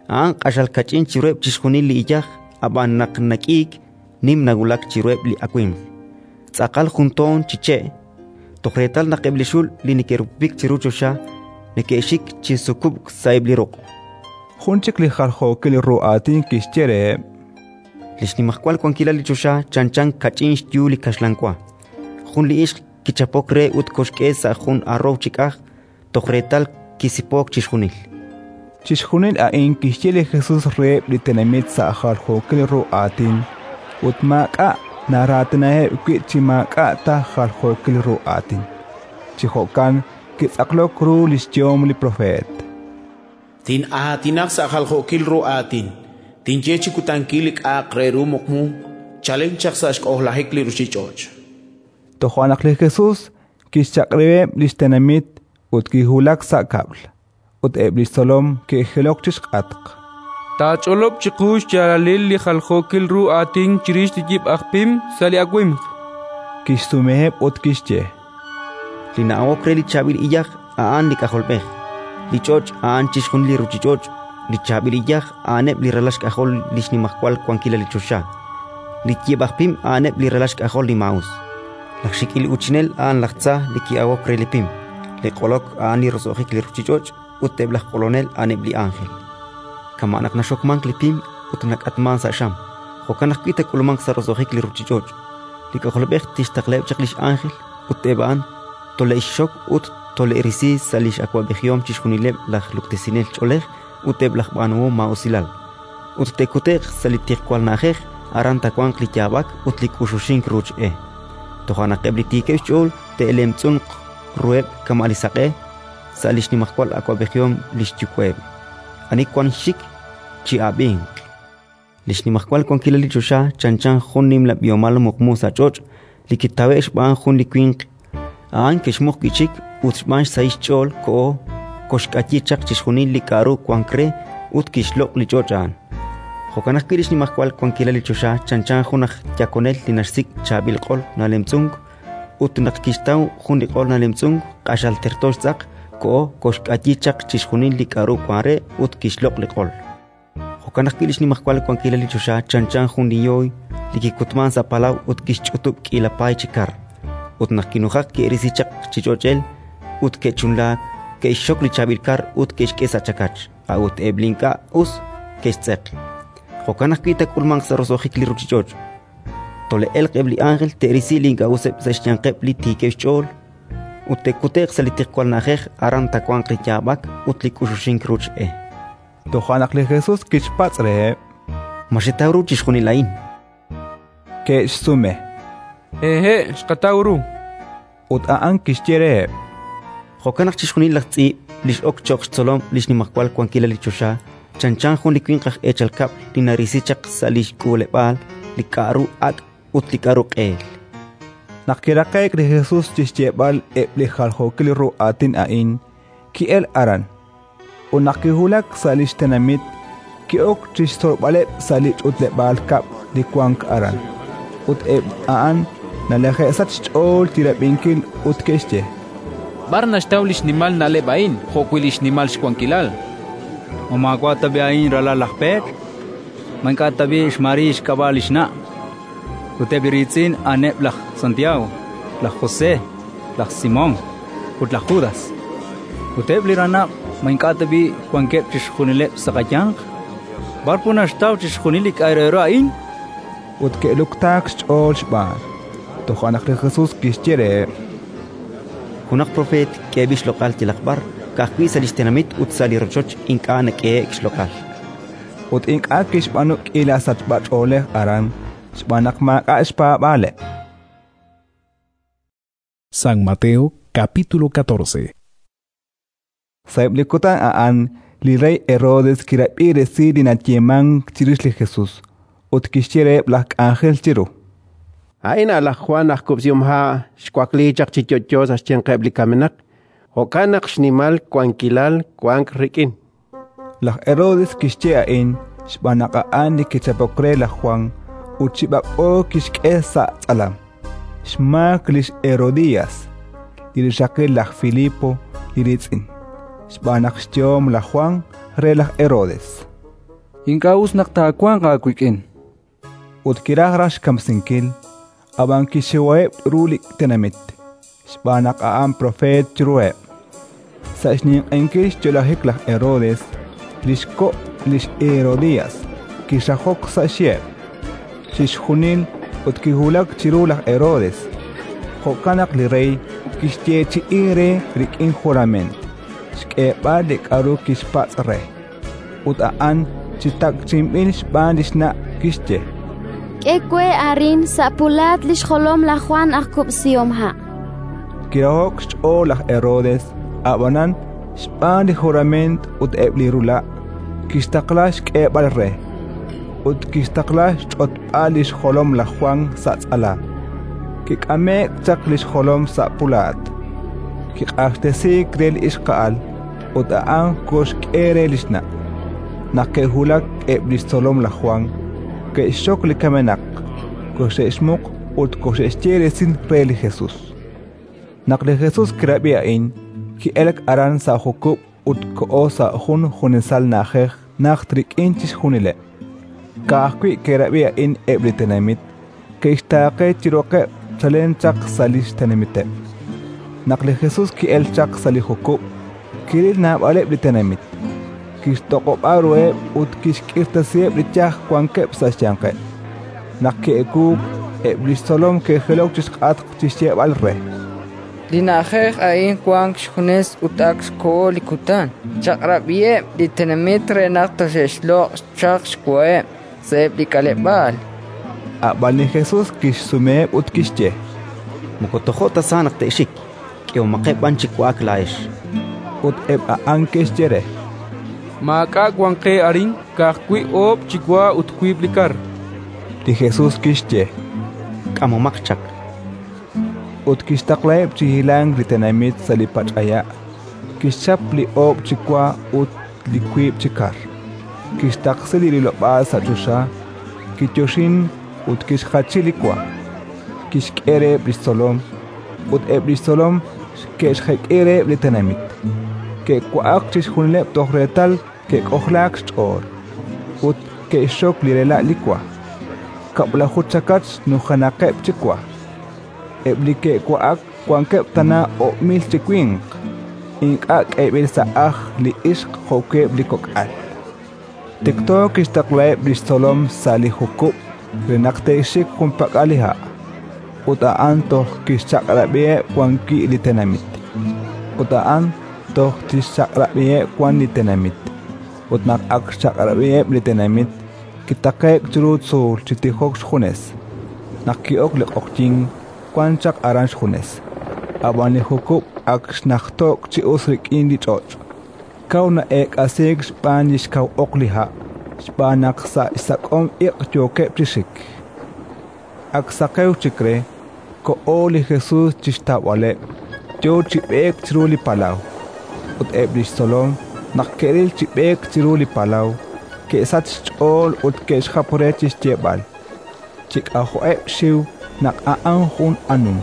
Speaker 10: A'an q'axal kach'in chiruheb' chixjunil li iyaj, ab'an naq nak'iik, nim nawulak chiruheb' li awimq. Tz'aqal jun toon chi che', toj reetal naq eb' li xul li neke'rupupik chiru choxa neke'xik chi sukub'k sa'eb' li ruq'.
Speaker 2: Jun chik li jaljookil ru aatin kixye reheb':
Speaker 10: Li xnimajwal wankilal li choxa chanchan kach'in xyu li kaxlan wa. Jun li ixq kichapok re ut koxk'e sa' jun arrow chi k'aj, toj reetal kisipook chixjunil.
Speaker 2: Chixjunil a'in kixye li Jesus reheb' li tenamit sa' jaljookil ru aatin, ut maak'a' naraatinaheb' wi' chi maak'a' ta jaljookil ru aatin. Chi jo'kan kitz'aqlok ru li xyehom li propeet:
Speaker 3: Tin'aatinaq sa' jaljookil ru aatin, tinye chi kutankil li k'a'aq re ru muqmu chalen chaq sa' xk'ojlajik li ruuchich'och'.
Speaker 2: Toja' naq li Jesus kixchaq'rib'eb' li xtenamit ut kiwulak sa' kab'l, ut eb' li xtzolom ke'jilok chi xk'atq.
Speaker 15: Taach'olob' chiqu xyaalalil li jaljookil ru aatin chirix li yib' aj pim sa' li awimq.
Speaker 2: Kixsumeheb' ut kixye:
Speaker 10: Li na'awok re li chaab'il iyaj a'an li K'ajolb'ej. Li ch'och' a'an chixjunil li ruuchich'och'. Li chaab'il iyaj a'aneb' li ralal xk'ajol li xnimajwal wankilal li choxa. Li yib' aj pim a'aneb' li ralal xk'ajol li maa'us. Laj xik'il uuchinel a'an laj tza li ki'awok re li pim. Li q'olok a'an li roso'jik li ruuchich'och' ut eb' laj q'olonel a'aneb' li ánjel. Kama' naq naxokmank li pim ut nak'atmank sa' xam, jo'kan ajwi' taak'ulmanq sa' roso'jik li ruuchich'och'. Li K'ajolb'ej tixtaqlaheb' chaq li x'ánjel ut eb' a'an tole'xxok ut tole'risi sa' li x'awab'ejihom chixjunileb' laj luktesinel ch'oolej ut eb' laj b'aanuhom maa'usilal. Ut te'kute'q sa' li tiqwal na'ajej, aran taawanq li yaab'ak ut li k'uxuxink ruuch e. Toja' naq eb' li tiikeb' xch'ool te'lemtz'unq ruheb' kama' li saq'e sa' li xnimajwal awab'ejihom li xyuwa'eb'. Ani wank xxik, chi'ab'inq. Li xnimajwal wankilal li choxa chanchan jun nimla b'ihomal muqmu sa' ch'och' li kitawe'k xb'aan jun li winq. A'an kixmuq wi' chik ut xb'aan xsahil xch'ool koho koxk'ayi chaq chixjunil li k'aru wank re ut kixloq' li ch'och' a'an. Jo'kan ajwi' li xnimajwal wankilal li choxa chanchan jun aj yakonel li naxsik' chaab'il q'ol nalemtz'unk, ut naq kixtaw jun li q'ol nalemtz'unk q'axal terto xtz'aq, koho koxk'ayi chaq chixjunil li k'aru wank re ut kixloq' li q'ol. Jo'kan ajwi' li xnimajwal wankilal li choxa chanchan jun li yooy li kikutmank sa' palaw ut kixch'utub' k'iila paay chi kar. Ut naq kinujak ke'risi chaq chi ch'och'el ut ke'chunlaak, ke'xxok li chaab'il kar ut ke'xk'e sa' chakach, a'ut eb' li ink'a' us ke'xtz'eq. Jo'kan ajwi' taak'ulmanq sa' roso'jik li ruuchich'och'. Tole'elq eb' li ánjel te'risi li ink'a' useb' sa' xyanqeb' li tiikeb' xch'ool ut te'kute'q sa' li tiqwal na'ajej, aran taawanq li yaab'ak ut li k'uxuxink ruuch e.
Speaker 2: Toja' naq li Jesus kixpatz' reheb':
Speaker 10: Ma xetaw ru chixjunil a'in?
Speaker 2: Ke'xsume:
Speaker 15: Hehe', xqataw ru.
Speaker 2: Ut a'an kixye reheb':
Speaker 10: Jo'kan naq chixjunil laj tz'iib' li x'ok cho'q xtzolom li xnimajwal wankilal li choxa chanchan jun li winq aj eechal kab'l li narisi chaq sa' li xk'uuleb'aal li k'aru ak' ut li k'aru q'eel.
Speaker 2: Naq kiraqe'k li Jesus chi xyeeb'al eb' li jaljookil ru aatin a'in, ki'elk aran. Ut naq kiwulak sa' li xtenamit, ki'ok chi xtzolb'aleb' sa' li ch'utleb'aal kab'l li wank aran. Ut eb' a'an nalaje'sachk xch'ool chi rab'inkil ut ke'xye:
Speaker 6: B'ar naxtaw li xnimal na'leb' a'in jo'wi' li xnimal xwankilal?
Speaker 14: Ma maawa' tab'i' a'in ralal laj Pedro? Ma ink'a' tab'i' xMaría xk'ab'a' li xna'? Ut eb' li riitz'in a'aneb' laj Santiago, laj José, laj Simón ut laj Judas. Ut eb' li ranab' ma ink'a' tab'i' wankeb' chixjunileb' sa' qayanq? B'ar put naxtaw chixjunil li k'a' re ru a'in?
Speaker 2: Ut ke'luktaak xch'ool xb'aan. Toja' naq li Jesus kixye reheb':
Speaker 10: Junaq propeet k'eeb'il xloq'al yalaq b'ar, ka'ajwi' sa' li xtenamit ut sa' li rochoch ink'a' nak'ehe'k xloq'al.
Speaker 2: Ut ink'a' kixb'aanu k'iila sachb'ach'oolej aran xb'aan naq maak'a' xpaab'aaleb'.
Speaker 8: San Mateo capítulo catorce.
Speaker 2: Sa'eb' li kutan a'an li rey Herodes kirab'i resil li nayeemank chirix li Jesus ut kixye reheb' laj k'anjel chiru:
Speaker 4: A'in a' laj Jwan aj kub'sihomha' xwakliik chaq chi yo'yo sa' xyanqeb' li kamenaq, jo'kan naq xnimal wankilal wank rik'in.
Speaker 2: Laj Herodes kixye a'in xb'aan naq a'an li kichapok re laj Jwan ut chi b'ak'b'o kixk'e sa' tz'alam, xmaak lix Herodías, li rixaqil laj Filipo li riitz'in, xb'aan naq xyehom laj Jwan re laj Herodes:
Speaker 9: Ink'a' us naq taawanq aawik'in.
Speaker 2: Ut kiraj raj xkamsinkil, ab'an kixxiwaheb' ru li tenamit, xb'aan naq a'an propeet chiruheb'. Sa' xninq'ehinkil xyo'lajik laj Herodes, li xko' lix Herodías kixajok sa' xyeheb' chixjunil ut kiwulak chiru laj Herodes. Jo'kan naq li rey kixyeechi'i re rik'in jurament xk'eeb'al li k'aru kixpatz' re. Ut a'an chi takchi'inb'il xb'aan li xna' kixye:
Speaker 19: K'e we arin sa' pulaat li xjolom laj Jwan aj kub'sihomha'.
Speaker 2: Kiraho'k xch'ool laj Herodes, ab'anan xb'aan li jurament ut eb' li rula' kixtaqla xk'eeb'al re, ut kixtaqla xch'otb'al li xjolom laj Jwan sa' tz'alam. Kik'ame'k chaq li xjolom sa' pulaat, kiq'axtesiik re li ixqa'al, ut a'an koxk'e re li xna'. Naq ke'wulak eb' li xtzolom laj Jwan, ke'xxok li kamenaq, koxe'xmuq ut koxe'xye resil re li Jesus. Naq li Jesus kirab'i a'in, ki'elk aran sa' jukub' ut koho sa' jun junesal na'ajej najt rik'in chixjunileb'. Ka'ajwi' ke'rab'i a'in eb' li tenamit, ke'xtaaqe chi roqeb' chalen chaq sa' li xtenamiteb'. Naq li Jesus ki'elk chaq sa' li jukub', kiril naab'aleb' li tenamit, kixtoq'ob'a ruheb' ut kixk'irtasiheb' li yaj wankeb' sa' xyanqeb'. Naq ke'ewuuk, eb' li xtzolom ke'jilok chi xk'atq chi xyeeb'al re:
Speaker 15: Li na'ajej a'in wank xjunes ut ak xkoho li kutan. Chaq'rab'iheb' li tenamit re naq toxe'xloq' chaq xwaheb' sa'eb' li k'aleb'aal.
Speaker 2: Ab'an li Jesus kixsumeheb' ut kixye:
Speaker 10: Moko tojo' ta sa naq te'xik, k'ehomaqeb' b'an chi wa'ak laa'ex.
Speaker 2: Ut eb' a'an ke'xye re:
Speaker 21: Maak'a' wank qe arin, ka'ajwi' oob' chi wa ut wiib' li kar.
Speaker 2: Li Jesus kixye:
Speaker 10: K'amomaq chaq.
Speaker 2: Ut kixtaqlaheb' chi hilank li tenamit sa' li pach'aya'. Kixchap li oob' chi wa ut li wiib' chi kar, kixtaqsi li rilob'aal sa' choxa, kiyoxin ut kixjachi li wa, kixk'e reheb' li xtzolom, ut eb' li xtzolom ke'xjek'i reheb' li tenamit. Ke'wa'ak chixjunileb' toj reetal ke'k'ojlaak xch'ool, ut ke'xxok li rela' li wa, kab'laju chakach nujenaqeb' chi wa. Eb' li ke'wa'ak wankeb' tana oob' mil chi winq, ink'a' k'eeb'il sa' ajl li ixq jo'keb' li kok'al. Tikto kixtaqlaheb' li xtzolom sa' li jukub' re naq te'xik junpak'al li ha', ut a'an toj kixchaq'rab'iheb' wan wi' li tenamit. Ut a'an toj tixchaq'rab'iheb' wan li tenamit. Ut naq ak xchaq'rab'iheb' li tenamit, kitaqe'k chiru tzuul chi tijok xjunes. Naq ki'ok li q'oqyink, wank chaq aran xjunes. Ab'an li jukub' ak xnajto'k chi us rik'in li ch'och', kaw na'eek'asiik xb'aan li xkaw oq li ha', xb'aan naq sa' xsak'om iq' yookeb' chi xik. Ak saqew chik re, koho li Jesus chi xtawb'aleb', yo chi b'eek chiru li palaw. Ut eb' li xtzolom, naq ke'ril chi b'eek chiru li palaw, ke'sachk xch'ool ut ke'xjap re chi xyeeb'al: chi k'ajo'eb' xxiw naq a'an jun anum.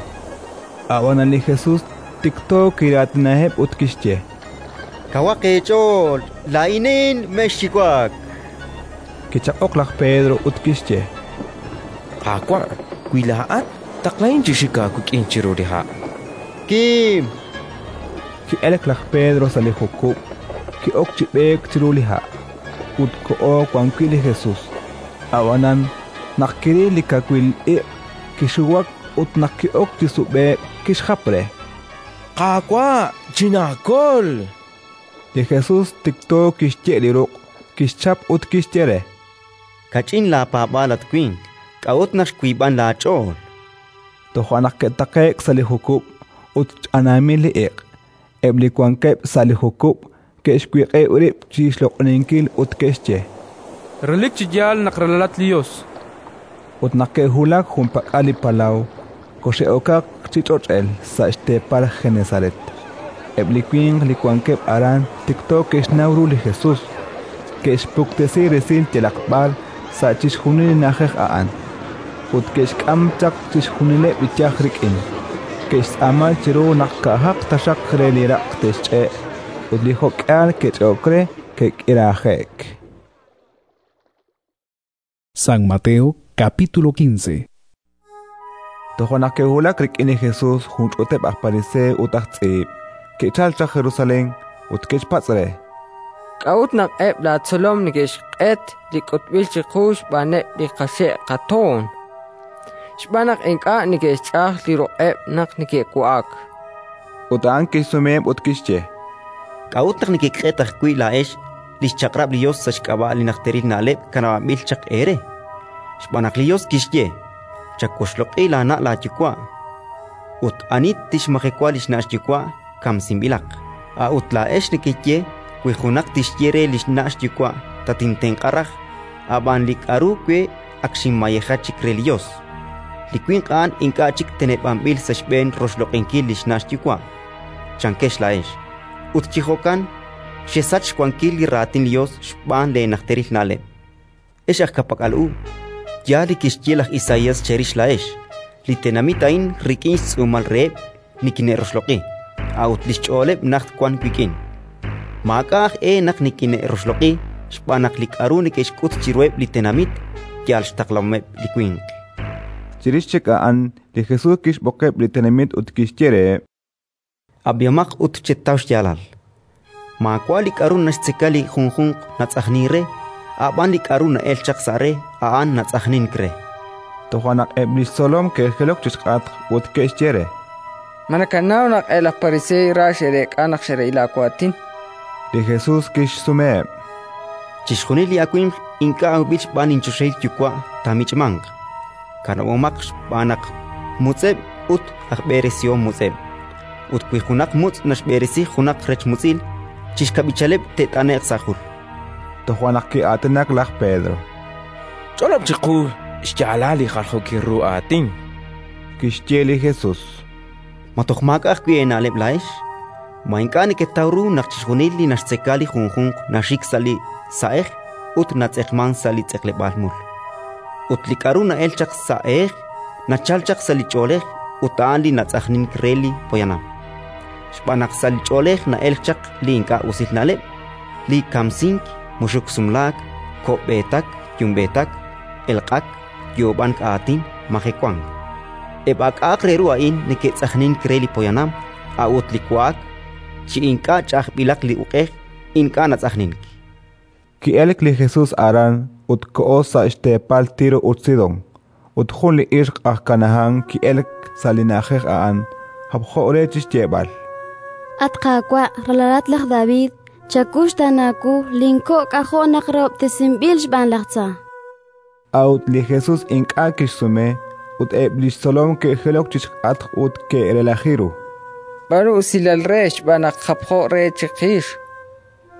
Speaker 2: Ab'anan li Jesus tikto kiraatinaheb' ut kixye:
Speaker 10: Kawaq eech'ool, laa'inin, mexxiwak.
Speaker 2: Kichaq'ok laj Pedro ut kixye:
Speaker 16: Qaawa', wi laa'at, taqlahin chi xik aawik'in chiru li ha'.
Speaker 10: Kim.
Speaker 2: Ki'elk laj Pedro sa' li jukub', ki'ok chi b'eek chiru li ha', ut koho wan wi' li Jesus. Ab'anan, naq kiril li kawil iq', kixuwak ut naq ki'ok chi sub'e'k, kixjap re:
Speaker 16: Qaawa', chinaakol!
Speaker 2: Li Jesus tikto kixye' li ruq', kixchap ut kixye re:
Speaker 10: Kach'in laapaab'aal, at winq, k'a'ut naq xwiib'ank laach'ool?
Speaker 2: Toja' naq ke'taqe'k sa' li jukub' ut ch'anaamil li iq'. Eb' li wankeb' sa' li jukub' ke'xwiq'ib' rib' chi xloq'oninkil ut ke'xye:
Speaker 21: Relik chi yaal naq ralalat li Yos.
Speaker 2: Ut naq ke'wulak junpak'al li palaw, koxe'okaq chi ch'och'el sa' xteepal Genesaret. Eb' li winq li wankeb' aran tikto ke'xnaw ru li Jesus, ke'xpuktesi resil yalaq b'ar sa' chixjunil li na'ajej a'an, ut ke'xk'am chaq chixjunileb' li yaj rik'in. Ke'xtz'aama chiru naq ka'ajaq taxaq re li raq' te'xch'e', ut li jo'k'ihal ke'ch'e'ok re ke'k'iraaje'k.
Speaker 8: San Mateo capítulo quince.
Speaker 2: Toja' naq ke'wulak rik'in li Jesus jun ch'uuteb' aj Pariseo ut aj tz'iib', ke'chalk chaq Jerusalén ut ke'xpatz' re:
Speaker 15: K'a'ut naq eb' laatzolom neke'xq'et li k'utb'il chiqu xb'aaneb' li qaxe' qatoon? Xb'aan naq ink'a' neke'xch'aj li ruq'eb' naq neke'wa'ak.
Speaker 2: Ut a'an kixsumeheb' ut kixye:
Speaker 10: K'a'ut naq nekeq'et ajwi' laa'ex li xchaq'rab' li Yos sa' xk'ab'a' li najteril na'leb' kanab'anb'il chaq eere? Xb'aan naq li Yos kixye: «Chawoxloq'i laana' laayuwa'», ut «Ani tixmajewa li xna' xyuwa', kamsinb'ilaq». A'ut laa'ex nekeye: «Wi junaq tixye re li xna' xyuwa': «Tatintenq'a raj, ab'an li k'aru we ak xinmayeja chik re li Yos», li winq a'an ink'a' chik teneb'anb'il sa' xb'een roxloq'inkil li xna' xyuwa'», chankex laa'ex. Ut chi jo'kan xesach xwankil li raatin li Yos xb'aan leenajteril na'leb'. Ex aj ka'pak'al u, yaal li kixye laj Isaías cherix laa'ex: «Li tenamit a'in rik'in xtz'uumal reheb' nikine'roxloq'i, a'ut li xch'ooleb' najt wank wik'in. Maak'a' aj e naq nikine'roxloq'i, xb'aan naq li k'aru neke'xk'ut chiruheb' li tenamit yal xtaqlahomeb' li winq».
Speaker 2: Chirix chik a'an li Jesus kixb'oqeb' li tenamit ut kixye reheb':
Speaker 10: Ab'ihomaq ut chetaw xyaalal. Maawa' li k'aru naxtzeka li junjunq natz'ajnink re, a'b'an li k'aru na'elk chaq sa' re, a'an natz'ajnink re.
Speaker 2: Toja' naq eb' li xtzolom ke'jilok chi xk'atq ut ke'xye re:
Speaker 15: Ma nakanaw naq eb' laj Pariseey ra xe'reek'a naq xe'ril laawaatin?
Speaker 2: Li Jesus kixsumeheb':
Speaker 10: Chixjunil li awimq ink'a' awb'il xb'aan linchoxahil Yuwa' taamich'manq. Kanab'omaq xb'aan naq mutz'eb' ut aj b'eresihom mutz'eb'. Ut wi junaq mutz' naxb'eresi junaq rech mutz'il, chi xkab'ichaleb' te't'ane'q sa' jul.
Speaker 2: Toja' naq ki'aatinak laj Pedro:
Speaker 16: Ch'olob' chiqu xyaalal li jaljookil ru aatin.
Speaker 2: Kixye li Jesus:
Speaker 10: Ma toj maak'a' ajwi' eena'leb' laa'ex? Ma ink'a' neketaw ru naq chixjunil li naxtzeka li junjunq naxik sa' li sa'ej ut natz'eqmank sa' li tz'eqleb'aal mul? Ut li k'aru na'elk chaq sa' ehej nachalk chaq sa' li ch'oolej ut a'an li natz'ajnink re li poyanam. Xb'aan naq sa' li ch'oolej na'elk chaq li ink'a' usil na'leb', li kamsink, muxuk sumlaak, ko'b'eetak, yumb'eetak, elq'ak, yoob'ank aatin, majewank. Eb' a k'a'aq re ru a'in neke'tz'ajnink re li poyanam, a'ut li wa'ak chi ink'a' ch'ajb'ilaq li uq'ej ink'a' natz'ajnink.
Speaker 2: Ki'elk li Jesus aran ut koho sa' xteepal Tiro ut Sidón. Ut jun li ixq aj Kanahán ki'elk sa' li na'ajej a'an, japjo re chi xyeeb'al:
Speaker 19: At Qaawa', ralalat laj David, chakuxtaana wu, linko' k'ajo' naq rahob'tesinb'il xb'aan laj tza.
Speaker 2: A'ut li Jesus ink'a' kixsume, ut eb' li xtzolom ke'jilok chi xk'atq ut ke'relaji ru.
Speaker 15: B'aanu usilal re xb'aan naq japjo re chiqix.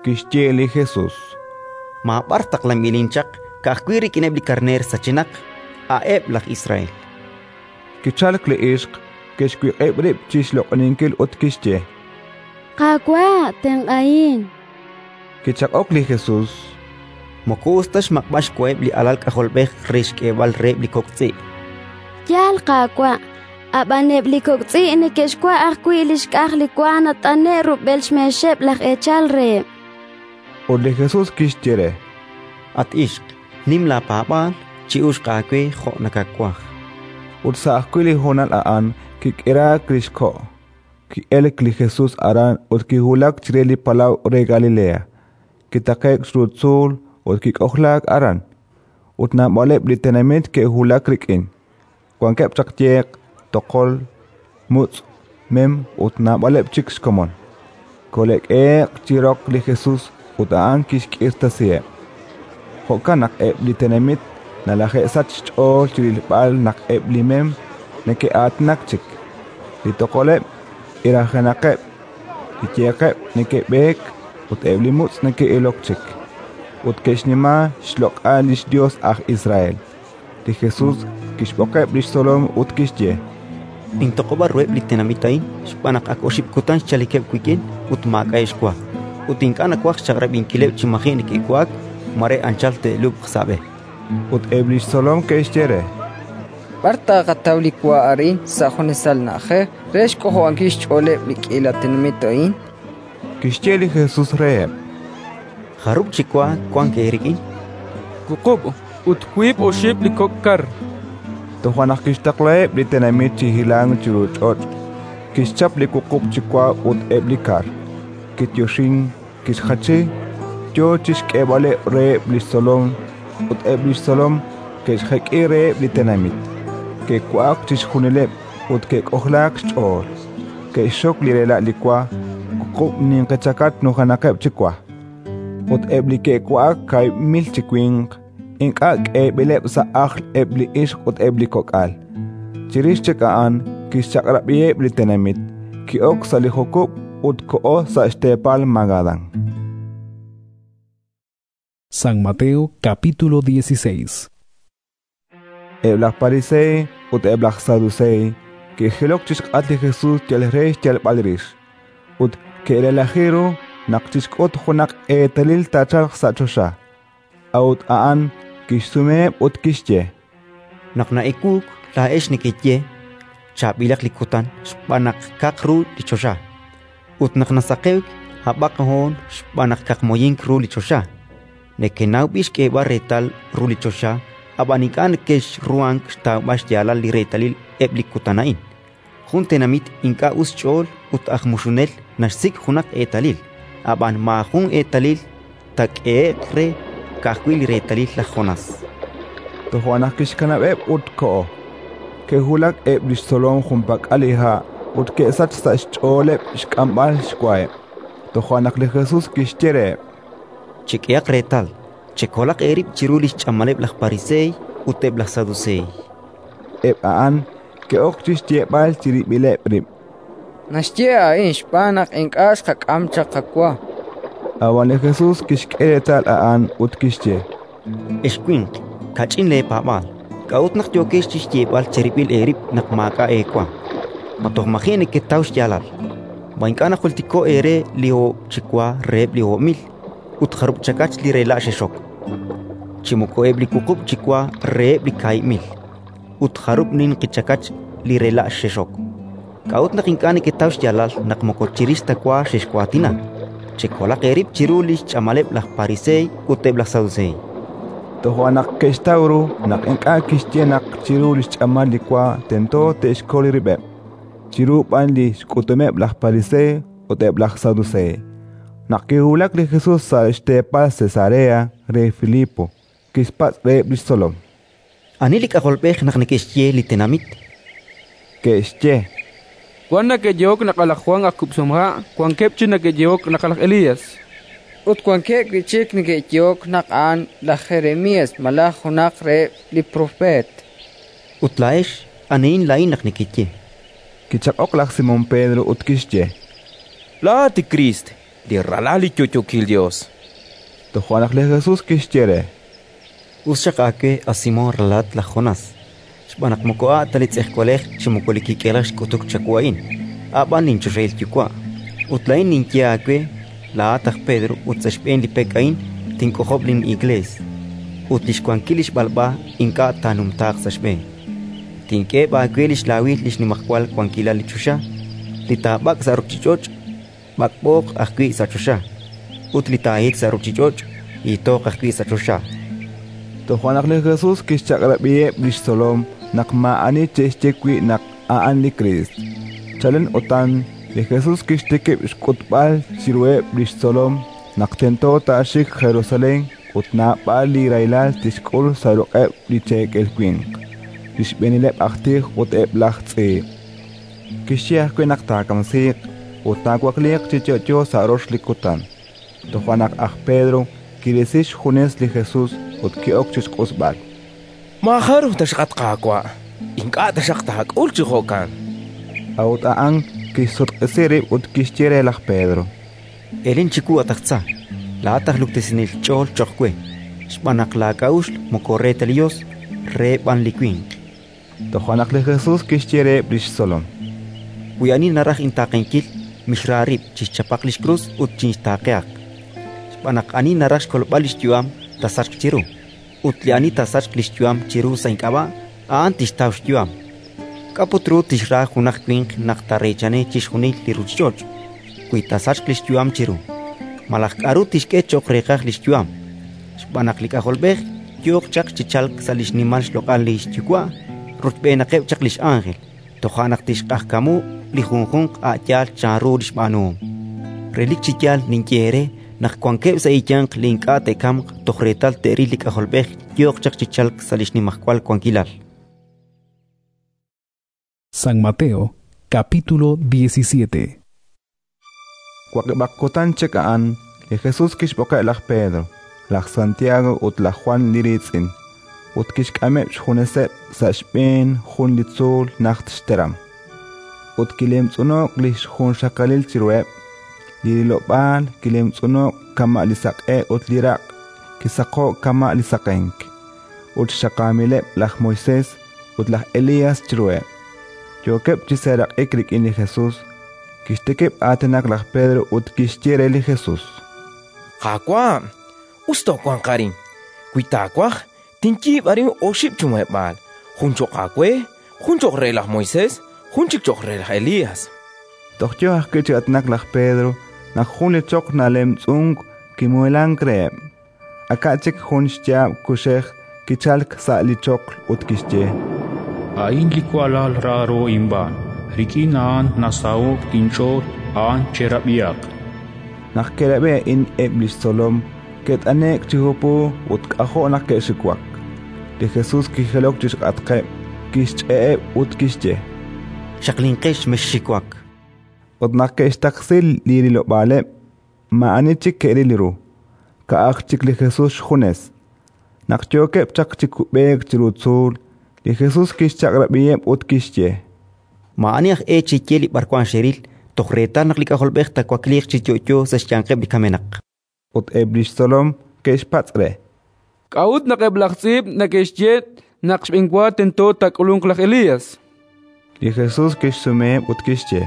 Speaker 2: Kixye li Jesus:
Speaker 10: Maab'ar taqlanb'ilin chaq, ka'ajwi' rik'ineb' li karneer sachenaq, a'eb' laj Israel.
Speaker 2: Kichalk li ixq, kixwiq'ib' rib' chi xloq'oninkil ut kixye:
Speaker 19: Qaawa', tenq'ahin.
Speaker 2: Kichaq'ok li Jesus:
Speaker 10: Moko us ta xmaq'b'al xwaheb' li alal k'ajolb'ej re xk'eeb'al reheb' li kok' tz'i'.
Speaker 19: Yaal, Qaawa', ab'an eb' li kok' tz'i' neke'xwa' ajwi' li xk'aj li wa nat'ane'k rub'el xmeexeb' laj eechal reheb'.
Speaker 2: Ut li Jesus kixye re:
Speaker 10: At ixq, nim laapaab'aal, chi'uxq aawe jo' nakawaj.
Speaker 2: Ut sa' ajwi' li honal a'an kik'iraak li xko'. Ki'elk li Jesus aran ut kiwulak chire li palaw re Galilea. Kitaqe'k chiru tzuul ut kik'ojlaak aran. Ut naab'aleb' li tenamit ke'wulak rik'in. Wankeb' chaq yeq, toqol, mutz', mem ut naab'aleb' chik xkomon. Kole'k'ehe'q chi roq li Jesus ut a'an kixk'irtasiheb'. Jo'kan naq eb' li tenamit nalaje'sach xch'ool chi rilb'al naq eb' li mem neke'aatinak chik, li toqoleb' irajenaqeb', li yeqeb' neke'b'eek ut eb' li mutz' neke'ilok chik. Ut ke'xnima xloq'al li xYos aj Israel. Li Jesus kixb'oqeb' li xtzolom ut kixye:
Speaker 10: Nintoq'ob'a ruheb' li tenamit a'in xb'aan naq ak oxib' kutan xchalikeb' wik'in ut maak'a'eb' xwa, ut ink'a' nawaj xchaq'rab'inkileb' chi maji' neke'wa'ak, mare anchal te'lub'q sa' b'e.
Speaker 2: Ut eb' li xtzolom ke'xye re:
Speaker 15: B'ar taaqataw li wa arin sa' junesal na'ajej re xk'ojob'ankil xch'ooleb' li k'iila tenamit a'in?
Speaker 2: Kixye li Jesus reheb':
Speaker 10: Jarub' chi wa wank eerik'in?
Speaker 21: Wuqub' ut wiib' oxib' li kok' kar.
Speaker 2: Toja' naq kixtaqlaheb' li tenamit chi hilank chiru ch'och', kixchap li wuqub' chi wa ut eb' li kar, kiyoxink, kixjachi, yo chi xk'eeb'aleb' reheb' li xtzolom, ut eb' li xtzolom ke'xjek'i reheb' li tenamit. Ke'wa'ak chixjunileb' ut ke'k'ojlaak xch'ool. Ke'xxok li rela' li wa, wuqub' ninqi chakach nujenaqeb' chi wa. Ut eb' li ke'wa'ak kaahib' mil chi winq, ink'a' k'eeb'ileb' sa' ajl eb' li ixq ut eb' li kok'al. Chirix chik a'an kixchaq'rab'iheb' li tenamit, ki'ok sa' li jukub' ut koho sa' xteepal Magadán.
Speaker 8: San Mateo capítulo dieciséis.
Speaker 2: Eb' laj Pariseey ut eb' laj Saduseey ke'jilok chi xk'atq li Jesus yal re xyalb'al rix, ut ke'relaji ru naq chixk'ut junaq eetalil taachalq sa' choxa. A'ut a'an kixsumeheb' ut kixye:
Speaker 10: Naq na'ewuuk, laa'ex nekeye: Chaab'ilaq li kutan xb'aan naq kaq ru li choxa. Ut naq nasaqewk, hab'aq hoon xb'aan naq kaqmoyink ru li choxa. Nekenaw b'i xk'eeb'al reetal ru li choxa, ab'an ink'a' nekexruhank xtawb'al xyaalal li reetalil eb' li kutan a'in. Jun tenamit ink'a' us xch'ool ut aj muxunel naxsik' junaq eetalil, ab'an maajun eetalil taak'ehe'q re, ka'ajwi' li reetalil laj Jonás.
Speaker 2: Toja' naq kixkanab'eb' ut koho. Ke'wulak eb' li xtzolom junpak'al li ha' ut ke'sach sa' xch'ooleb' xk'amb'al xwaheb'. Toja' naq li Jesus kixye reheb':
Speaker 10: Chek'ehaq reetal, chekolaq eerib' chiru li xch'amaleb' laj Pariseey ut eb' laj Saduseey.
Speaker 2: Eb' a'an ke'ok chi xyeeb'al chirib'ileb' rib':
Speaker 15: Naxye a'in xb'aan naq ink'a' xqak'am chaq qawa.
Speaker 2: Ab'an li Jesus kixk'e reetal a'an ut kixye:
Speaker 10: Ex winq, kach'in leepaab'aal, k'a'ut naq yookex chi xyeeb'al cherib'il eerib' naq maak'a' eewa? Ma toj maji' neketaw xyaalal? Ma ink'a' najultiko'k eere li oob' chi wa reheb' li oob' mil ut jarub' chakach li rela' xexok? Chi moko eb' li wuqub' chi wa reheb' li kaahib' mil ut jarub' ninqi chakach li rela' xexok? K'a'ut naq ink'a' neketaw xyaalal naq moko chirix ta wa xexwaatina? Chekolaq eerib' chiru li xch'amaleb' laj Pariseey ut eb' laj Saduseey.
Speaker 2: Toja' naq ke'xtaw ru naq ink'a' kixye naq chiru li xch'amal li wa tento te'xkol rib'eb', chiru b'an li xk'utumeb' laj Pariseey ut eb' laj Saduseey. Naq kiwulak li Jesus sa' xteepal Cesarea re Filipo, kixpatz' reheb' li xtzolom:
Speaker 10: Ani li K'ajolb'ej naq neke'xye li tenamit?
Speaker 2: Ke'xye:
Speaker 21: Wan neke'yehok naq laj Jwan aj Kub'sihomha', wankeb' chik neke'yehok naq laj Elías.
Speaker 15: Ut wankeb' wi' chik neke'yehok naq a'an laj Jeremías malaj junaq reheb' li propeet.
Speaker 10: Ut laa'ex, anihin laa'in naq nekeye?
Speaker 2: Kichaq'ok laj Simón Pedro ut kixye:
Speaker 16: Laa'at li Kriist, li Ralal li yo'yookil Yos.
Speaker 2: Toja' naq li Jesus kixye re:
Speaker 10: Us xaq aawe, a Simón, ralalat laj Jonás, xb'aan naq moko a' ta li tz'ejwalej chi moko li kik'elej xk'utuk chawu a'in, a' b'an linchoxahil Yuwa'. Ut laa'in ninye aawe: Laa'at aj Pedro ut sa' xb'een li pek a'in tink'ojob' lin'Iklees, ut li xwankil li xb'alb'a ink'a' taanumtaaq sa' xb'een. Tink'eheb' aawe li xlaawil li xnimajwal wankilal li choxa: li taab'ak' sa' ruuchich'och', b'ak'b'ooq ajwi' sa' choxa, ut li taahit sa' ruuchich'och', hiitooq ajwi' sa' choxa.
Speaker 2: Toja' naq li Jesus kixchaq'rab'iheb' li xtzolom naq maa'ani che'xye wi' naq a'an li Kriist. Chalen utan li Jesus kixtikib' xk'utb'al chiruheb' li xtzolom naq tento taaxik Jerusalén ut naab'al li rahilal tixk'ul sa' ruq'eb' li cheekel winq, li xb'eenileb' aj tij ut eb' laj tz'iib'. Kixye ajwi' naq taakamsiiq ut taawakliiq chi yo'yo sa' rox li kutan. Toja' naq aj Pedro kirisi xjunes li Jesus ut ki'ok chi xq'usb'al:
Speaker 16: Maajaruj taxaq, at Qaawa', ink'a' taxaq taak'ul chi jo'kan.
Speaker 2: A'ut a'an kixsutq'isi rib' ut kixye re laj Pedro:
Speaker 10: Elen chiwu, at aj tza! Laa'at aj luktesinel ch'ool cho'q we, xb'aan naq laak'a'uxl moko re ta li Yos, re b'an li winq.
Speaker 2: Toja' naq li Jesus kixye reheb' li xtzolom:
Speaker 10: Wi ani naraj intaaqenkil, mixra rib', chixchapaq li xkrus ut chinxtaaqehaq. Xb'aan naq ani naraj xkolb'al li xyu'am, taasachq chiru; ut li ani taasachq li xyu'am chiru sa' ink'ab'a', a'an tixtaw xyu'am. K'a' put ru tixra junaq winq naq taareechani chixjunil li ruuchich'och', wi taasachq li xyu'am chiru? Malaj k'aru tixk'e cho'q reeqaj li xyu'am? Xb'aan naq li K'ajolb'ej yooq chaq chi chalk sa' li xnimal xloq'al li xYuwa' rochb'eenaqeb' chaq li x'ánjel, toja' naq tixq'ajkamu li junjunq a' yaal chanru li xb'aanuhom. Relik chi yaal ninye eere naq wankeb' sa' eeyanq li ink'a' te'kamq toj reetal te'ril li K'ajolb'ej yooq chaq chi chalk sa' li xnimajwal wankilal.
Speaker 8: San Mateo, capítulo diecisiete.
Speaker 2: Waqib'aq kutan chik a'an, li Jesus kixb'oqeb' laj Pedro, laj Santiago ut laj Jwan li riitz'in, ut kixk'ameb' xjuneseb' sa' xb'een jun li tzuul najt xteram. Ut kilemtz'uno'k li xjunxaqalil chiruheb', li rilob'aal kilemtz'uno'k kama' li saq'e ut li raq' kisaqo'k kama' li saqenk. Ut xxaqaamileb' laj Moisés ut laj Elías chiruheb'. Yookeb' chi seeraq'ik rik'in li Jesus. Kixtikib' aatinak laj Pedro ut kixye re li Jesus:
Speaker 16: Qaawa', us toowanq arin. Wi taawaj, tinyiib' arin oxib' chi muheb'aal: jun cho'q aawe, jun cho'q re laj Moisés, jun chik cho'q re laj Elías.
Speaker 2: Toj yo ajwi' chi aatinak laj Pedro naq jun li choql nalemtz'unk kimuhelank reheb'. Aka' chik jun xyaab' kuxej kichalk sa' li choql ut kixye:
Speaker 11: A'in li walal raaro inb'aan, rik'in a'an nasaho'k inch'ool, a'an cherab'ihaq.
Speaker 2: Naq ke'rab'i a'in eb' li xtzolom, ke't'ane'k chi hupu ut k'ajo' naq ke'xiwak. Li Jesus kijilok chi xk'atqeb', kixch'e'eb' ut kixye:
Speaker 10: Xaqlinqex, mexxiwak.
Speaker 2: Ut naq ke'xtaqsi li rilob'aaleb', maa'ani chik ke'ril ru, ka'aj chik li Jesus xjunes. Naq yookeb' chaq chi kub'eek chiru tzuul, li Jesus kixchaq'rab'iheb' ut kixye:
Speaker 10: Maa'ani aj e cheye li b'arwan xeril toj reetal naq li K'ajolb'ej taawakliiq chi yo'yo sa' xyanqeb' li kamenaq.
Speaker 2: Ut eb' li xtzolom ke'xpatz' re:
Speaker 21: K'a'ut naq eb' laj tz'iib' neke'xye naq xb'enwa tento taak'ulunq laj Elías?
Speaker 2: Li Jesus kixsumeheb' ut kixye: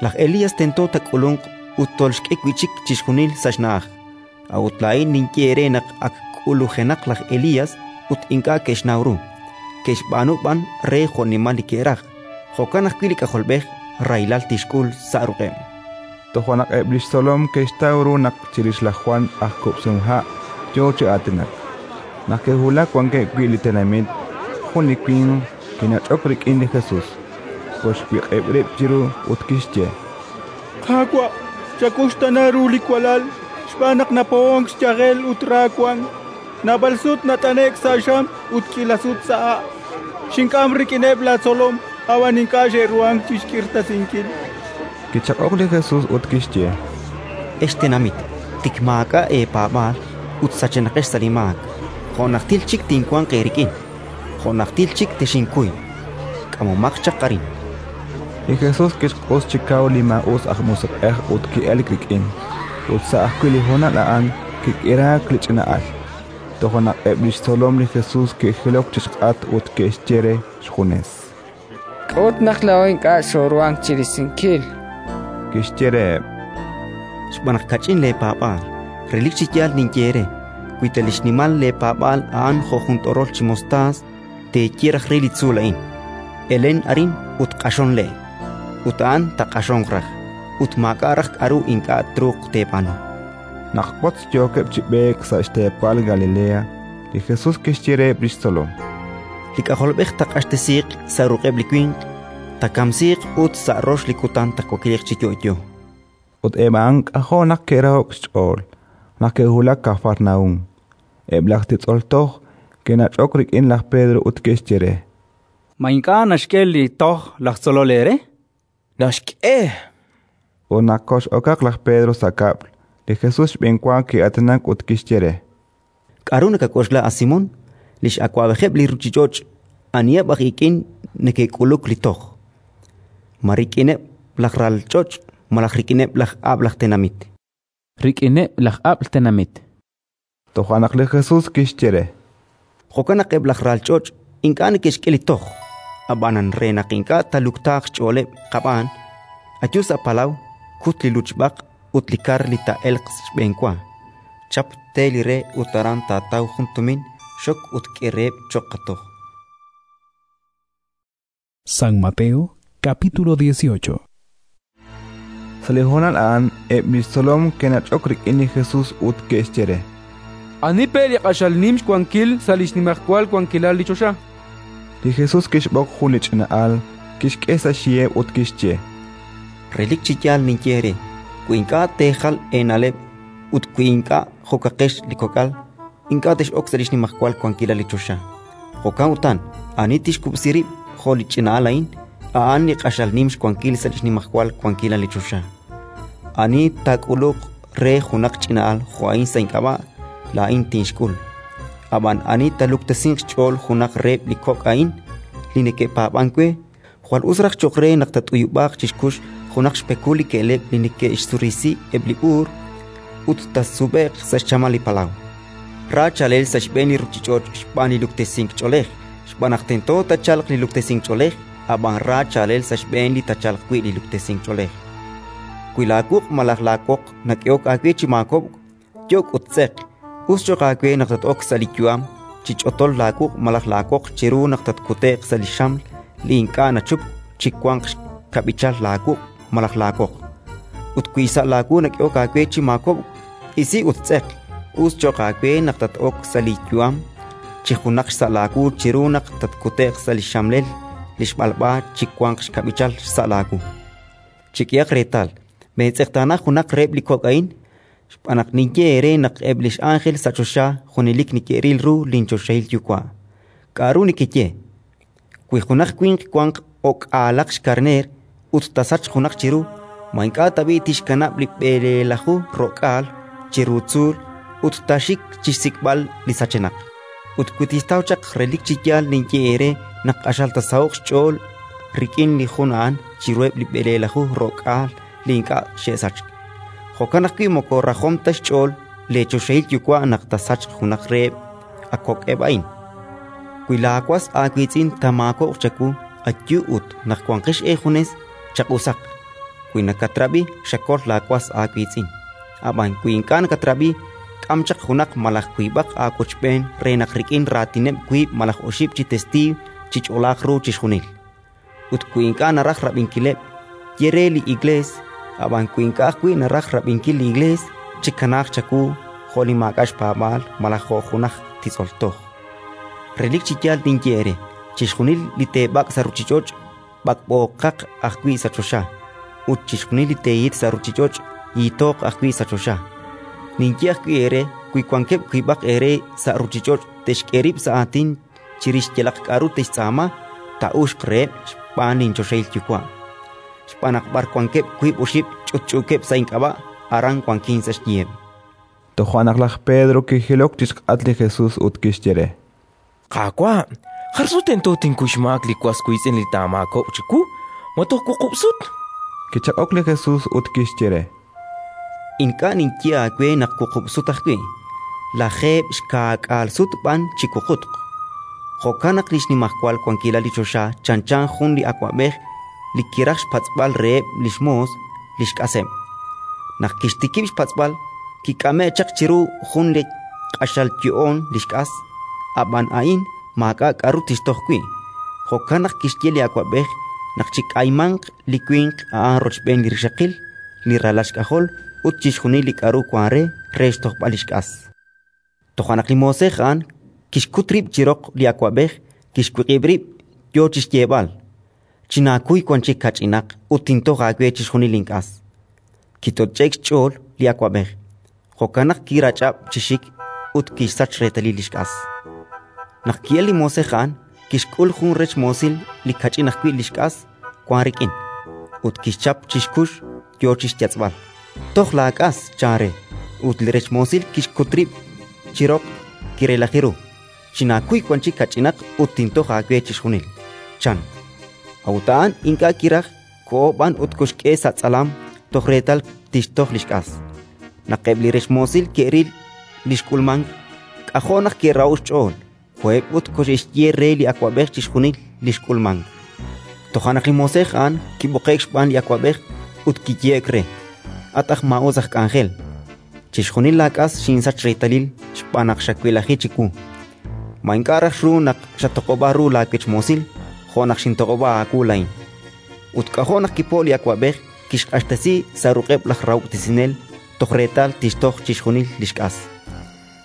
Speaker 10: Laj Elías tento taak'ulunq ut tolxk'e wi' chik chixjunil sa' xna'aj. A'ut laa'in ninye eere naq ak k'ulujenaq laj Elías ut ink'a' ke'xnaw ru, ke'xb'aanu b'an re jo'nimal li ke'raj. Jo'kan ajwi' li K'ajolb'ej rahilal tixk'ul sa' ruq'eb'.
Speaker 2: Toja' naq eb' li xtzolom ke'xtaw ru naq chirix laj Jwan aj Kub'sihomha' yo chi aatinak. Naq ke'wulak wankeb' wi' li tenamit, jun li winq kinach'ok rik'in li Jesus, koxwiq'ib' rib' chiru ut kixye:
Speaker 13: Qaawa', chakuxtaana ru li walal, xb'aan naq napo'onk xyajel ut ra wank. Naab'al sut nat'ane'k sa' xam ut k'iila sut sa' ha'. Xink'am rik'ineb' laatzolom, ab'an ink'a' xe'ruhank chi xk'irtasinkil.
Speaker 2: Kichaq'ok li Jesus ut kixye:
Speaker 10: Ex tenamit, tik maak'a' eepaab'aal ut sachenaqex sa' li maak. Jo' najtil chik tinwanq eerik'in, jo' najtil chik texinkuy. K'amomaq chaq arin.
Speaker 2: Li Jesus kixq'us chi kaw li maa'us aj musiq'ej ut ki'elk rik'in, ut sa' ajwi' li honal a'an kik'iraak li ch'ina'al. Toja' naq eb' li xtzolom li Jesus ke'jilok chi xk'atq ut ke'xye re xjunes:
Speaker 15: K'a'ut naq laa'o ink'a' xooruhank chi risinkil?
Speaker 2: Kixye reheb':
Speaker 10: Xb'aan naq kach'in leepaab'aal. Relik chi yaal ninye eere: wi ta li xnimal leepaab'aal a'an jo' jun t'orol chi mostaas, teeye raj re li tzuul a'in: «Elen arin ut q'axon le'», ut a'an taaq'axonq raj. Ut maak'a' raj k'aru ink'a' truuq teeb'aanu.
Speaker 2: Naq wotz yookeb' chi b'eek sa' xteepal Galilea, li Jesus kixye reheb' li xtzolom:
Speaker 10: Li K'ajolb'ej taaq'axtesiiq sa' ruq'eb' li winq, taakamsiiq ut sa' rox li kutan taawakliiq chi yo'yo.
Speaker 2: Ut eb' a'an k'ajo' naq ke'raho'k xch'ool naq ke'wulak Kafarnaúm. Eb' laj titz'ol toj ke'nach'ok rik'in laj Pedro ut ke'xye re:
Speaker 14: Ma ink'a' naxk'e li toj laj tzolol eere?
Speaker 16: Naxk'e.
Speaker 2: Ut naq kox'okaq laj Pedro sa' kab'l, li Jesus xb'enwa ki'aatinak ut kixye re:
Speaker 10: K'aru nakak'oxla, a Simón? Li x'awab'ejeb' li ruuchich'och' aniheb' aj ik'in neke'k'uluk li toj? Ma rik'ineb' laj ral ch'och' malaj rik'ineb' laj ab'l aj tenamit?
Speaker 6: Rik'ineb' laj ab'l tenamit.
Speaker 2: Toja' naq li Jesus kixye re:
Speaker 10: Jo'kan naq eb' laj ral ch'och' ink'a' neke'xk'e li toj. Ab'anan re naq ink'a' taaluktaaq xch'ooleb' qab'aan, ayu sa' palaw, kut li luchb'aq ut li kar li taa'elq xb'enwa. Chap te li re ut aran taataw jun tumin, xok ut k'e reheb' cho'q qatoj.
Speaker 8: San Mateo, capítulo dieciocho.
Speaker 2: Sa' li hoonal a'an eb' li xtzolom ke'nach'ok rik'in li Jesus ut ke'xye re:
Speaker 21: Ani pe' li q'axal nim xwankil sa' li xnimajwal wankilal li choxa?
Speaker 2: Li Jesus kixb'oq jun li ch'ina'al, kixk'e sa' xyiheb' ut kixye:
Speaker 10: Relik chi yaal ninye eere: wi ink'a' teejal eena'leb' ut wi ink'a' jo'kaqex li kok'al, ink'a' tex'ok sa' li xnimajwal wankilal li choxa. Jo'kan utan, ani tixkub'si rib' jo' li ch'ina'al a'in, a'an li q'axal nim xwankil sa' li xnimajwal wankilal li choxa. Ani taak'uluq re junaq ch'ina'al jo' a'in sa' ink'ab'a', laa'in tinxk'ul. Ab'an ani taaluktesinq xch'ool junaq reheb' li kok' a'in li neke'paab'ank we, jwal us raj cho'q re naq taat'uyub'aaq chi xkux junaq xpekul li ke'leb' li neke'xsurisi eb' li b'uur ut taasub'e'q sa' xchamal li palaw. Ra chaalel sa' xb'een li ruuchich'och' xb'aan li luktesink ch'oolej, xb'aan naq tento taachalq li luktesink ch'oolej, ab'an ra chaalel sa' xb'een li taachalq wi' li luktesink ch'oolej. Wi laawuq' malaj laawoq nak'ehok aawe chi maakob'k, yok' ut tz'eq. Us cho'q aawe naq tat-ok sa' li yu'am chi ch'otol laawuq' malaj laawoq chiru naq tatkute'q sa' li xaml li ink'a' nachupk chi wanq xkab'ichal laawuq' malaj laawoq. Ut wi sa' laawu nak'ehok aawe chi maakob'k, isi ut tz'eq. Us cho'q aawe naq tat-ok sa' li yu'am chi junaq xsa' laawu chiru naq tatkute'q sa' li xxamlel li xb'alb'a chi wanq xkab'ichal xsa' laawu. Chek'ehaq reetal, meetz'eqtaana junaq reheb' li kok' a'in, xb'aan naq ninye eere naq eb' li x'ánjel sa' choxa junelik neke'ril ru linchoxahil Yuwa'. K'aru nekeye? Wi junaq winq wanq o'k'aalaq xkarneer ut taasachq junaq chiru, ma ink'a' tab'i' tixkanab' li b'eleelaju ro'k'aal chiru tzuul ut taaxik chi xsik'b'al li sachenaq? Ut wi tixtaw chaq, relik chi yaal ninye eere naq q'axal taasaho'q xch'ool rik'in li jun a'an chiruheb' li b'eleelaju ro'k'aal li ink'a' xe'sachk. Jo'kan ajwi' moko rajom ta xch'ool leechoxahil Yuwa' naq taasachq junaq reheb' a kok'eb' a'in. Wi laawas aawiitz'in taamaakob'q chawu, ayu ut naq wanqex eejunes, chaq'usaq. Wi nakatrab'i, xakol laawas aawiitz'in. Ab'an wi ink'a' nakatrab'i, k'am chaq junaq malaj wiib'aq aawochb'een re naq rik'in raatineb' wiib' malaj oxib' chi testiiw chich'olaaq ru chixjunil. Ut wi ink'a' naraj rab'inkileb', ye re li Iklees. Ab'an wi ink'a' ajwi' naraj rab'inkil li Iklees, chikanaaq chawu jo' li maak'a' xpaab'aal malaj jo' junaj titz'ol toj. Relik chi yaal ninye eere: chixjunil li teeb'ak' sa' ruuchich'och', b'ak'b'ooqaq ajwi' sa' choxa, ut chixjunil li teehit sa' ruuchich'och', yiitooq ajwi' sa' choxa. Ninye ajwi' eere: wi wankeb' wiib'aq eere sa' ruuchich'och' te'xk'e rib' sa' aatin chirix yalaq k'aru te'xtz'aama, taa'uxq reheb' xb'aan linchoxahil Yuwa'. Xb'aan naq b'ar wankeb' wiib' oxib' ch'utch'uukeb' sa' ink'ab'a', aran wankin sa' xyiheb'.
Speaker 2: Toja' naq laj Pedro kijilok chi xk'atq li Jesus ut kixye re:
Speaker 16: Qaawa', jar sut tento tinkuy xmaak li was wiitz'in li taamaakob'q chiwu? Ma toj wuqub' sut?
Speaker 2: Kichaq'ok li Jesus ut kixye re:
Speaker 10: Ink'a' ninye aawe naq wuqub' sut ajwi', lajeeb' xkaak'aal sut b'an chi wuqutq. Jo'kan naq li xnimajwal wankilal li choxa chanchan jun li awab'ej li kiraj xpatz'b'al reheb' li xmoos li xk'aseb'. Naq kixtikib' xpatz'b'al, kik'ame'k chaq chiru jun li q'axal yo'oon li xk'as; ab'an a'in maak'a' k'aru tixtoj wi'. Jo'kan naq kixye li awab'ej naq chik'aymanq li winq a'an rochb'een li rixaqil, li ralal xk'ajol ut chixjunil li k'aru wank re, re xtojb'al li xk'as. Toja' naq li moosej a'an kixkut rib' chi roq li awab'ej, kixwiq'ib' rib', yo chi xyeeb'al: «Chinaakuy wan chik kach'inaq ut tintoj aawe chixjunil link'as». Kitoch'e'k xch'ool li awab'ej, jo'kan naq kirach'ab' chi xik ut kixsach reetalil li xk'as. Naq ki'elk li moosej a'an, kixk'ul jun rech moosil li kach'in ajwi' li xk'as wank rik'in, ut kixchap chi xkux, yo chi xyatz'b'al: «Toj laak'as», chan re. Ut li rech moosil kixkut rib' chi roq, kirelaji ru: «Chinaakuy wan chik kach'inaq ut tintoj aawe chixjunil», chan. A'ut a'an ink'a' kiraj, koho b'an ut koxk'e sa' tz'alam toj reetal tixtoj li xk'as. Naq eb' li rech moosil ke'ril li xk'ulmank, k'ajo' naq ke'raho'k xch'ool; koheb' ut koxe'xye re li awab'ej chixjunil li xk'ulmank. Toja' naq li moosej a'an kib'oqe'k xb'aan li awab'ej ut kiyehe'k re: «At aj maa'us aj k'anjel, chixjunil laak'as xinsach reetalil xb'aan naq xawelaji chiwu. Ma ink'a' raj xru naq xatoq'ob'a ru laawech moosil jo' naq xintoq'ob'a aawu laa'in?» Ut k'ajo' naq kipo'k li awab'ej, kixq'axtesi sa' ruq'eb' laj rahob'tesinel toj reetal tixtoj chixjunil li xk'as.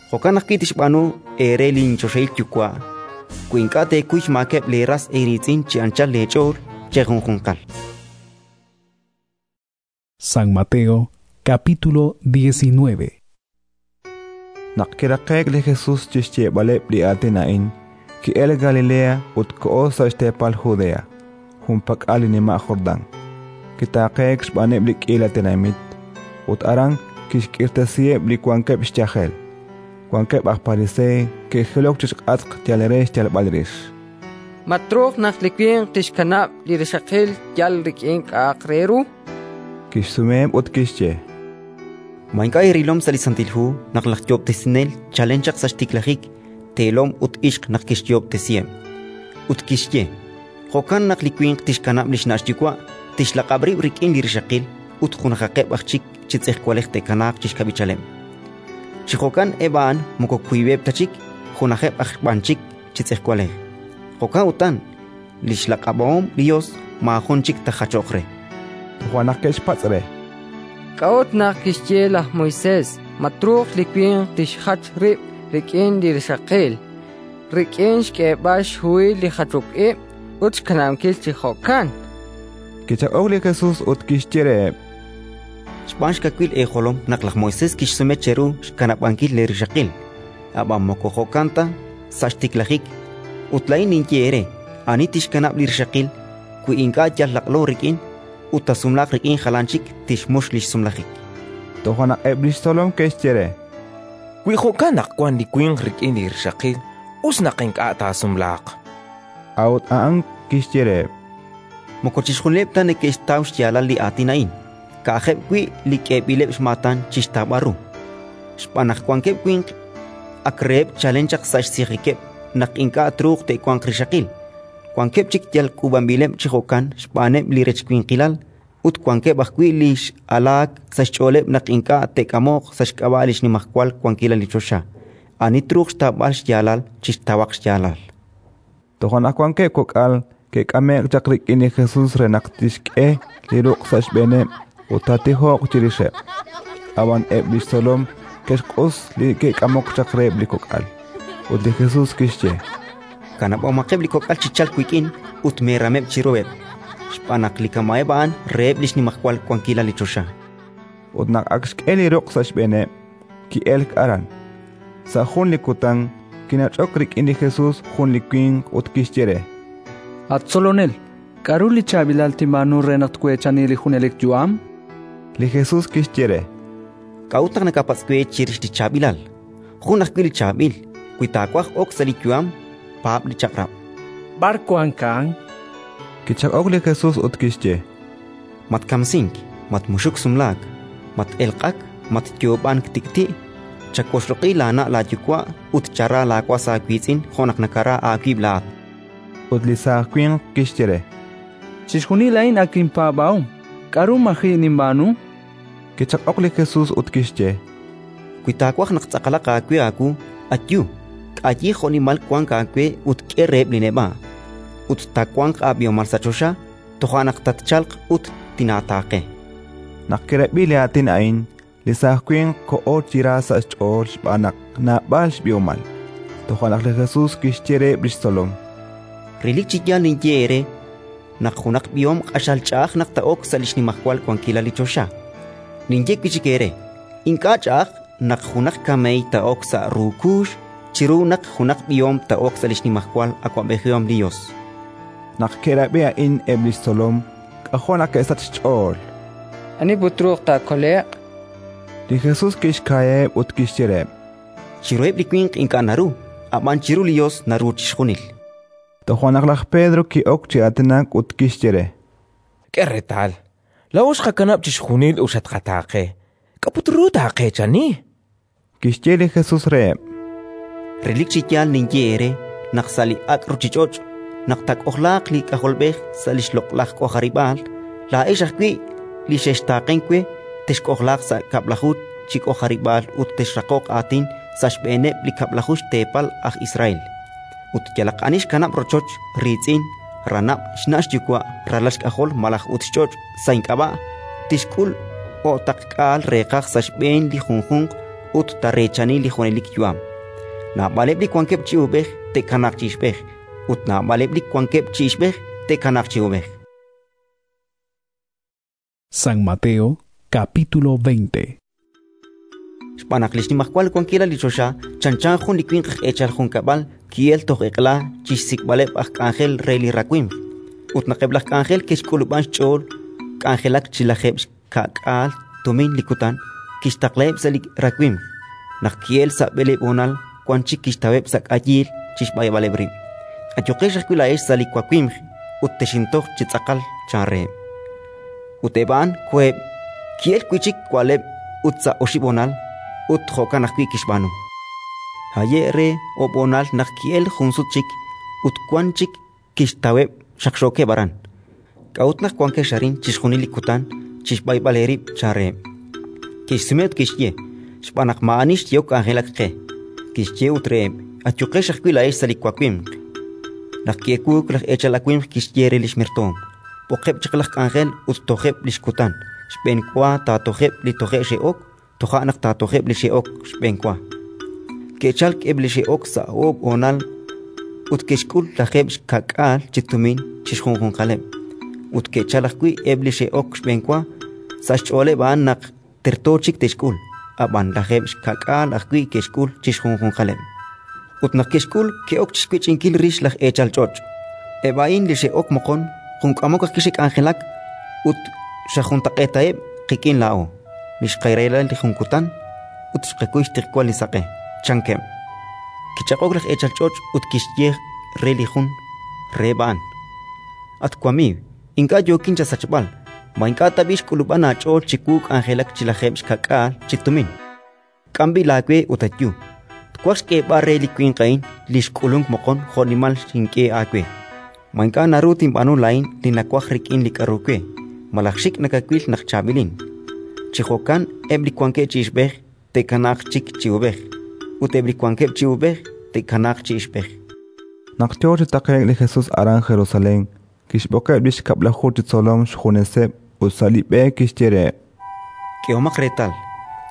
Speaker 10: Jo'kan ajwi' tixb'aanu eere linchoxahil Yuwa' wi ink'a' teekuy xmaakeb' leeras eeriitz'in chi anchal leech'ool chejunjunqal.
Speaker 8: San Mateo capítulo diecinueve.
Speaker 2: Naq kiraqe'k li Jesus chi xyeeb'aleb' li aatin a'in, ki'elk Galilea ut koho sa' xteepal Judea, junpak'al li nima' Jordán. Kitaaqeek xb'aaneb' li k'iila tenamit, ut aran kixk'irtasiheb' li wankeb' xyajel. Wankeb' aj Pariseey ke'jilok chi xk'atq yal re xyalb'al rix.
Speaker 15: Ma truuq naq li winq tixkanab' li rixaqil yal rik'in k'a'aq re ru?
Speaker 2: Kixsumeheb' ut kixye:
Speaker 10: Ma ink'a' eerilom sa' li Santil Hu naq laj Yoob'tesinel chalen chaq sa' xtiklajik teelom ut ixq naq kixyoob'tesiheb'? Ut kixye: «Jo'kan naq li winq tixkanab' li xna' xyuwa', tixlaq'ab' rib' rik'in li rixaqil ut junajaqeb' aj chik chi tz'ejwalej te'kanaaq chi xkab'ichaleb'». Chi jo'kan eb' a'an moko wiib'eb' ta chik, junajeb' aj b'an chik chi tz'ejwalej. Jo'kan utan, li xlaq'ab'ahom li Yos maajun chik taajachoq re.
Speaker 2: Toja' naq ke'xpatz' re:
Speaker 15: K'a'ut naq kixye laj Moisés ma truuq li winq tixjach rib' rik'in li rixaqil, rik'in xk'eeb'al xhuhil li jachok ib' ut xkanab'ankil chi jo'kan?
Speaker 2: Kichaq'ok li Jesus ut kixye reheb':
Speaker 10: Xb'aan xkawil eejolom naq laj Moisés kixsume cheru xkanab'ankil leerixaqil, ab'an moko jo'kan ta sa' xtiklajik. Ut laa'in ninye eere: ani tixkanab' li rixaqil, wi ink'a' yal laq'lo rik'in ut taasumlaaq rik'in jalan chik, tixmux li xsumlajik.
Speaker 2: Toja' naq eb' li xtzolom ke'xye re:
Speaker 16: Wi jo'kan naq wank li winq rik'in li rixaqil, us naq ink'a' taasumlaaq.
Speaker 2: A'ut a'an kixye reheb':
Speaker 10: Moko chixjunileb' ta neke'xtaw xyaalal li aatin a'in, ka'ajeb' wi' li k'eeb'ileb' xmaatan chi xtawb'al ru. Xb'aan naq wankeb' winq ak reheb' chalen chaq sa' xsijikeb' naq ink'a' truuq te'wanq rixaqil, wankeb' chik yal k'uub'anb'ileb' chi jo'kan xb'aaneb' li rechwinqilal, ut wankeb' ajwi' li x'alaak sa' xch'ooleb' naq ink'a' te'k'amoq sa' xk'ab'a' li xnimajwal wankilal li choxa. Ani truuq xtawb'al xyaalal, chixtawaq xyaalal.
Speaker 2: Toja' naq wankeb' kok'al ke'k'ame'k chaq rik'in li Jesus re naq tixk'e li ruq' sa' xb'eeneb' ut taatijoq chirixeb'. Ab'an eb' li xtzolom ke'xq'us li ke'k'amok chaq reheb' li kok'al. Ut li Jesus kixye:
Speaker 10: Kanab'omaqeb' li kok'al chi chalk wik'in ut meerameb' chiruheb', xb'aan naq li kama'eb' a'an reheb' li xnimajwal wankilal li choxa.
Speaker 2: Ut naq ak xk'e li ruq' sa' xb'eeneb', ki'elk aran. Sa' jun li kutan kinach'ok rik'in li Jesus jun li winq ut kixye re:
Speaker 9: At Tzolonel, k'aru li chaab'ilal tinb'aanu re naq tweechani li junelik yu'am?
Speaker 2: Li Jesus kixye re:
Speaker 10: K'a'ut naq nakapatz' we chirix li chaab'ilal? Jun ajwi' li chaab'il. Wi taawaj ok sa' li yu'am, paab' li chaq'rab'.
Speaker 3: B'ar wank a'an?
Speaker 2: Kichaq'ok li Jesus ut kixye:
Speaker 10: Matkamsink, matmuxuk sumlaak, mat-elq'ak, matyoob'ank tik'ti', chawoxloq'i laana' laayuwa' ut chara laawas aawiitz'in jo' naq nakara aawib' laa'at.
Speaker 2: Ut li saaj winq kixye re:
Speaker 9: Chixjunil a'in ak inpaab'ahom. K'aru maji' ninb'aanu?
Speaker 2: Kichaq'ok li Jesus ut kixye:
Speaker 10: Wi taawaj naq tz'aqalaq aawe aawu, ayu, k'ayi jo'nimal wank aawe ut k'e reheb' li neb'a', ut taawanq aab'ihomal sa' choxa. Toja' naq tatchalq ut tinaataaqe.
Speaker 2: Naq kirab'i li aatin a'in, li saaj winq koho chi ra sa' xch'ool xb'aan naq naab'al xb'ihomal. Toja' naq li Jesus kixye reheb' li xtzolom:
Speaker 10: Relik chi yaal ninye eere naq junaq b'ihom q'axal ch'a'aj naq taa'ok sa' li xnimajwal wankilal li choxa. Ninye wi' chik eere: ink'a' ch'a'aj naq junaq kameey taa'ok sa' ru kuux chiru naq junaq b'ihom taa'ok sa' li xnimajwal awab'ejihom li Yos.
Speaker 2: Naq ke'rab'i a'in eb' li xtzolom, k'ajo' naq ke'sachk xch'ool.
Speaker 15: Ani put truuq taakole'q?
Speaker 2: Li Jesus kixka'yaheb' ut kixye reheb':
Speaker 10: Chiruheb' li winq ink'a' naru, ab'an chiru li Yos naru chixjunil.
Speaker 2: Toja' naq laj Pedro ki'ok chi aatinak ut kixye re:
Speaker 16: K'e reetal, laa'o xqakanab' chixjunil ut xatqataaqe. K'a' put ru taaqeechani?
Speaker 2: Kixye li Jesus reheb':
Speaker 10: Relik chi yaal ninye eere naq sa' li ak' ruuchich'och', naq taak'ojlaaq li K'ajolb'ej sa' li xloq'laj k'ojarib'aal, laa'ex ajwi' li xextaaqenk we texk'ojlaaq sa' kab'laju chi k'ojarib'aal ut texraqoq aatin sa' xb'eeneb' li kab'laju xteepal aj Israel. Ut yalaq ani xkanab' rochoch, riitz'in, ranab', xna' xyuwa', ralal xk'ajol malaj ut xch'och' sa' ink'ab'a', tixk'ul o'taqk'aal reeqaj sa' xb'een li junjunq ut taareechani li junelik yu'am. Naab'aleb' li wankeb' chi uub'ej te'kanaaq chi ixb'ej, ut naab'aleb' li wankeb' chi ixb'ej te'kanaaq chi uub'ej.
Speaker 8: San Mateo, capítulo veinte.
Speaker 10: Xb'aan naq li xnimajwal wankilal li choxa chanchan jun li winq aj eechal junkab'al ki'elk toj eq'la chi xsik'b'aleb' aj k'anjel re li rawimq. Ut naq eb' laj k'anjel ke'xk'ulub'an xch'ool k'anjelak chi lajeeb' xka'k'aal tumin li kutan, kixtaqlaheb' sa' li rawimq. Naq ki'elk sa' b'eleeb' honal, wan chik kixtaweb' sa' k'ayiil chi xb'ayb'aleb' rib'. Ayuqex ajwi' laa'ex sa' li wawimq ut texintoj chi tz'aqal, chan reheb'. Ut eb' a'an koheb', ki'elk wi' chik wa'leb' ut sa' oxib' honal, ut jo'kan ajwi' kixb'aanu. Haye' re oob' honal naq ki'elk jun sut chik ut wan chik kixtaweb' xaqxookeb' aran. K'a'ut naq wankex arin chixjunil li kutan chi xb'ayb'al eerib'? Chan reheb'. Ke'xsume ut ke'xye: Xb'aan naq maa'ani xyehok k'anjelak qe. Kixye ut reheb': Ayuqex ajwi' laa'ex sa' li wawimq. Naq ki'ewuuk laj eechal awimq kixye re li xmertoom: B'oqeb' chaq laj k'anjel ut tojeb' li xkutan. Xb'enwa taatojeb' li toje' xe'ok, toja' naq taatojeb' li xe'ok xb'enwa. Ke'chalk eb' li xe'ok sa' oob' honal ut ke'xk'ul lajeeb' xka'k'aal chi tumin chi xjunjunqaleb'. Ut ke'chalk ajwi' eb' li xe'ok xb'enwa, sa' xch'ooleb' a'an naq terto chik te'xk'ul, ab'an lajeeb' xka'k'aal ajwi' ke'xk'ul chi xjunjunqaleb'. Ut naq ke'xk'ul, ke'ok chi xwech'inkil rix laj eechal ch'och'. Eb' a'in li xe'ok moqon, jun k'amok ajwi' xe'k'anjelak ut xajuntaq'eetaheb' qik'in laa'o, li xqarahila li jun kutan ut xqakuy xtiqwal li saq'e, chankeb'. Kichaq'ok laj eechal ch'och' ut kixye re li jun reheb' a'an: At wamiiw, ink'a' yookin chasachb'al. Ma ink'a' tab'i' xk'ulub'an aach'ool chiwu k'anjelak chi lajeeb' xka'k'aal chi tumin? K'am b'i' laawe ut ayu. Twaj xk'eeb'al re li winq a'in li xk'ulunk moqon jo'nimal xink'e aawe. Ma ink'a' naru tinb'aanu laa'in li nawaj rik'in li k'aru we, malaj xik' nakawil naq chaab'ilin? Chi jo'kan eb' li wankeb' chi ixb'ej te'kanaaq chik chi uub'ej, ut eb' li wankeb' chi uub'ej te'kanaaq chi ixb'ej.
Speaker 2: Naq yo chi taqe'k li Jesus aran Jerusalén, kixb'oqeb' li xkab'laju chi tzolom xjuneseb' ut sa' li b'e kixye reheb':
Speaker 10: K'ehomaq reetal,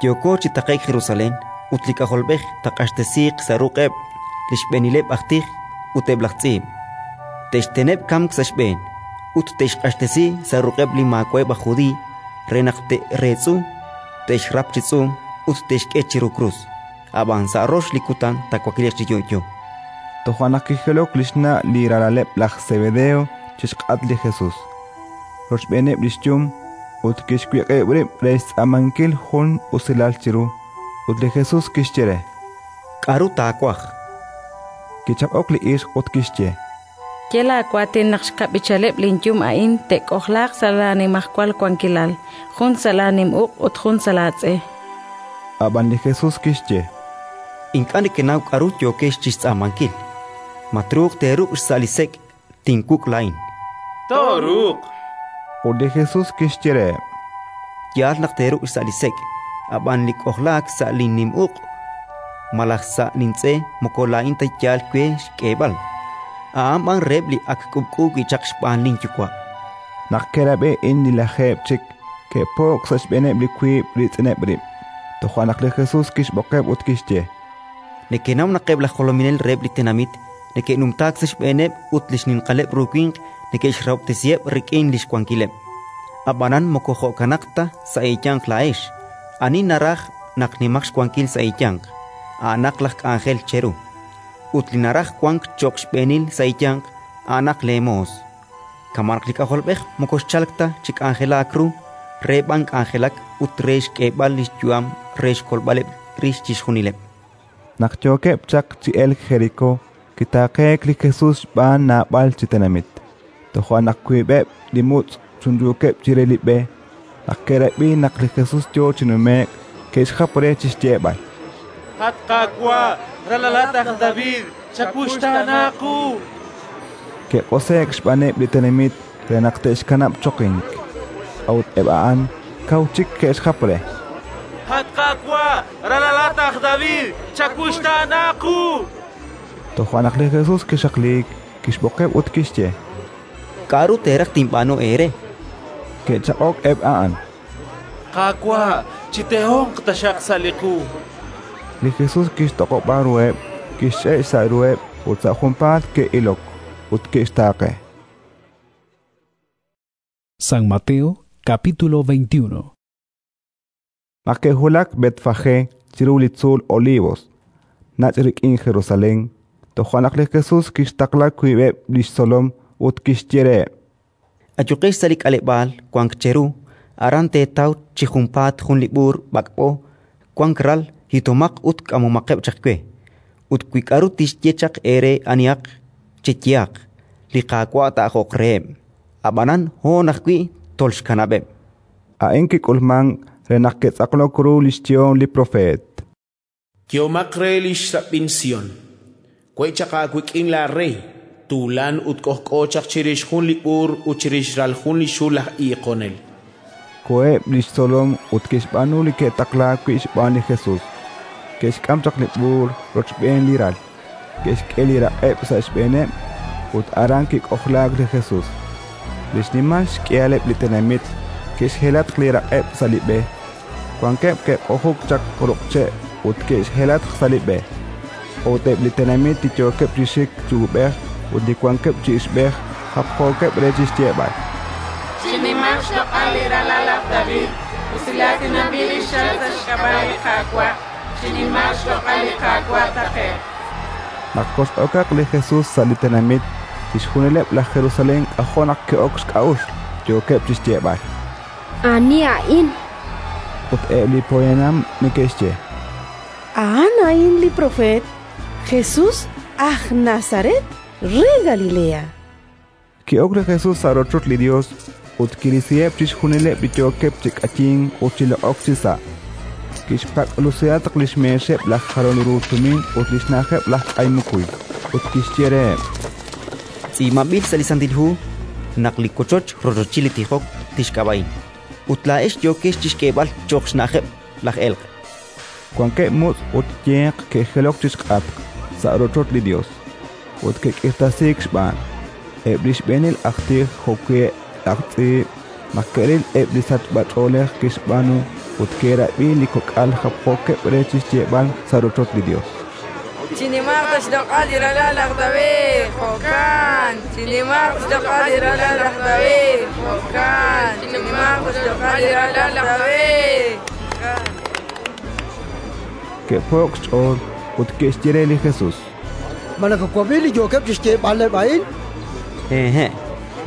Speaker 10: yooko chi taqe'k Jerusalén ut li K'ajolb'ej taaq'axtesiiq sa' ruq'eb' li xb'eenileb' aj tij ut eb' laj tz'iib'. Te'xteneb' kamk sa' xb'een ut te'xq'axtesi sa' ruq'eb' li maawa'eb' aj Judiiy re naq te'reetz'u, te'xrap chi tz'uum ut te'xk'e chiru krus. Ab'an sa' rox li kutan taawakliiq chi yo'yo.
Speaker 2: Toja' naq kijilok li xna' li ralaleb' laj Sebedeo chi xq'at li Jesus, rochb'eeneb' li xyum, ut kixwiq'ib' rib' re xtz'aamankil jun usilal chiru. Ut li Jesus kixye re:
Speaker 10: K'aru taawaj?
Speaker 2: Kichaq'ok li ixq ut kixye:
Speaker 17: Ye laawaatin naq xkab'ichaleb' linyum a'in te'k'ojlaaq sa' laanimajwal wankilal, jun sa' laanim uq' ut jun sa' laatz'e.
Speaker 2: Ab'an li Jesus kixye:
Speaker 10: Ink'a' nekenaw k'aru yookex chi xtz'aamankil. Ma truuq teeruk' xsa' li sek' tinwuk' laa'in?
Speaker 7: Tooruuq.
Speaker 2: Ut li Jesus kixye reheb':
Speaker 10: Yaal naq teeruk' xsa' li sek', ab'an li k'ojlaak sa' linnim uq' malaj sa' lintz'e moko laa'in ta yaal we xk'eeb'al, a'an b'an reheb' li ak k'ub'k'u wi' chaq xb'aan linYuwa'.
Speaker 2: Naq ke'rab'i a'in li lajeeb' chik, ke'po'k sa' xb'eeneb' li wiib' riitz'ineb' rib'. Toja' naq li Jesus kixb'oqeb' ut kixye:
Speaker 10: Nekenaw naq eb' laj jolominel reheb' li tenamit neke'numtaak sa' xb'eeneb' ut li xninqaleb' ru winq neke'xrahob'tesiheb' rik'in li xwankileb'. Ab'anan moko jo'kanaq ta sa' eeyanq laa'ex. Ani naraj naq nimaq xwankil sa' eeyanq, a'anaq laj k'anjel cheru; ut li naraj wank cho'q xb'eenil sa' eeyanq, a'anaq leemoos. Kama' naq li K'ajolb'ej moko xchalk ta chi k'anjelaak ru, re b'an k'anjelak ut re xk'eeb'al li xyu'am re xkolb'aleb' rix chixjunileb'.
Speaker 2: Naq yookeb' chaq chi elk Jerikó, kitaaqeek li Jesus xb'aan naab'al chi tenamit. Toja' naq wiib'eb' li mutz' chunchuukeb' chire li b'e, naq ke'rab'i naq li Jesus yo chi nume'k, ke'xjap re chi xyeeb'al:
Speaker 18: At Qaawa', ralalat aj David, chawuxtaana qu!
Speaker 2: Ke'q'ose'k xb'aaneb' li tenamit re naq te'xkanab' choqink. A'ut eb' a'an kaw chik ke'xjap re:
Speaker 18: At Qaawa', ralalat aj David, chawuxtaana qu!
Speaker 2: Toja' naq li Jesus kixaqliik, kixb'oqeb' ut kixye:
Speaker 10: K'aru teeraj tinb'aanu eere?
Speaker 2: Ke'chaq'ok eb' a'an:
Speaker 18: Qaawa', chitehonq taxaq sa' li qu.
Speaker 2: Li Jesus kixtoq'ob'a ruheb', kixch'e' xsa' ruheb' ut sa' junpaat ke'ilok ut ke'xtaaqe.
Speaker 8: San Mateo capítulo veintiuno.
Speaker 2: Naq ke'wulak Betfagé chiru li tzuul Olivos, nach' rik'in Jerusalén, toja' naq li Jesus kixtaqla wiib'eb' li xtzolom ut kixye reheb':
Speaker 10: Ayuqex sa' li k'aleb'aal wank cheru, aran teetaw chi junpaat jun li b'uur b'ak'b'o, wank ral. Hitomaq ut k'amomaqeb' chaq we. Ut wi k'aru tixye chaq eere anihaq, cheyehaq: «Li Qaawa' taa'ajoq reheb'». Ab'anan hoon ajwi' tolxkanab'eb'.
Speaker 2: A'in kik'ulmank re naq ke'tz'aqlok ru li xyehom li propeet.
Speaker 3: Yehomaq re li xrab'in Sión: We' chaq aawik'in laarey, tuulan ut k'ojk'o chaq chirix jun li b'uur ut chirix ral jun li xul aj iiqonel.
Speaker 2: Koheb' li xtzolom ut ke'xb'aanu li ke'taqlaak wi' xb'aan li Jesus. Ke'xk'am chaq li b'uur rochb'een li ral, ke'xk'e li raq'eb' sa' xb'eeneb' ut aran kik'ojlaak li Jesus. Li xnimal xk'ihaleb' li tenamit ke'xjelatq li raq'eb' sa' li b'e. Wankeb' ke'q'ojuk chaq ruq' che' ut ke'xjelatq sa' li b'e. Ut eb' li tenamit li yookeb' chi xik chi uub'ej ut li wankeb' chi ixb'ej japjookeb' re chi xyeeb'al:
Speaker 5: Chinimaq xloq'al li ralal laj David, usilaatinanb'il li xchalk sa' xk'ab'a' li Qaawa', chinimaq xloq'al li Qaawa' taqe'q.
Speaker 2: Naq kox'okaq li Jesus sa' li tenamit, chixjunileb' laj Jerusalén k'ajo' naq ke'ok xk'a'uxl, yookeb' chi xyeeb'al:
Speaker 19: Ani a'in?
Speaker 2: Ut eb' li poyanam neke'xye:
Speaker 22: A'an a'in li propeet Jesús aj Nazaret re Galilea.
Speaker 2: Ki'ok li Jesus sa' rochoch li Yos ut kirisiheb' chixjunileb' li yookeb' chi k'ayink ut chi loq'ok chisa'. Kixpak'lusihatq li xmeexeb' laj jalol ru tumin ut li xna'ajeb' laj k'ay mukuy, ut kixye reheb':
Speaker 10: Tz'iib'anb'il sa' li Santil Hu naq li wochoch rochochil li tijok tixk'ab'a'in, ut laa'ex yookex chi xk'eeb'al cho'q xna'ajeb' laj elq'.
Speaker 2: Wankeb' mutz' ut yeq ke'jilok chi xk'atq sa' rochoch li Yos, ut ke'k'irtasiik xb'aan. Eb' li xb'eenil aj tij jo'wi' laj tz'iib' naq ke'ril eb' li sachb'ach'oolej kixb'aanu ut ke'rab'i li kok'al japjookeb' re chi xyeeb'al sa' rochoch li Yos:
Speaker 15: Chinimaq xloq'al li ralal laj David, jo'kan. Chinimaq xloq'al li ralal laj David, jo'kan. Chinimaq xloq'al li ralal laj David.
Speaker 2: Ke'po'k xch'ool ut ke'xye re li Jesus:
Speaker 20: Ma nakawab'i li yookeb' chi xyeeb'aleb' a'in?
Speaker 10: Hehe',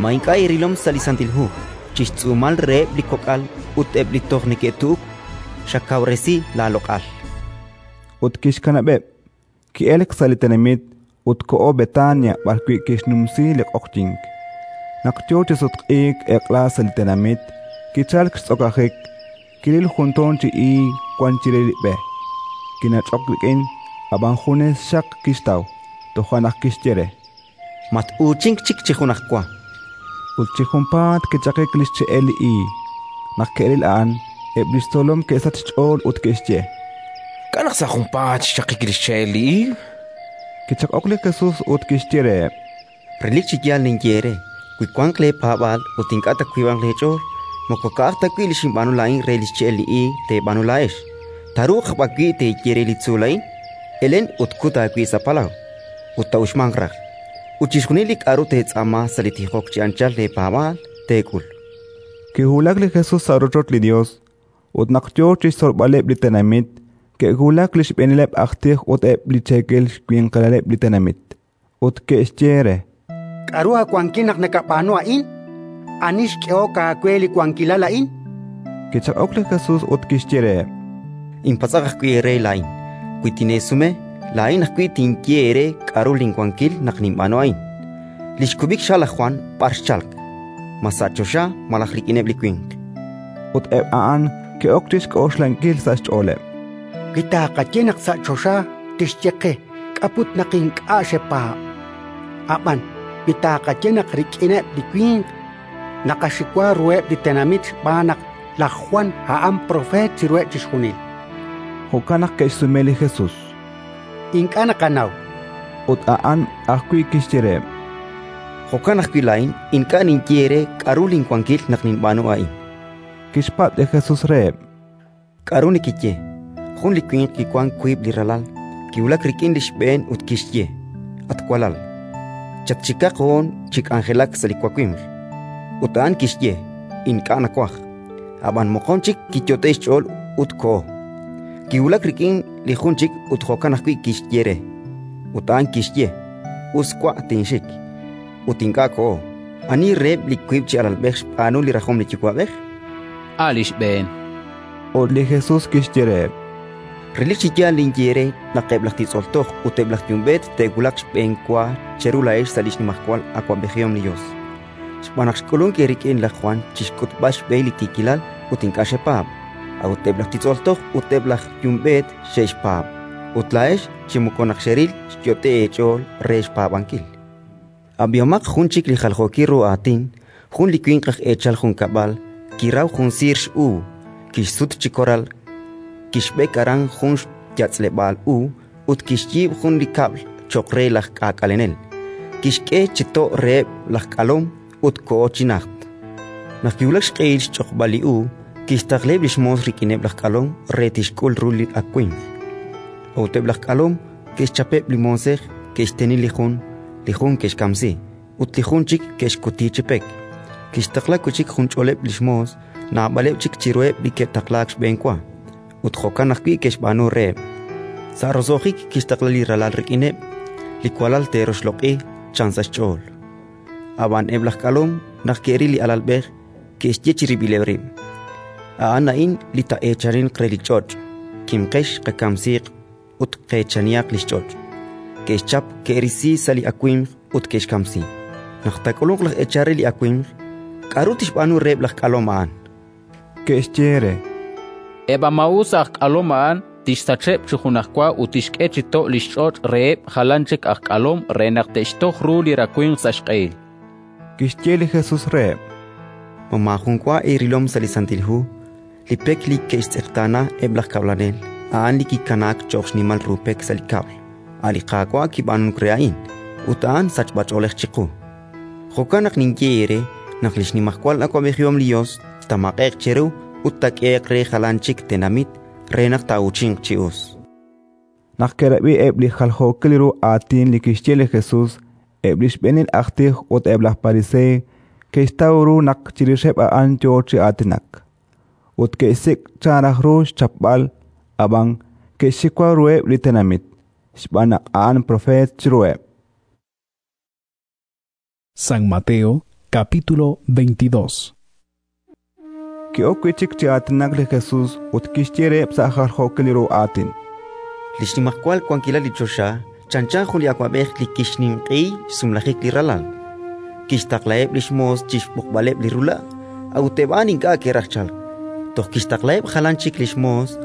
Speaker 10: ma ink'a' irilom sa' li Santil Hu chi xtz'uumal reheb' li kok'al ut eb' li toj neke'tu'uk xakawresi laaloq'al.
Speaker 2: Ut kixkanab'eb', ki'elk sa' li tenamit ut koho Betania b'arwi' kixnumsi li q'oqyink. Naq yo chi sutq'iik eq'la sa' li tenamit, kichalk xtz'okajik, kiril jun toon chi iig wank chire li b'e. Kinach'ok rik'in, ab'an junes xaq kixtaw, toja' naq kixye re:
Speaker 10: Mat-uuchink chik chi junajwa.
Speaker 2: Ut chi junpaat kichaqik li xche'el li iig. Naq ke'ril a'an, eb' li xtzolom ke'sach xch'ool ut ke'xye:
Speaker 16: K'a' naq sa' junpaat xchaqik li xche'el li iig?
Speaker 2: Kichaq'ok li Jesus ut kixye reheb':
Speaker 10: Relik chi yaal ninye eere, wi wanq leepaab'aal ut ink'a' taawiib'anq leech'ool, moko ka'aj ta wi' li xinb'aanu laa'in re li xche'el li iig teeb'aanu laa'ex, taaruuq b'an wi' teeye re li tzuul a'in: «Elen ut kut aawib' sa' palaw», ut taa'uxmanq raj. Ut chixjunil li k'aru teetz'aama sa' li tijok chi anchal leepaab'aal, teek'ul.
Speaker 2: Kiwulak li Jesus sa' rochoch li Yos, ut naq yo chi xtzolb'aleb' li tenamit, ke'wulak li xb'eenileb' aj tij ut eb' li cheekel xwinqilaleb' li tenamit, ut ke'xye re:
Speaker 1: K'aru aawankil naq nakab'aanu a'in? Ani xk'ehok aawe li wankilal a'in?
Speaker 2: Kichaq'ok li Jesus ut kixye reheb':
Speaker 10: Inpatz'aq ajwi' eere laa'in. Wi tineesume, laa'in ajwi' tinye eere k'aru linwankil naq ninb'aanu a'in. Li xkub'ik xha' laj Jwan b'ar xchalk? Ma sa' choxa malaj rik'ineb' li winq?
Speaker 2: Ut eb' a'an ke'ok chi xk'oxlankil sa' xch'ooleb':
Speaker 1: Wi taaqaye naq sa' choxa, tixye qe: «K'a' put naq ink'a' xepaab'?» Ab'an wi taaqaye naq rik'ineb' li winq, naqaxiwa ruheb' li tenamit xb'aan naq laj Jwan a'an propeet chiruheb' chixjunil.
Speaker 2: Jo'kan naq ke'xsume li Jesus:
Speaker 1: Ink'a' naqanaw.
Speaker 2: Ut a'an ajwi' kixye reheb':
Speaker 10: Jo'kan ajwi' laa'in ink'a' ninye eere k'aru linwankil naq ninb'aanu a'in.
Speaker 2: Kixpatz' li Jesus reheb':
Speaker 10: K'aru nekeye? Jun li winq kiwank wiib' li ralal. Kiwulak rik'in li xb'een ut kixye: «At walal, chatxikaq hoon chi k'anjelak sa' li wawimq». Ut a'an kixye: «Ink'a' nawaj». Ab'an moqon chik kiyot'e'k xch'ool ut koho. Kiwulak rik'in li jun chik ut jo'kan ajwi' kixye re. Ut a'an kixye: «Us wa', tinxik». Ut ink'a' koho. Ani reheb' li wiib' chi alalb'ej xb'aanu li rajom li yuwa'b'ej?
Speaker 6: A' li xb'een.
Speaker 2: Ut li Jesus kixye reheb':
Speaker 10: Relik chi yaal ninye eere naq eb' laj titz'ol toj ut eb' laj yumb'eet te'wulaq xb'enwa cheru laa'ex sa' li xnimajwal awab'ejihom li Yos. Xb'aan naq xk'ulunk eerik'in laj Jwan chi xk'utb'al xb'ehil li tiikilal ut ink'a' xepaab', a'ut eb' laj titz'ol toj ut eb' laj yumb'eet xe'xpaab', ut laa'ex chi moko naq xeril xyot'e eech'ool re xpaab'ankil. Ab'ihomaq jun chik li jaljookil ru aatin: jun li winq aj eechal junkab'al kiraw jun siir x'uub', kixsut chi koral, kixb'ek aran jun xyatz'leb'aal u ut kixyiib' jun li kab'l cho'q re laj k'aak'alenel. Kixk'e chi to' reheb' laj k'alom ut koho chi najt. Naq kiwulak xq'ehil xch'oqb'al li uub', kixtaqlaheb' li xmoos rik'ineb' laj k'alom re tixk'ul ru li awimq. A'ut eb' laj k'alom ke'xchapeb' li moosej, ke'xteni li jun, li jun ke'xkamsi, ut li jun chik ke'xkuti chi pek. Kixtaqla wi' chik junch'oleb' li xmoos, naab'aleb' chik chiruheb' li ke'taqlaak xb'enwa, ut jo'kan ajwi' ke'xb'aanu reheb'. Sa' roso'jik kixtaqla li ralal rik'ineb': «Li walal te'roxloq'i», chan sa' xch'ool. Ab'an eb' laj k'alom, naq ke'ril li alalb'ej, ke'xye chirib'ileb' rib': «A'an a'in li taa'eechaninq re li ch'och'. Kimqex, qakamsiiq ut qeechanihaq li xch'och'». Ke'xchap, ke'risi sa' li awimq ut ke'xkamsi. Naq taak'ulunq laj eechal re li awimq, k'aru tixb'aanu reheb' laj k'alom a'an?
Speaker 2: Ke'xye re:
Speaker 6: Eb' a maa'us aj k'alom a'an tixsacheb' chi junajwa ut tixk'e chi to' li xch'och' reheb' jalan chik aj k'alom re naq te'xtoj ru li rawimq sa' xq'ehil.
Speaker 2: Kixye li Jesus reheb':
Speaker 10: Ma maajun wa eerilom sa' li Santil Hu li pek li ke'xtz'eqtaana eb' laj kab'lanel, a'an li kikanaak cho'q xnimal ru pek sa' li kab'l? A' li Qaawa' kib'aanunk re a'in, ut a'an sachb'ach'oolej chiqu. Jo'kan naq ninye eere naq li xnimajwal awab'ejihom li Yos taamaq'e'q cheru ut taak'ehe'q re jalan chik tenamit re naq taa'uuchinq chi us.
Speaker 2: Naq ke'rab'i eb' li jaljookil ru aatin li kixye li Jesus, eb' li xb'eenil aj tij ut eb' laj Pariseey ke'xtaw ru naq chirixeb' a'an yo chi aatinak. Ut ke'xsik' chan raj ru xchapb'al, ab'an ke'xxiwa ruheb' li tenamit, xb'aan naq a'an propeet chiruheb'.
Speaker 8: San Mateo, capítulo veintidós.
Speaker 2: Ki'ok wi' chik chi aatinak li Jesus ut kixye reheb' sa' jaljookil ru aatin:
Speaker 10: Li xnimajwal wankilal li choxa chanchan jun li awab'ej li kixninq'ehi xsumlajik li ralal. Kixtaqlaheb' li xmoos chi xb'oqb'aleb' li rula', a'ut eb' a'an ink'a' ke'raj chalk. Toj kixtaqlaheb' jalan chik li xmoos: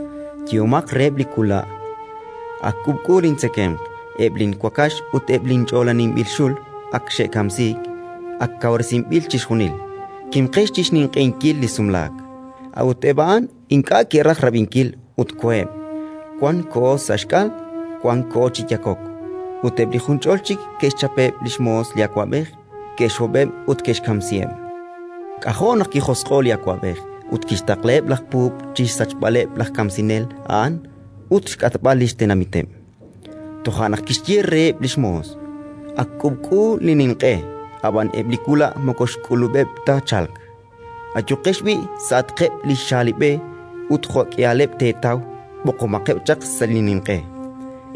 Speaker 10: «Yehomaq reheb' li wula': Ak k'uub'k'u lintzekemq, eb' linwakax ut eb' linch'oolaninb'il xul ak xe'kamsiik, ak kawresinb'il chixjunil. Kimqex chi xninq'ehinkil li sumlaak». A'ut eb' a'an ink'a' ke'raj rab'inkil ut koheb': wan koho sa' xk'al, wan koho chi yakok. Ut eb' li junch'ol chik ke'xchapeb' li xmoos li awab'ej, ke'xhob'eb' ut ke'xkamsiheb'. K'ajo' naq kijosq'o'k li awab'ej ut kixtaqlaheb' laj puub' chi xsachb'aleb' laj kamsinel a'an ut xk'atb'al li xtenamiteb'. Toja' naq kixye reheb' li xmoos: «Ak k'uub'k'u li ninq'e, ab'an eb' li wula' moko xk'ulub'eb' ta chalk. Ayuqex b'i' sa'atqeb' li xaalib'e ut jo'k'ihaleb' teetaw, b'oqomaqeb' chaq sa' li ninq'e».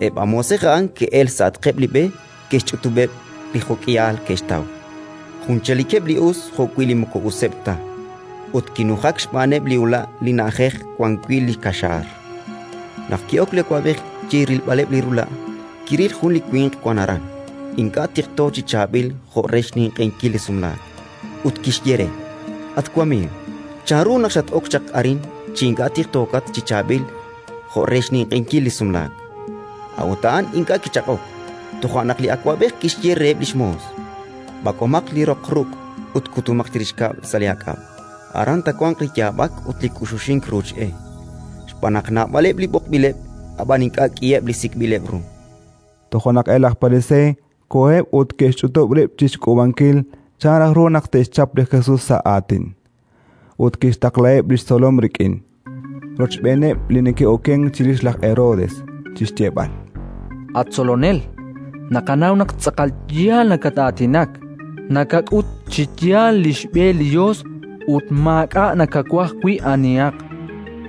Speaker 10: Eb' a moosej a'an ke'elk sa'atqeb' li b'e, ke'xch'utub'eb' li jo'k'ihal ke'xtaw, junchalikeb' li us jo'wi' li moko useb' ta; ut kinujak xb'aaneb' li ula' li na'ajej wan wi' li kaxaar. Naq ki'ok li awab'ej chi rilb'aleb' li rula', kiril jun li winq wank aran, ink'a' tiqto chi chaab'il jo' re xninq'ehinkil li sumlaak, ut kixye re: «At wamiiw, chanru naq xat-ok chaq arin chi ink'a' tiqtookat chi chaab'il jo' re xninq'ehinkil li sumlaak?» A'ut a'an ink'a' kichaq'ok. Toja' naq li awab'ej kixye reheb' li xmoos: «B'ak'omaq li roq ruq' ut kutumaq chirix kab'l sa' li aak'ab'. Aran taawanq li yaab'ak ut li k'uxuxink ruuch e, xb'aan naq naab'aleb' li b'oqb'ileb', ab'an ink'a' k'iheb' li sik'b'ileb' ru».
Speaker 2: Toja' naq eb' laj Pariseey koheb' ut ke'xch'utub' rib' chi xk'uub'ankil chan raj ru naq te'xchap li Jesus sa' aatin. Ut kixtaqlaheb' li xtzolom rik'in, rochb'eeneb' li neke'okenk chirix laj Herodes, chi xyeeb'al:
Speaker 4: At Tzolonel, naqanaw naq tz'aqal yaal nakat-aatinak, nakak'ut chi yaal li xb'e li Yos ut maak'a' nakawaj wi' anihaq,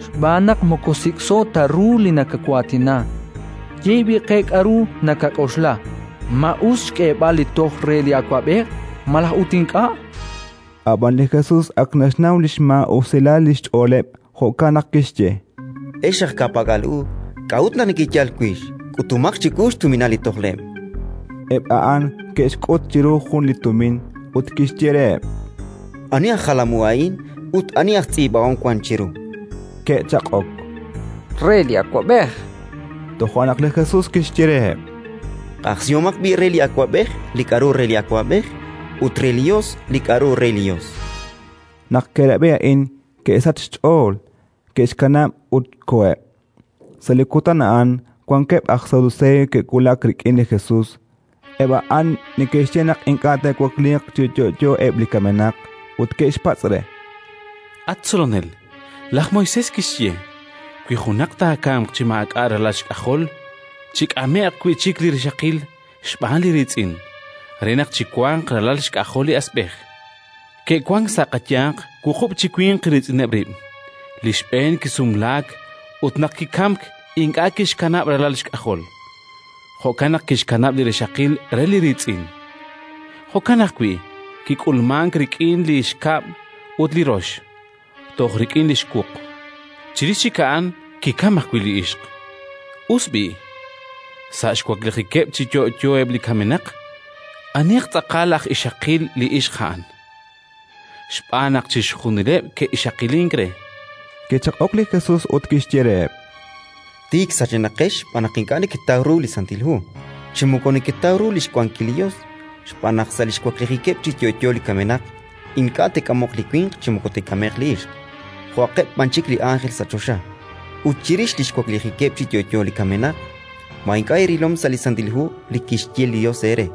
Speaker 4: xb'aan naq moko sik'so ta ru li nakawaatina. Ye b'i' qe k'aru nakak'oxla: ma us xk'eeb'al li toj re li awab'ej malaj ut ink'a'?
Speaker 2: Ab'an li Jesus ak naxnaw li xmaa'usilal li xch'ooleb', jo'kan naq kixye:
Speaker 10: Ex aj ka'pak'al u, k'a'ut naq nekeyal wix? K'utumaq chiwu xtuminal li tojleb'.
Speaker 2: Eb' a'an ke'xk'ut chiru jun li tumin ut kixye reheb':
Speaker 10: Ani aj jalam u a'in ut ani aj tz'iib'ahom wank chiru?
Speaker 2: Ke'chaq'ok:
Speaker 15: Re li awab'ej.
Speaker 2: Toja' naq li Jesus kixye reheb':
Speaker 10: Q'ajsihomaq b'i' re li awab'ej li k'aru re li awab'ej ut re li Yos li k'aru re li Yos.
Speaker 2: Naq ke'rab'i a'in, ke'sachk xch'ool, ke'xkanab' ut koheb'. Sa' li kutan a'an wankeb' aj Saduseey ke'wulak rik'in li Jesus. Eb' a'an neke'xye naq ink'a' te'wakliiq chi yo'yo eb' li kamenaq, ut ke'xpatz' re:
Speaker 7: At Tzolonel, laj Moisés kixye: «Wi junaq taakamq chi maak'a' ralal xk'ajol, chik'ame'q wi' chik li rixaqil xb'aan li riitz'in, re naq chiwanq ralal xk'ajol li asb'ej». Ke'wank sa' qayanq wuqub' chi winq riitz'ineb' rib'. Li xb'een kisumlaak ut naq kikamk ink'a' kixkanab' ralal xk'ajol. Jo'kan naq kixkanab' li rixaqil re li riitz'in. Jo'kan ajwi' kik'ulmank rik'in li xkab' ut li rox, toj rik'in li xwuq. Chirix chik a'an kikamk ajwi' li ixq. Us b'i', sa' xwaklijikeb' chi yo'yo eb' li kamenaq, aniq tz'aqal aj ixaqil li ixq a'an? Xb'aan naq chixjunileb' ke'ixaqilink re.
Speaker 2: Kichaq'ok li Jesus ut kixye reheb':
Speaker 10: Tiik sachenaqex xb'aan naq ink'a' neketaw ru li Santil Hu, chi moko neketaw ru li xwankil li Yos, xb'aan naq sa' li xwaklijikeb' chi yo'yo li kamenaq ink'a' te'k'amoq li winq chi moko te'k'ame'q li ixq, jo'aqeb' b'an chik li ánjel sa' choxa. Ut chirix li xwaklijikeb' chi yo'yo li kamenaq, ma ink'a' eerilom sa' li Santil Hu li kixye li Yos eere: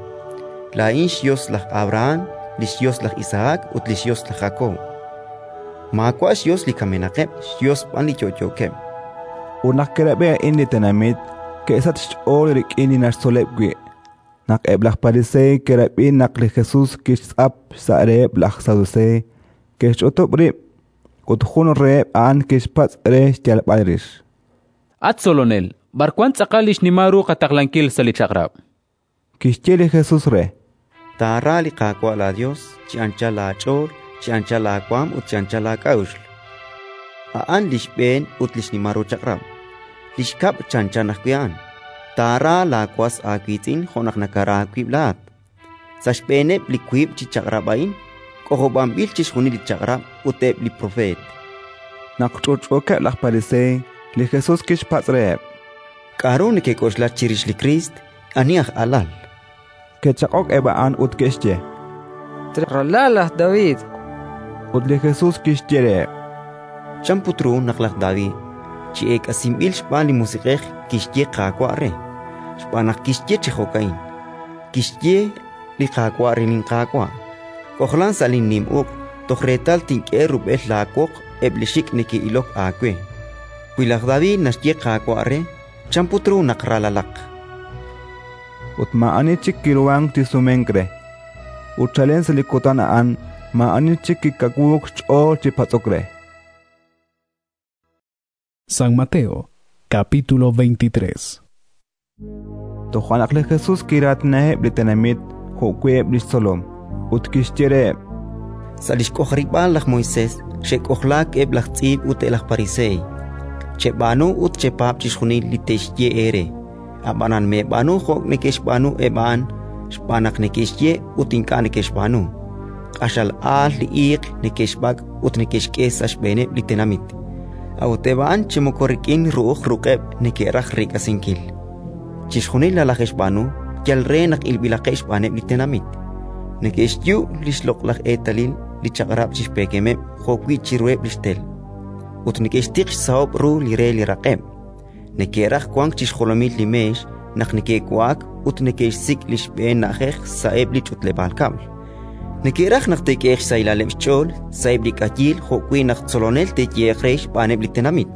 Speaker 10: «Laa'in xYos laj Abrahán, li xYos laj Isahak ut li xYos laj Jakob»? Maawa' xYos li kamenaqeb', xYos b'an li yo'yookeb'.
Speaker 2: Ut naq ke'rab'i a'in li tenamit, ke'sachk xch'ool rik'in li naxtzoleb' wi'. Naq eb' laj Pariseey ke'rab'i naq li Jesus kixtz'ap xsa' reheb' laj Saduseey, ke'xch'utub' rib', ut jun reheb' a'an kixpatz' re xyalb'al rix:
Speaker 6: At Tzolonel, b'ar wank tz'aqal li xnimal ru qataqlankil sa' li Chaq'rab'?
Speaker 2: Kixye li Jesus re:
Speaker 10: Taara li Qaawa' laaYos chi anchal laach'ool, chi anchal laawaanm ut chi anchal laak'a'uxl. A'an li xb'een ut li xnimal ru chaq'rab'. Li xkab' chanchan ajwi' a'an: Taara laawas aawiitz'in jo' naq nakara aawib' laa'at. Sa' xb'eeneb' li wiib' chi chaq'rab' a'in k'ojob'anb'il chixjunil li Chaq'rab' ut eb' li Propeet.
Speaker 2: Naq ch'utch'uukeb' laj Pariseey, li Jesus kixpatz' reheb':
Speaker 10: K'aru nekek'oxla chirix li Kriist? Ani aj alal?
Speaker 2: Ke'chaq'ok eb' a'an ut ke'xye:
Speaker 15: Ralal laj David.
Speaker 2: Ut li Jesus kixye reheb':
Speaker 10: Chan put ru naq laj David, chi eek'asinb'il xb'aan li Musiq'ej, kixye Qaawa' re? Xb'aan naq kixye chi jo'ka'in: Kixye li Qaawa' re linQaawa': K'ojlan sa' linnim uq' toj reetal tink'e rub'el laawoq eb' li xik' neke'ilok aawe. Wi laj David naxye Qaawa' re, chan put ru naq ralalaq?
Speaker 2: Ut maa'ani chik kiruhank chi sumenk re. Ut chalen sa' li kutan a'an maa'ani chik kikawuuk xch'ool chi patz'ok re.
Speaker 8: San Mateo, capítulo veintitrés.
Speaker 2: Toja' naq li Jesus kiraatinaheb' li tenamit jo'wi' eb' li xtzolom, ut kixye reheb':
Speaker 10: Sa' li xk'ojarib'aal laj Moisés xe'k'ojlaak eb' laj tz'iib' ut eb' laj Pariseey. Cheb'aanu ut chepaab' chixjunil li te'xye eere, ab'anan meeb'aanu jo' neke'xb'aanu eb' a'an, xb'aan naq neke'xye ut ink'a' neke'xb'aanu. Q'axal aal li iiq neke'xb'ak' ut neke'xk'e sa' xb'eeneb' li tenamit, a'ut eb' a'an chi moko rik'in ru'uj ruq'eb' neke'raj reek'asinkil. Chixjunil nalaje'xb'aanu yal re naq ilb'ilaqeb' xb'aaneb' li tenamit. Neke'xyu' li xloq'laj eetalil li Chaq'rab' chi xpeekemeb' jo'wi' chiruheb' li xtel, ut neke'xtiq xsahob' ru li re li raq'eb'. Neke'raj wank chi xjolomil li meex naq neke'wa'ak ut neke'xsik' li xb'een na'ajej sa'eb' li ch'utleb'aal kab'l. Neke'raj naq te'k'ehe'q xsahilaleb' xch'ool sa'eb' li k'ayiil jo'wi' naq tzolonel te'yehe'q re xb'aaneb' li tenamit.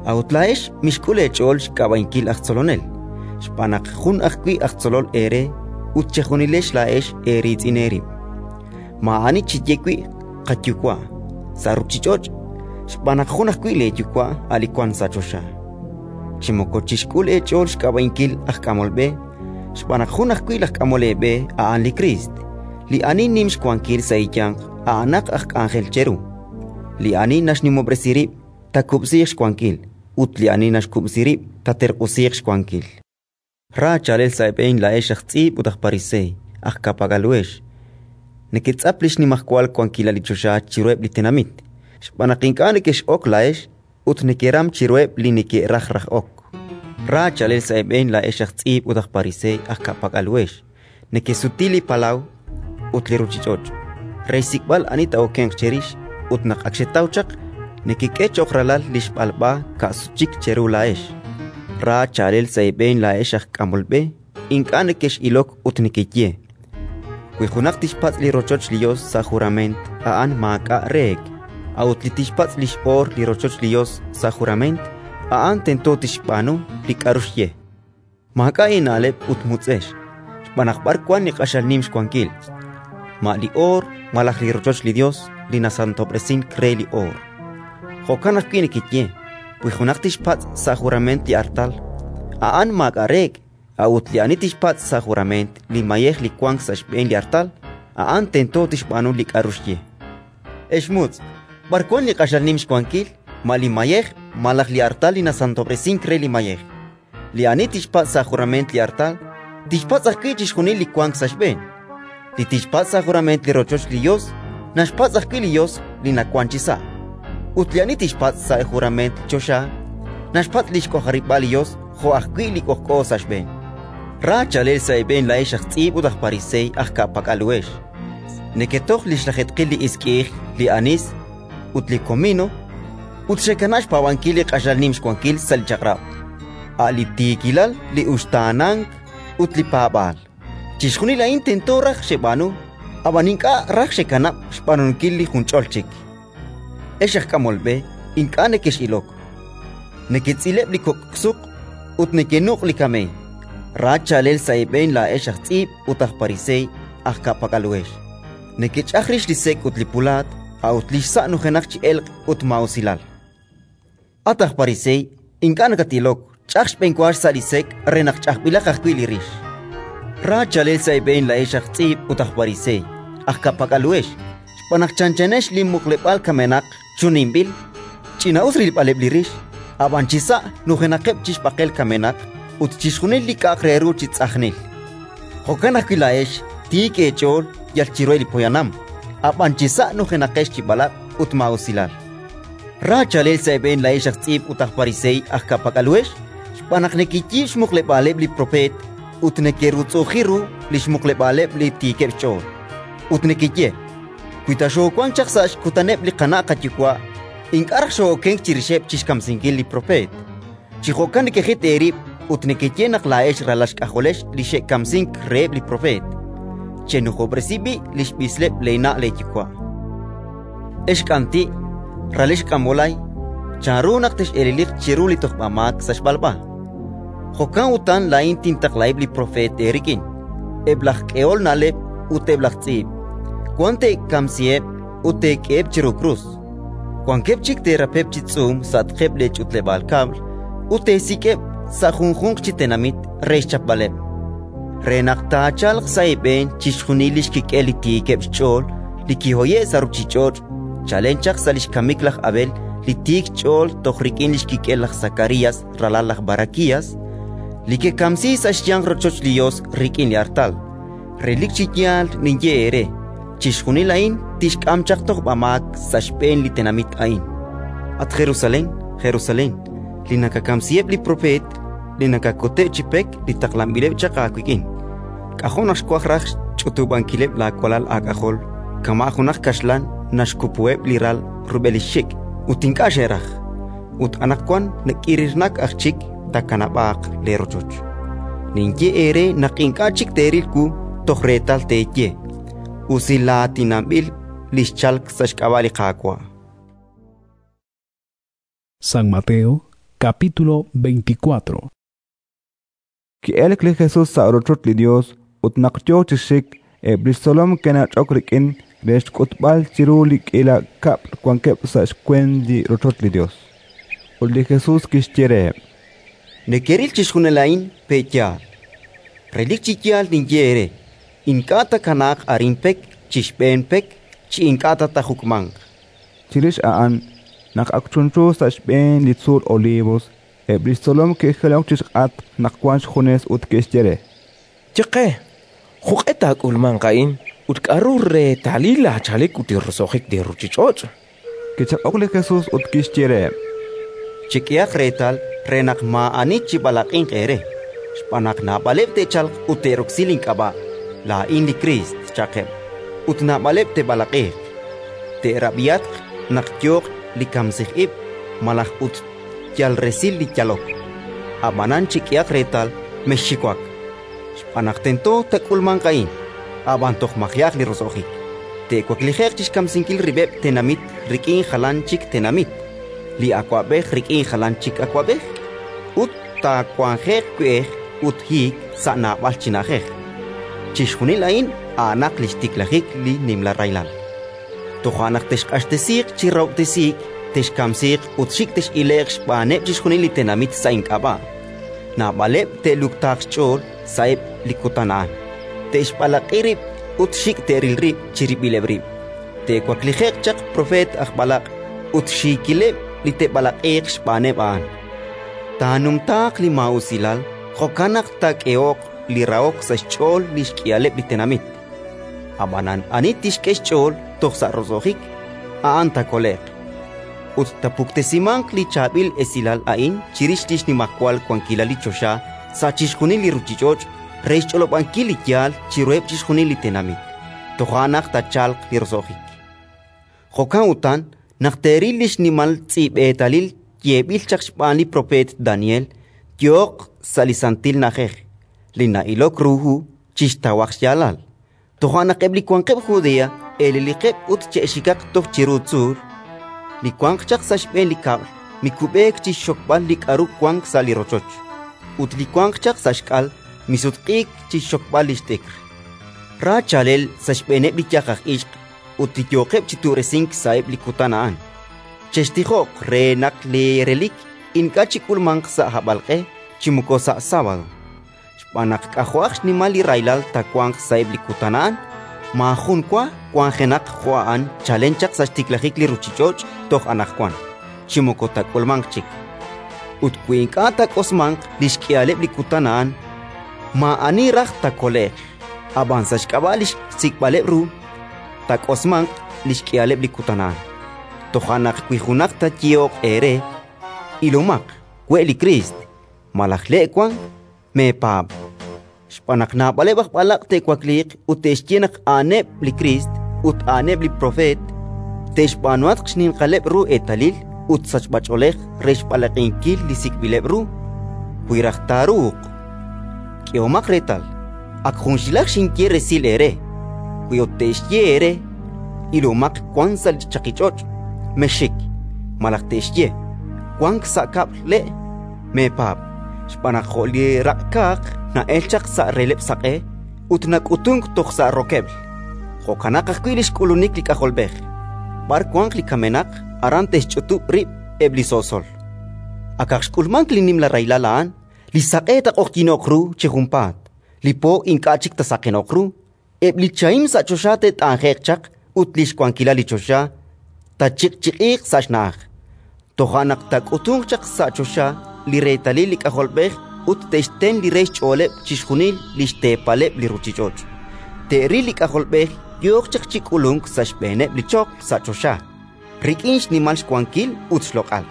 Speaker 10: A'ut laa'ex mixk'ul eech'ool xk'ab'a'inkil aj tzolonel, xb'aan naq jun ajwi' aj tzolol eere ut chejunilex laa'ex eeriitz'in eerib'. Maa'ani chiye wi' "Qayuwa'" sa' ruuchich'och', xb'aan naq jun ajwi' leeYuwa' a' li wank sa' choxa. Chi moko chixk'ul eech'ool xk'ab'a'inkil aj k'amol b'e, xb'aan naq jun ajwi' laj k'amol eeb'e a'an li Kriist. Li ani nim xwankil sa' eeyanq a'anaq aj k'anjel cheru. Li ani naxnimob'resi rib' taakub'siiq xwankil, ut li ani naxkub'si rib' taaterq'usiiq xwankil. Ra chaalel sa' eeb'een laa'ex aj tz'iib' ut aj Pariseey, aj ka'pak'al-uhex! Neketz'ap li xnimajwal wankilal li choxa chiruheb' li tenamit, xb'aan naq ink'a' nekex'ok laa'ex ut nekeram chiruheb' li neke'raj raj ok. Ra chaalel sa' eeb'een laa'ex aj tz'iib' ut aj Pariseey, aj ka'pak'al-uhex! Nekesuti li palaw ut li ruuchich'och' re xsik'b'al ani taa'okenq cherix, ut naq ak xetaw chaq, nekek'e cho'q ralal li xb'alb'a ka'sut chik cheru laa'ex. Ra chaalel sa' eeb'een laa'ex aj k'amol b'e, ink'a' nekex'ilok ut nekeye: Wi junaq tixpatz' li rochoch li Yos sa' jurament, a'an maak'a' reek'; a'ut li tixpatz' li x'oor li rochoch li Yos sa' jurament, a'an tento tixb'aanu li k'aru xye. Maak'a' eena'leb' ut mutz'ex, xb'aan naq b'ar wank li q'axal nim xwankil? Ma li oor malaj li rochoch li Yos li nasantob'resink re li oor? Jo'kan ajwi' nekeye: Wi junaq tixpatz' sa' jurament li artal, a'an maak'a' reek'; a'ut li ani tixpatz' sa' jurament li mayej li wank sa' xb'een li artal, a'an tento tixb'aanu li k'aru xye. Ex mutz', b'ar wank li q'axal nim xwankil? Ma li mayej malaj li artal li nasantob'resink re li mayej? Li ani tixpatz' sa' jurament li artal, tixpatz' ajwi' chixjunil li wank sa' xb'een. Li tixpatz' sa' jurament li rochoch li Yos, naxpatz' ajwi' li Yos li nawank chisa'. Ut li ani tixpatz' sa' jurament li choxa, naxpatz' li xk'ojarib'aal li Yos jo' ajwi' li k'ojk'o sa' xb'een. Ra chaalel sa' eeb'een laa'ex aj tz'iib' ut aj Pariseey, aj ka'pak'al-uhex! Neketoj li xlajeetqil li isk'i'ij, li anis ut li komino, ut xekanab' xpaab'ankil li q'axal nim xwankil sa' li Chaq'rab', a' li tiikilal, li uxtaanank ut li paab'aal. Chixjunil a'in tento raj xeb'aanu, ab'an ink'a' raj xekanab' xb'aanunkil li junch'ol chik. Ex aj k'amol b'e, ink'a' nekex'ilok, neketz'ileb' li kok' suq ut nekenuq' li kameey. Ra chaalel sa' eeb'een laa'ex aj tz'iib' ut aj Pariseey, aj ka'pak'al-uhex! Nekech'aj rix li sek' ut li pulaat, a'ut li xsa' nujenaq chi elq' ut maa'usilal. At aj Pariseey, ink'a' nakatilok, ch'aj xb'enwa xsa' li sek' re naq ch'ajb'ilaq ajwi' li rix. Ra chaalel sa' eeb'een laa'ex aj tz'iib' ut aj Pariseey, aj ka'pak'al-uhex, xb'aan naq chanchanex li muqleb'aal kamenaq chuninb'il, ch'ina'us rilb'aleb' li rix, ab'an chisa' nujenaqeb' chi xb'aqel kamenaq ut chixjunil li k'a'aq re ru chi tz'ajnil. Jo'kan ajwi' laa'ex tiik eech'ool yal chiruheb' li poyanam, ab'an chisa' nujenaqex chi b'alaq' ut maa'usilal. Ra chaalel sa' eeb'een laa'ex aj tz'iib' ut aj pariseey aj ka'pak'al-uhex, xb'aan naq nekeyiib' xmuqleb'aaleb' li propeet ut nekerutz'u'uji ru li xmuqleb'aaleb' li tiikeb' xch'ool. Ut nekeye: «Wi ta xoowank chaq sa' xkutaneb' li qana' qayuwa', ink'a' raj xoo'okenk chirixeb' chi xkamsinkil li propeet». Chi jo'kan nekejit eerib' ut nekeye naq laa'ex ralal xk'ajolex li xe'kamsink reheb' li propeet. Chenujob'resi b'i' li xb'isleb' leena' leeyuwa'. Ex k'anti', ralex k'amb'olay, chanru naq tex'eleliq chiru li tojb'amaak sa' xb'alb'a? Jo'kan utan laa'in tintaqlaheb' li propeet eerik'in, eb' laj k'ehol na'leb' ut eb' laj tz'iib'. Wan teekamsiheb' ut teek'eheb' chiru krus, wankeb' chik teerapeb' chi tz'uum sa'atqeb' leech'utleb'aal kab'l ut teesik'eb' sa' junjunq chi tenamit re xchapb'aleb', re naq taachalq sa' eeb'een chixjunil li xkik'el li tiikeb' xch'ool li kihoye'k sa' ruuchich'och' chalen chaq sa' li xkamik laj Abel li tiik xch'ool toj rik'in li xkik'el laj Sakarías, ralal laj Barakías, li kekamsi sa' xyanq rochoch li Yos rik'in li artal. Relik chi yaal ninye eere, chixjunil a'in tixk'am chaq tojb'amaak sa' xb'een li tenamit a'in. At Jerusalén, Jerusalén, li nakakamsiheb' li propeet, li nakakuteb' chi pek li taqlanb'ileb' chaq aawik'in! K'ajo' naq xwaj raj xch'utub'ankileb' laawalal aak'ajol kama' junaq kaxlan naxkupuheb' li ral rub'el li xxik', ut ink'a' xeraj. Ut anaqwan nak'irirnak aj chik taakanab'aaq leerochoch. Ninye eere naq ink'a' chik teeril wu toj reetal teeye: «Usilaatinanb'il li xchalk sa' xk'ab'a' li Qaawa'».
Speaker 8: San Mateo, capítulo veinticuatro.
Speaker 2: Ki'elk li Jesus sa' rochoch li Yos ut naq yo chi xik, eb' li xtzolom ke'nach'ok rik'in re xk'utb'al chiru li k'iila kab'l wankeb' sa' xweent li rochoch li Yos. Ut li Jesus kixye reheb':
Speaker 10: Nekeril chixjunil a'in, pe' yaal? Relik chi yaal ninye eere, ink'a' taakanaaq arin pek chi xb'een pek chi ink'a' ta taajuk'manq.
Speaker 2: Chirix a'an, naq ak chunchu sa' xb'een li tzuul Olivos, eb' li xtzolom ke'jilok chi xk'atq naq wank xjunes ut ke'xye re:
Speaker 16: Ye qe, jo'q'e taak'ulmanq a'in ut k'aru reetalil laachalik ut li roso'jik li ruuchich'och'?
Speaker 2: Kichaq'ok li Jesus ut kixye reheb':
Speaker 10: Chek'ehaq reetal re naq maa'ani chib'alaq'inq eere, xb'aan naq naab'aleb' te'chalq ut te'roksi link'ab'a': «Laa'in li Kriist», cha'qeb', ut naab'aleb' te'b'alaq'iiq. Te'rab'ihatq naq yooq li kamsij ib' malaj ut yal resil li yalok. Ab'anan chek'ehaq reetal, mexxiwak, xb'aan naq tento taak'ulmanq a'in, ab'an toj maji'aq li roso'jik. Te'waklije'q chi xkamsinkil rib'eb' tenamit rik'in jalan chik tenamit, li awab'ej rik'in jalan chik awab'ej, ut taawanje'q we'ej ut hiik sa' naab'al chi na'ajej. Chixjunil a'in a'anaq li xtiklajik li nimla rahilal. Toja' naq texq'axtesiiq chi rahob'tesiik, texkamsiiq ut xik' tex'ile'q xb'aaneb' chixjunil li tenamit sa' ink'ab'a'. Naab'aleb' te'luktaaq xch'ool sa'eb' li kutan a'an, te'xb'alaq'i rib' ut xik' te'ril rib' chirib'ileb' rib'. Te'waklije'q chaq propeet aj b'alaq' ut xiikileb' li te'b'alaq'iiq xb'aaneb' a'an. Taanumtaaq li maa'usilal, jo'kan naq taak'eho'q li rahok sa' xch'ool li xk'ihaleb' li tenamit. Ab'anan ani tixk'e xch'ool toj sa' roso'jik, a'an taakole'q. Ut taapuktesimanq li chaab'il esilal a'in chirix li xnimajwal wankilal li choxa sa' chixjunil li ruuchich'och' re xch'olob'ankil li yaal chiruheb' chixjunil li tenamit. Toja' naq taachalq li roso'jik. Jo'kan utan naq teeril li xnimal tz'i'b'eetalil yeeb'il chaq xb'aan li propeet Daniel yooq sa' li santil na'ajej, li na'ilok ru hu chixtawaq xyaalal. Toja' naq eb' li wanqeb' Judea eleliqeb' ut che'xikaq toj chiru tzuul. Li wanq chaq sa' xb'een li kab'l mikub'eek chi xxokb'al li k'aru wank sa' li rochoch, ut li wanq chaq sa' xk'al misutq'iik chi xxokb'al li xt'ikr. Ra chaalel sa' xb'eeneb' li yaj aj ixq ut li yooqeb' chi tu'resink sa'eb' li kutan a'an. Chextijoq re naq leerelik ink'a' chik'ulmanq sa' hab'alq'e chi moko sa' sábado, xb'aan naq k'ajo'aq xnimal li rahilal taawanq sa'eb' li kutan a'an, maajun wa wanjenaq jo' a'an chalen chaq sa' xtiklajik li ruuchich'och' toj anaqwan, chi moko taak'ulmanq chik. Ut wi ink'a' taak'osmanq li xk'ihaleb' li kutan a'an, maa'ani raj taakole'q; ab'an sa' xk'ab'a' li xsik'b'aleb' ru, taak'osmanq li xk'ihaleb' li kutan a'an. Toja' naq wi junaq taayehoq eere: «Ilomaq, we' li Kriist» malaj «Le' wank», meepaab'. Xb'aan naq naab'aleb' aj b'alaq' te'wakliiq ut te'xye naq a'aneb' li Kriist ut a'aneb' li propeet; te'xb'aanuhatq xninqaleb' ru eetalil ut sachb'ach'oolej re xb'alaq'inkil li sik'b'ileb' ru, wi raj taaruuq. K'ehomaq reetal, ak junxilaj xinye resil eere. Wi ut te'xye eere: «Ilomaq, wank sa' li chaqich'och'», mexxik; malaj te'xye: «Wank sa' kab'l le'», meepaab'. Xb'aan naq jo' li raq'kaaq na'elk chaq sa' releb'l saq'e ut nak'utunk toj sa' rokeb'l, jo'kanaq ajwi' li xk'ulunik li K'ajolb'ej. B'ar wanq li kamenaq, aran te'xch'utub' rib' eb' li so'sol. Akaq xk'ulmank li nimla rahilal a'an, li saq'e taaq'oqyino'q ru chi junpaat, li po ink'a' chik taasaqeno'q ru, eb' li chahim sa' choxa te't'anje'q chaq ut li xwankilal li choxa taachiq'chiq'iiq sa' xna'aj. Toja' naq taak'utunq chaq sa' choxa li reetalil li K'ajolb'ej ut te'xten li re xch'ooleb' chixjunil li xteepaleb' li ruuchich'och'. Te'ril li K'ajolb'ej yooq chaq chi k'ulunk sa' xb'eeneb' li choql sa' choxa, rik'in xnimal xwankil ut xloq'al.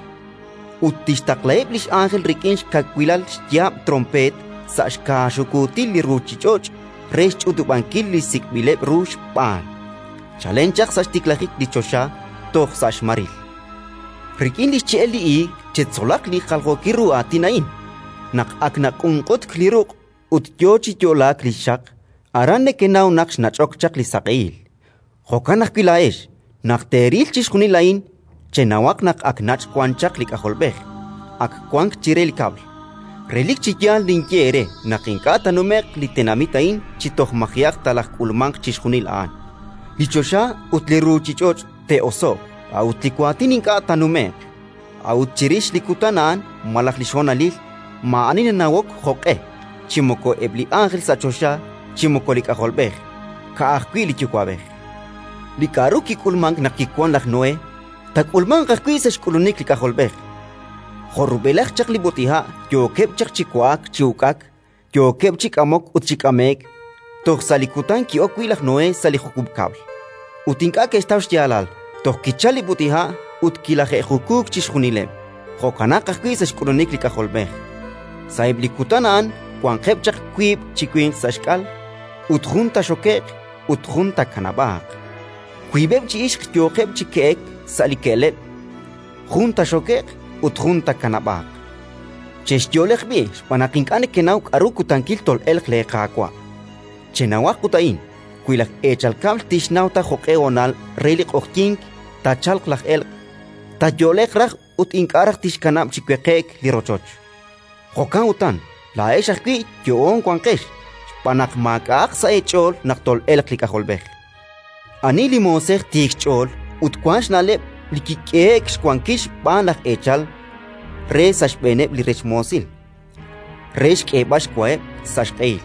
Speaker 10: Ut tixtaqlaheb' li x'ánjel rik'in xkawilal xyaab' tronpeet sa' xkaaxukuutil li ruuchich'och' re xch'utub'ankil li sik'b'ileb' ru xb'aan, chalen chaq sa' xtiklajik li choxa toj sa' xmaril. Rik'in li xche'el li iig chetzolaq li jaljookil ru aatin a'in: naq ak naq'unq'utk li ruq' ut yo chi yo'laak li xxaq, aran nekenaw naq xnach'ok chaq li saq'ehil. Jo'kan ajwi' laa'ex, naq teeril chixjunil a'in, chenawaq naq ak nach' wan chaq li K'ajolb'ej, ak wank chire li kab'l. Relik chi yaal ninye eere naq ink'a' taanume'q li tenamit a'in chi toj maji'aq talajk'ulmanq chixjunil a'an. Li choxa ut li ruuchich'och' te'oso'q, a'ut li waatin ink'a' taanume'q. A'ut chirix li kutan a'an malaj li xhonalil, maa'ani nanawok jo'q'e, chi moko eb' li ánjel sa' choxa, chi moko li K'ajolb'ej, ka'ajwi' li Yuwa'b'ej. Li k'aru kik'ulmank naq kiwank laj Noé, taak'ulmanq ajwi' sa' xk'ulunik li K'ajolb'ej. Jo' rub'elaj chaq li b'ut'iha' yookeb' chaq chi wa'ak chi uk'ak, yookeb' chi k'amok ut chi k'ame'k, toj sa' li kutan ki'ok wi' laj Noé sa' li jukub' kab'l. Ut ink'a' ke'xtaw xyaalal toj kichalk li b'ut'iha' ut kilaje'jukuuk chixjunileb'. Jo'kanaq ajwi' sa' xk'ulunik li K'ajolb'ej. Sa'eb' li kutan a'an wanqeb' chaq wiib' chi winq sa' xk'al, ut jun taaxoke'q ut jun taakanab'aaq. Wiib'eb' chi ixq yooqeb' chi ke'ek sa' li ke'leb', jun taaxoke'q ut jun taakanab'aaq. Chexyo'leq b'i' xb'aan naq ink'a' nekenaw k'aru kutankil tol'elq leeQaawa'. Chenawaq ut a'in: wi laj eechal kab'l tixnaw ta jo'q'e honal re li q'oqyink taachalq laj elq', taayo'leq raj ut ink'a' raj tixkanab' chi weqe'k li rochoch. Jo'kan utan, laa'ex ajwi' yo'oon wanqex, xb'aan naq maak'a'aq sa' eech'ool naq tol'elq li K'ajolb'ej. Ani li moosej tiik xch'ool ut wank xna'leb' li kik'ehe'k xwankil xb'aan laj eechal re sa' xb'eeneb' li rech moosil, re xk'eeb'al xwaheb' sa' xq'ehil?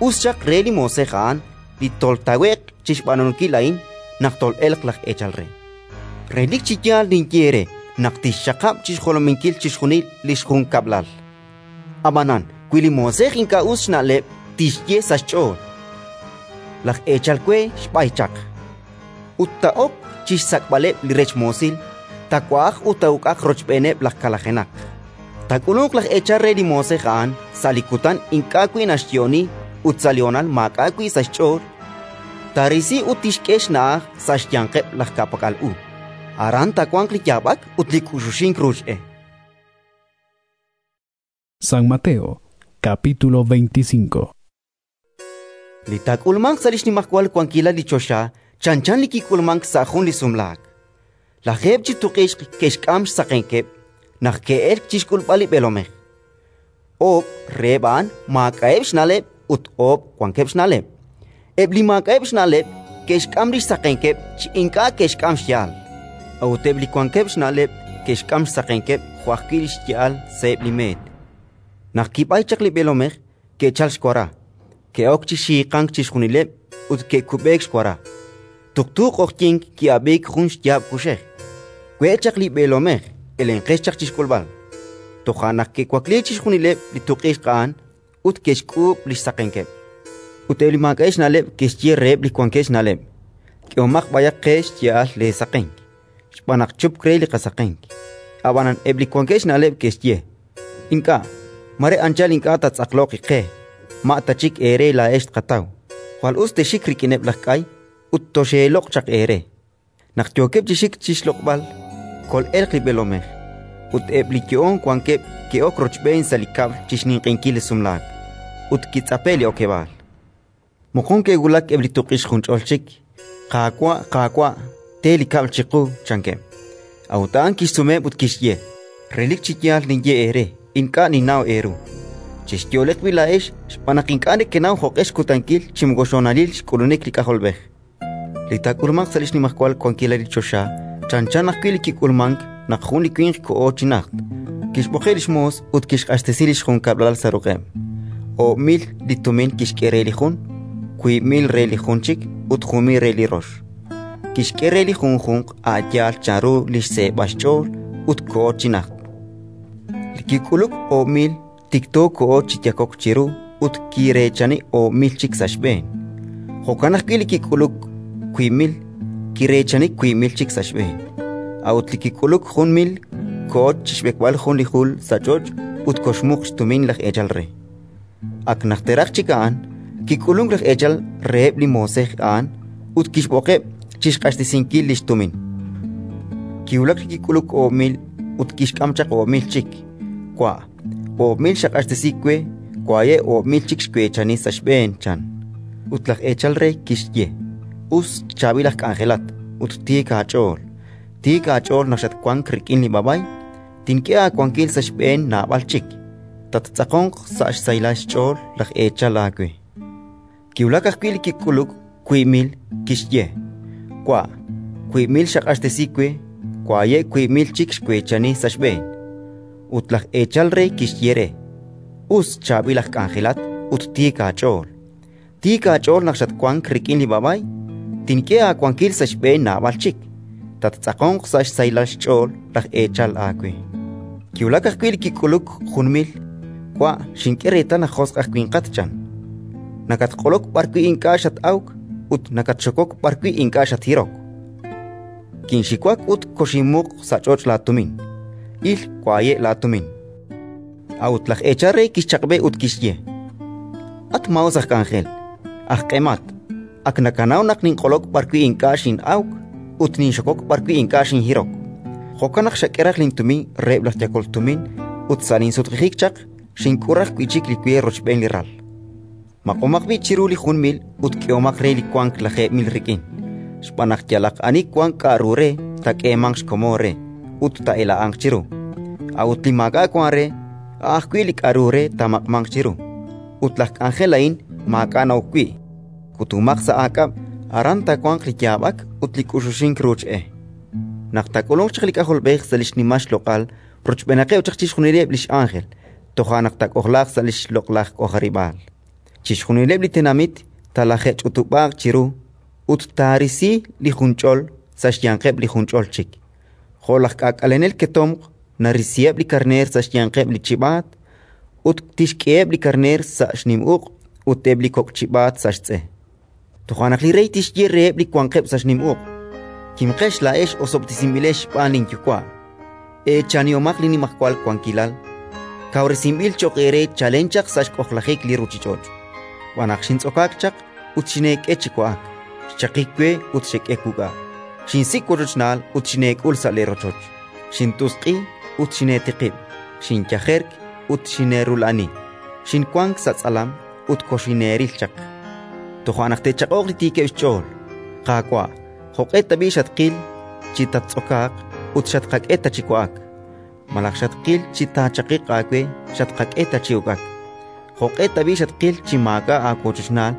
Speaker 10: Us xaq re li moosej a'an li toltawe'q chi xb'aanunkil a'in naq tol'elq laj eechal re. Relik chi yaal ninye eere naq tixxaqab' chi xjolominkil chixjunil li xjunkab'lal. Ab'anan wi li moosej ink'a' us xna'leb' tixye sa' xch'ool: «Laj eechal we xb'ay chaq», ut taa'ok chi xsak'b'aleb' li rech moosil, taawa'aq ut taa'uk'aq rochb'eeneb' laj kalajenaq. Taak'ulunq laj eechal re li moosej a'an sa' li kutan ink'a' wi' naxyo'oni ut sa' li honal maak'a' wi' sa' xch'ool, taarisi ut tixk'e xna'aj sa' xyanqeb' laj ka'pak'al u. Aran taawanq li yaab'ak ut li k'uxuxink ruuch e.
Speaker 8: San Mateo, capítulo veinticinco.
Speaker 10: Li taak'ulmanq sa' li xnimajwal wankilal li choxa chanchan li kik'ulmank sa' jun li sumlaak. Lajeeb' chi tuq'ixq ke'xk'am xsaqenkeb' naq ke'elk chi xk'ulb'al li b'eelomej. Oob' reheb' a'an maak'a'eb' xna'leb' ut oob' wankeb' xna'leb'. Eb' li maak'a'eb' xna'leb' ke'xk'am li xsaqenkeb' chi ink'a' ke'xk'am xya'al, a'ut eb' li wankeb' xna'leb' ke'xk'am xsaqenkeb' jo' ajwi' li xya'al sa'eb' li meet. Naq kib'ay chaq li b'eelomej, ke'chalk xwara, ke'ok chi xiiqank chixjunileb' ut ke'kub'eek xwara. Tuqtu q'oqyink ki'ab'iik jun xyaab' kuxej: «We' chaq li b'eelomej, elenqex chaq chi xk'ulb'al». Toja' naq ke'wakliik chixjunileb' li tuq'ixq a'an ut ke'xk'uub' li xsaqenkeb'. Ut eb' li maak'a'eb' xna'leb' ke'xye reheb' li wankeb' xna'leb': «K'ehomaq b'ayaq qe xya'al leesaqenk, xb'aan naq chupk re li qasaqenk». Ab'anan eb' li wankeb' xna'leb' ke'xye: «Ink'a', mare anchal ink'a' taatz'aqloq qe, ma' ta chik eere laa'ex tqataw. Jwal us texxik rik'ineb' laj k'ay ut toxeeloq' chaq eere». Naq yookeb' chi xik chi xloq'b'al, kol'elq li b'eelomej; ut eb' li yo'oon wankeb' ke'ok rochb'een sa' li kab'l chi xninq'ehinkil li sumlaak, ut kitz'ape'k li okeb'aal. Moqon ke'wulak eb' li tuq'ixq junch'ol chik: «Qaawa', Qaawa', te li kab'l chiqu», chankeb'. A'ut a'an kixsumeheb' ut kixye: «Relik chi yaal ninye eere, ink'a' ninnaw eeru. Chexyo'leq b'i' laa'ex, xb'aan naq ink'a' nekenaw jo'q'e xkutankil chi moko xhonalil xk'ulunik li K'ajolb'ej». Li taak'ulmanq sa' li xnimajwal wankilal li choxa chanchan ajwi' li kik'ulmank naq jun li winq koho chi najt, kixb'oqeb' li xmoos ut kixq'axtesi li xjunkab'lal sa' ruq'eb': oob' mil li tumin kixk'e re li jun, wiib' mil re li jun chik ut jun mil re li rox. Kixk'e re li junjunq a' yaal chanru li xseeb'al xch'ool, ut koho chi najt. Li kik'uluk oob' mil tikto koho chi yakok chiru ut kireechani oob' mil chik sa' xb'een. Jo'kan ajwi' li kik'uluk wiib' mil, kireechani wiib' mil chik sa' xb'een. A'ut li kik'uluk jun mil koho chi xb'ekb'al jun li jul sa' ch'och' ut koxmuq xtumin laj eechal re. Ak najteraq chik a'an, kik'ulunk laj eechal reheb' li moosej a'an ut kixb'oqeb' chi xq'axtesinkil li xtumin. Kiwulak li kik'uluk oob' mil ut kixk'am chaq oob' mil chik: «Wa', oob' mil xaq'axtesi we, waye' oob' mil chik xweechani sa' xb'een», chan. Ut laj eechal re kixye: «Us, chaab'il aj k'anjelat ut tiik aach'ool. Tiik aach'ool naq xatwank rik'in li b'a'b'ay, tink'e aawankil sa' xb'een naab'al chik. Tattz'aqonq sa' xsahilal xch'ool laj eechal aawe». Kiwulak ajwi' li kik'uluk wiib' mil, kixye: «Wa', wiib' mil xaq'axtesi we, waye' wiib' mil chik xweechani sa' xb'een». Ut laj eechal re kixye re: «Us, chaab'il aj k'anjelat ut tiik aach'ool. Tiik aach'ool naq xatwank rik'in li b'a'b'ay, tink'e aawankil sa' xb'een naab'al chik. Tattz'aqonq sa' xsahilal xch'ool laj eechal aawe». Kiwulak ajwi' li kik'uluk jun mil: «Wa', xink'e reetal naq josq' aj winqat», chan. «Nakatq'olok b'arwi' ink'a' xat-awk ut nakatxokok b'arwi' ink'a' xathirok. Kinxiwak ut koxinmuq sa' ch'och' laatumin. Il, waye' laatumin». A'ut laj eechal re kixchaq'b'e ut kixye: «At maa'us aj k'anjel, aj q'emat! Ak nakanaw naq ninq'olok b'arwi' ink'a' xin'awk ut ninxokok b'arwi' ink'a' xinhirok. Jo'kan naq xak'e raj lintumin reheb' laj yakol tumin ut sa' linsutq'ijik chaq xink'ul raj wi' chik li we rochb'een li ral. Maq'omaq b'i' chiru li jun mil ut k'ehomaq re li wank lajeeb' mil rik'in. Xb'aan naq yalaq ani wank k'aru re, taak'eemanq xkomon re ut taa'ela'anq chiru. A'ut li maak'a' wank re, a' ajwi' li k'aru re taamaq'manq chiru. Ut laj k'anjel a'in maak'a' na'ok wi', kutumaq sa' aak'ab', aran taawanq li yaab'ak ut li k'uxuxink ruuch e. Naq taak'ulunq chaq li K'ajolb'ej sa' li xnimal xloq'al rochb'eenaqeb' chaq chixjunileb' li x'ánjel, toja' naq taak'ojlaaq sa' li xloq'laj k'ojarib'aal. Chixjunileb' li tenamit talaje'ch'utub'aaq chiru ut taarisi li junch'ol sa' xyanqeb' li junch'ol chik, jo' laj k'aak'alenel ketomq narisiheb' li karneer sa' xyanqeb' li chib'aat, ut tixk'eheb' li karneer sa' xnim uq' ut eb' li kok' chib'aat sa' xtz'e. Toja' naq li Rey tixye reheb' li wanqeb' sa' xnim uq': «Kimqex laa'ex osob'tesinb'ilex xb'aan linYuwa', eechanihomaq li nimajwal wankilal kawresinb'il cho'q eere chalen chaq sa' xk'ojlajik li ruuchich'och'. Xb'aan naq xintz'okaak chaq ut xineek'e chi wa'ak, xchaqik we ut xek'e wuk'a', xinsik' wochochnaal ut xineek'ul sa' leerochoch, xint'usq'i ut xineetiqib', xinyajerk ut xineerula'ani, xinwank sa' tz'alam ut koxineeril chaq». Toja' naq te'chaq'oq li tiikeb' xch'ool: «Qaawa', jo'q'e tab'i' xatqil chi tattz'okaaq ut xatqak'e ta chi wa'ak? Malaj xatqil chi taachaqiq aawe, xatqak'e ta chi uk'ak? Jo'q'e tab'i' xatqil chi maak'a' aawochochnaal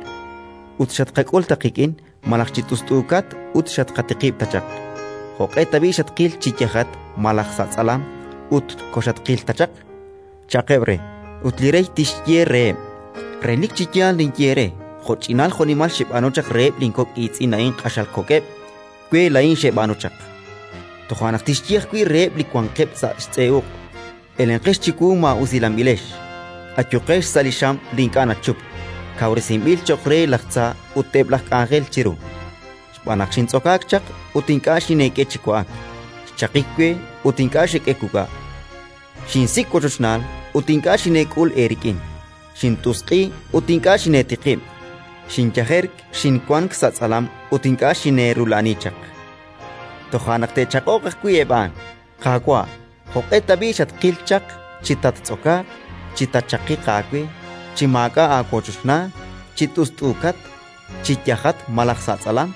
Speaker 10: ut xatqak'ul ta qik'in, malaj chi t'ust'uukat ut xatqatiqib' ta chaq? Jo'q'e tab'i' xatqil chi yajat malaj sa' tz'alam ut koxatqil ta chaq?» Cha'qeb' re. Ut li Rey tixye reheb': «Relik chi yaal ninye eere, jo'ch'inal jo'nimal xeb'aanu chaq reheb' linkok' iitz'in a'in q'axal kok'eb', we laa'in xeb'aanu chaq». Toja' naq tixye ajwi' reheb' li wanqeb' sa' xtz'e uq': Elenqex chiwu maa'usilanb'ilex, ayuqex sa' li xam li ink'a' nachupk, kawresinb'il cho'q re laj tza ut eb' laj k'anjel chiru. Xb'aan naq xintz'okaak chaq ut ink'a' xineek'e chi wa'ak, xchaqik we ut ink'a' xek'e wuk'a', xinsik' wochochnaal ut ink'a' xineek'ul eerik'in, xint'usq'i ut ink'a' xineetiqib', xinyajerk, xinwank sa' tz'alam ut ink'a' xineerula'ani chaq. Toja' naq te'chaq'oq ajwi' eb' a'an: «Qaawa', jo'q'e tab'i' xatqil chaq chi tattz'okaaq, chi taachaqiq aawe, chi maak'a' aawochochnaal, chi t'ust'uukat, chi yajat malaj sa' tz'alam,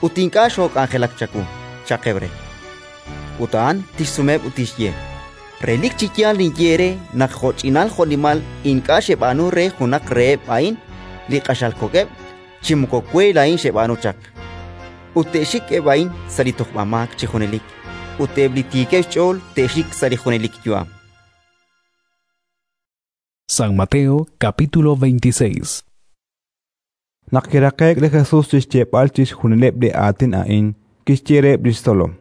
Speaker 10: ut ink'a' xook'anjelak chawu?», cha'qeb' re. Ut a'an tixsumeheb' ut tixye: «Relik chi yaal ninye eere naq jo'ch'inal jo'nimal ink'a' xeb'aanu re junaq reheb' a'in li q'axal kok'eb', chi moko we laa'in xeb'aanu chaq». Ut te'xik eb' a'in sa' li tojb'amaak chi junelik, ut eb' li tiikeb' xch'ool te'xik sa' li junelik yu'am.
Speaker 8: San Mateo capítulo veintiséis.
Speaker 2: Naq kiraqe'k li Jesus chi xyeeb'al chixjunileb' li aatin a'in, kixye reheb' li xtzolom: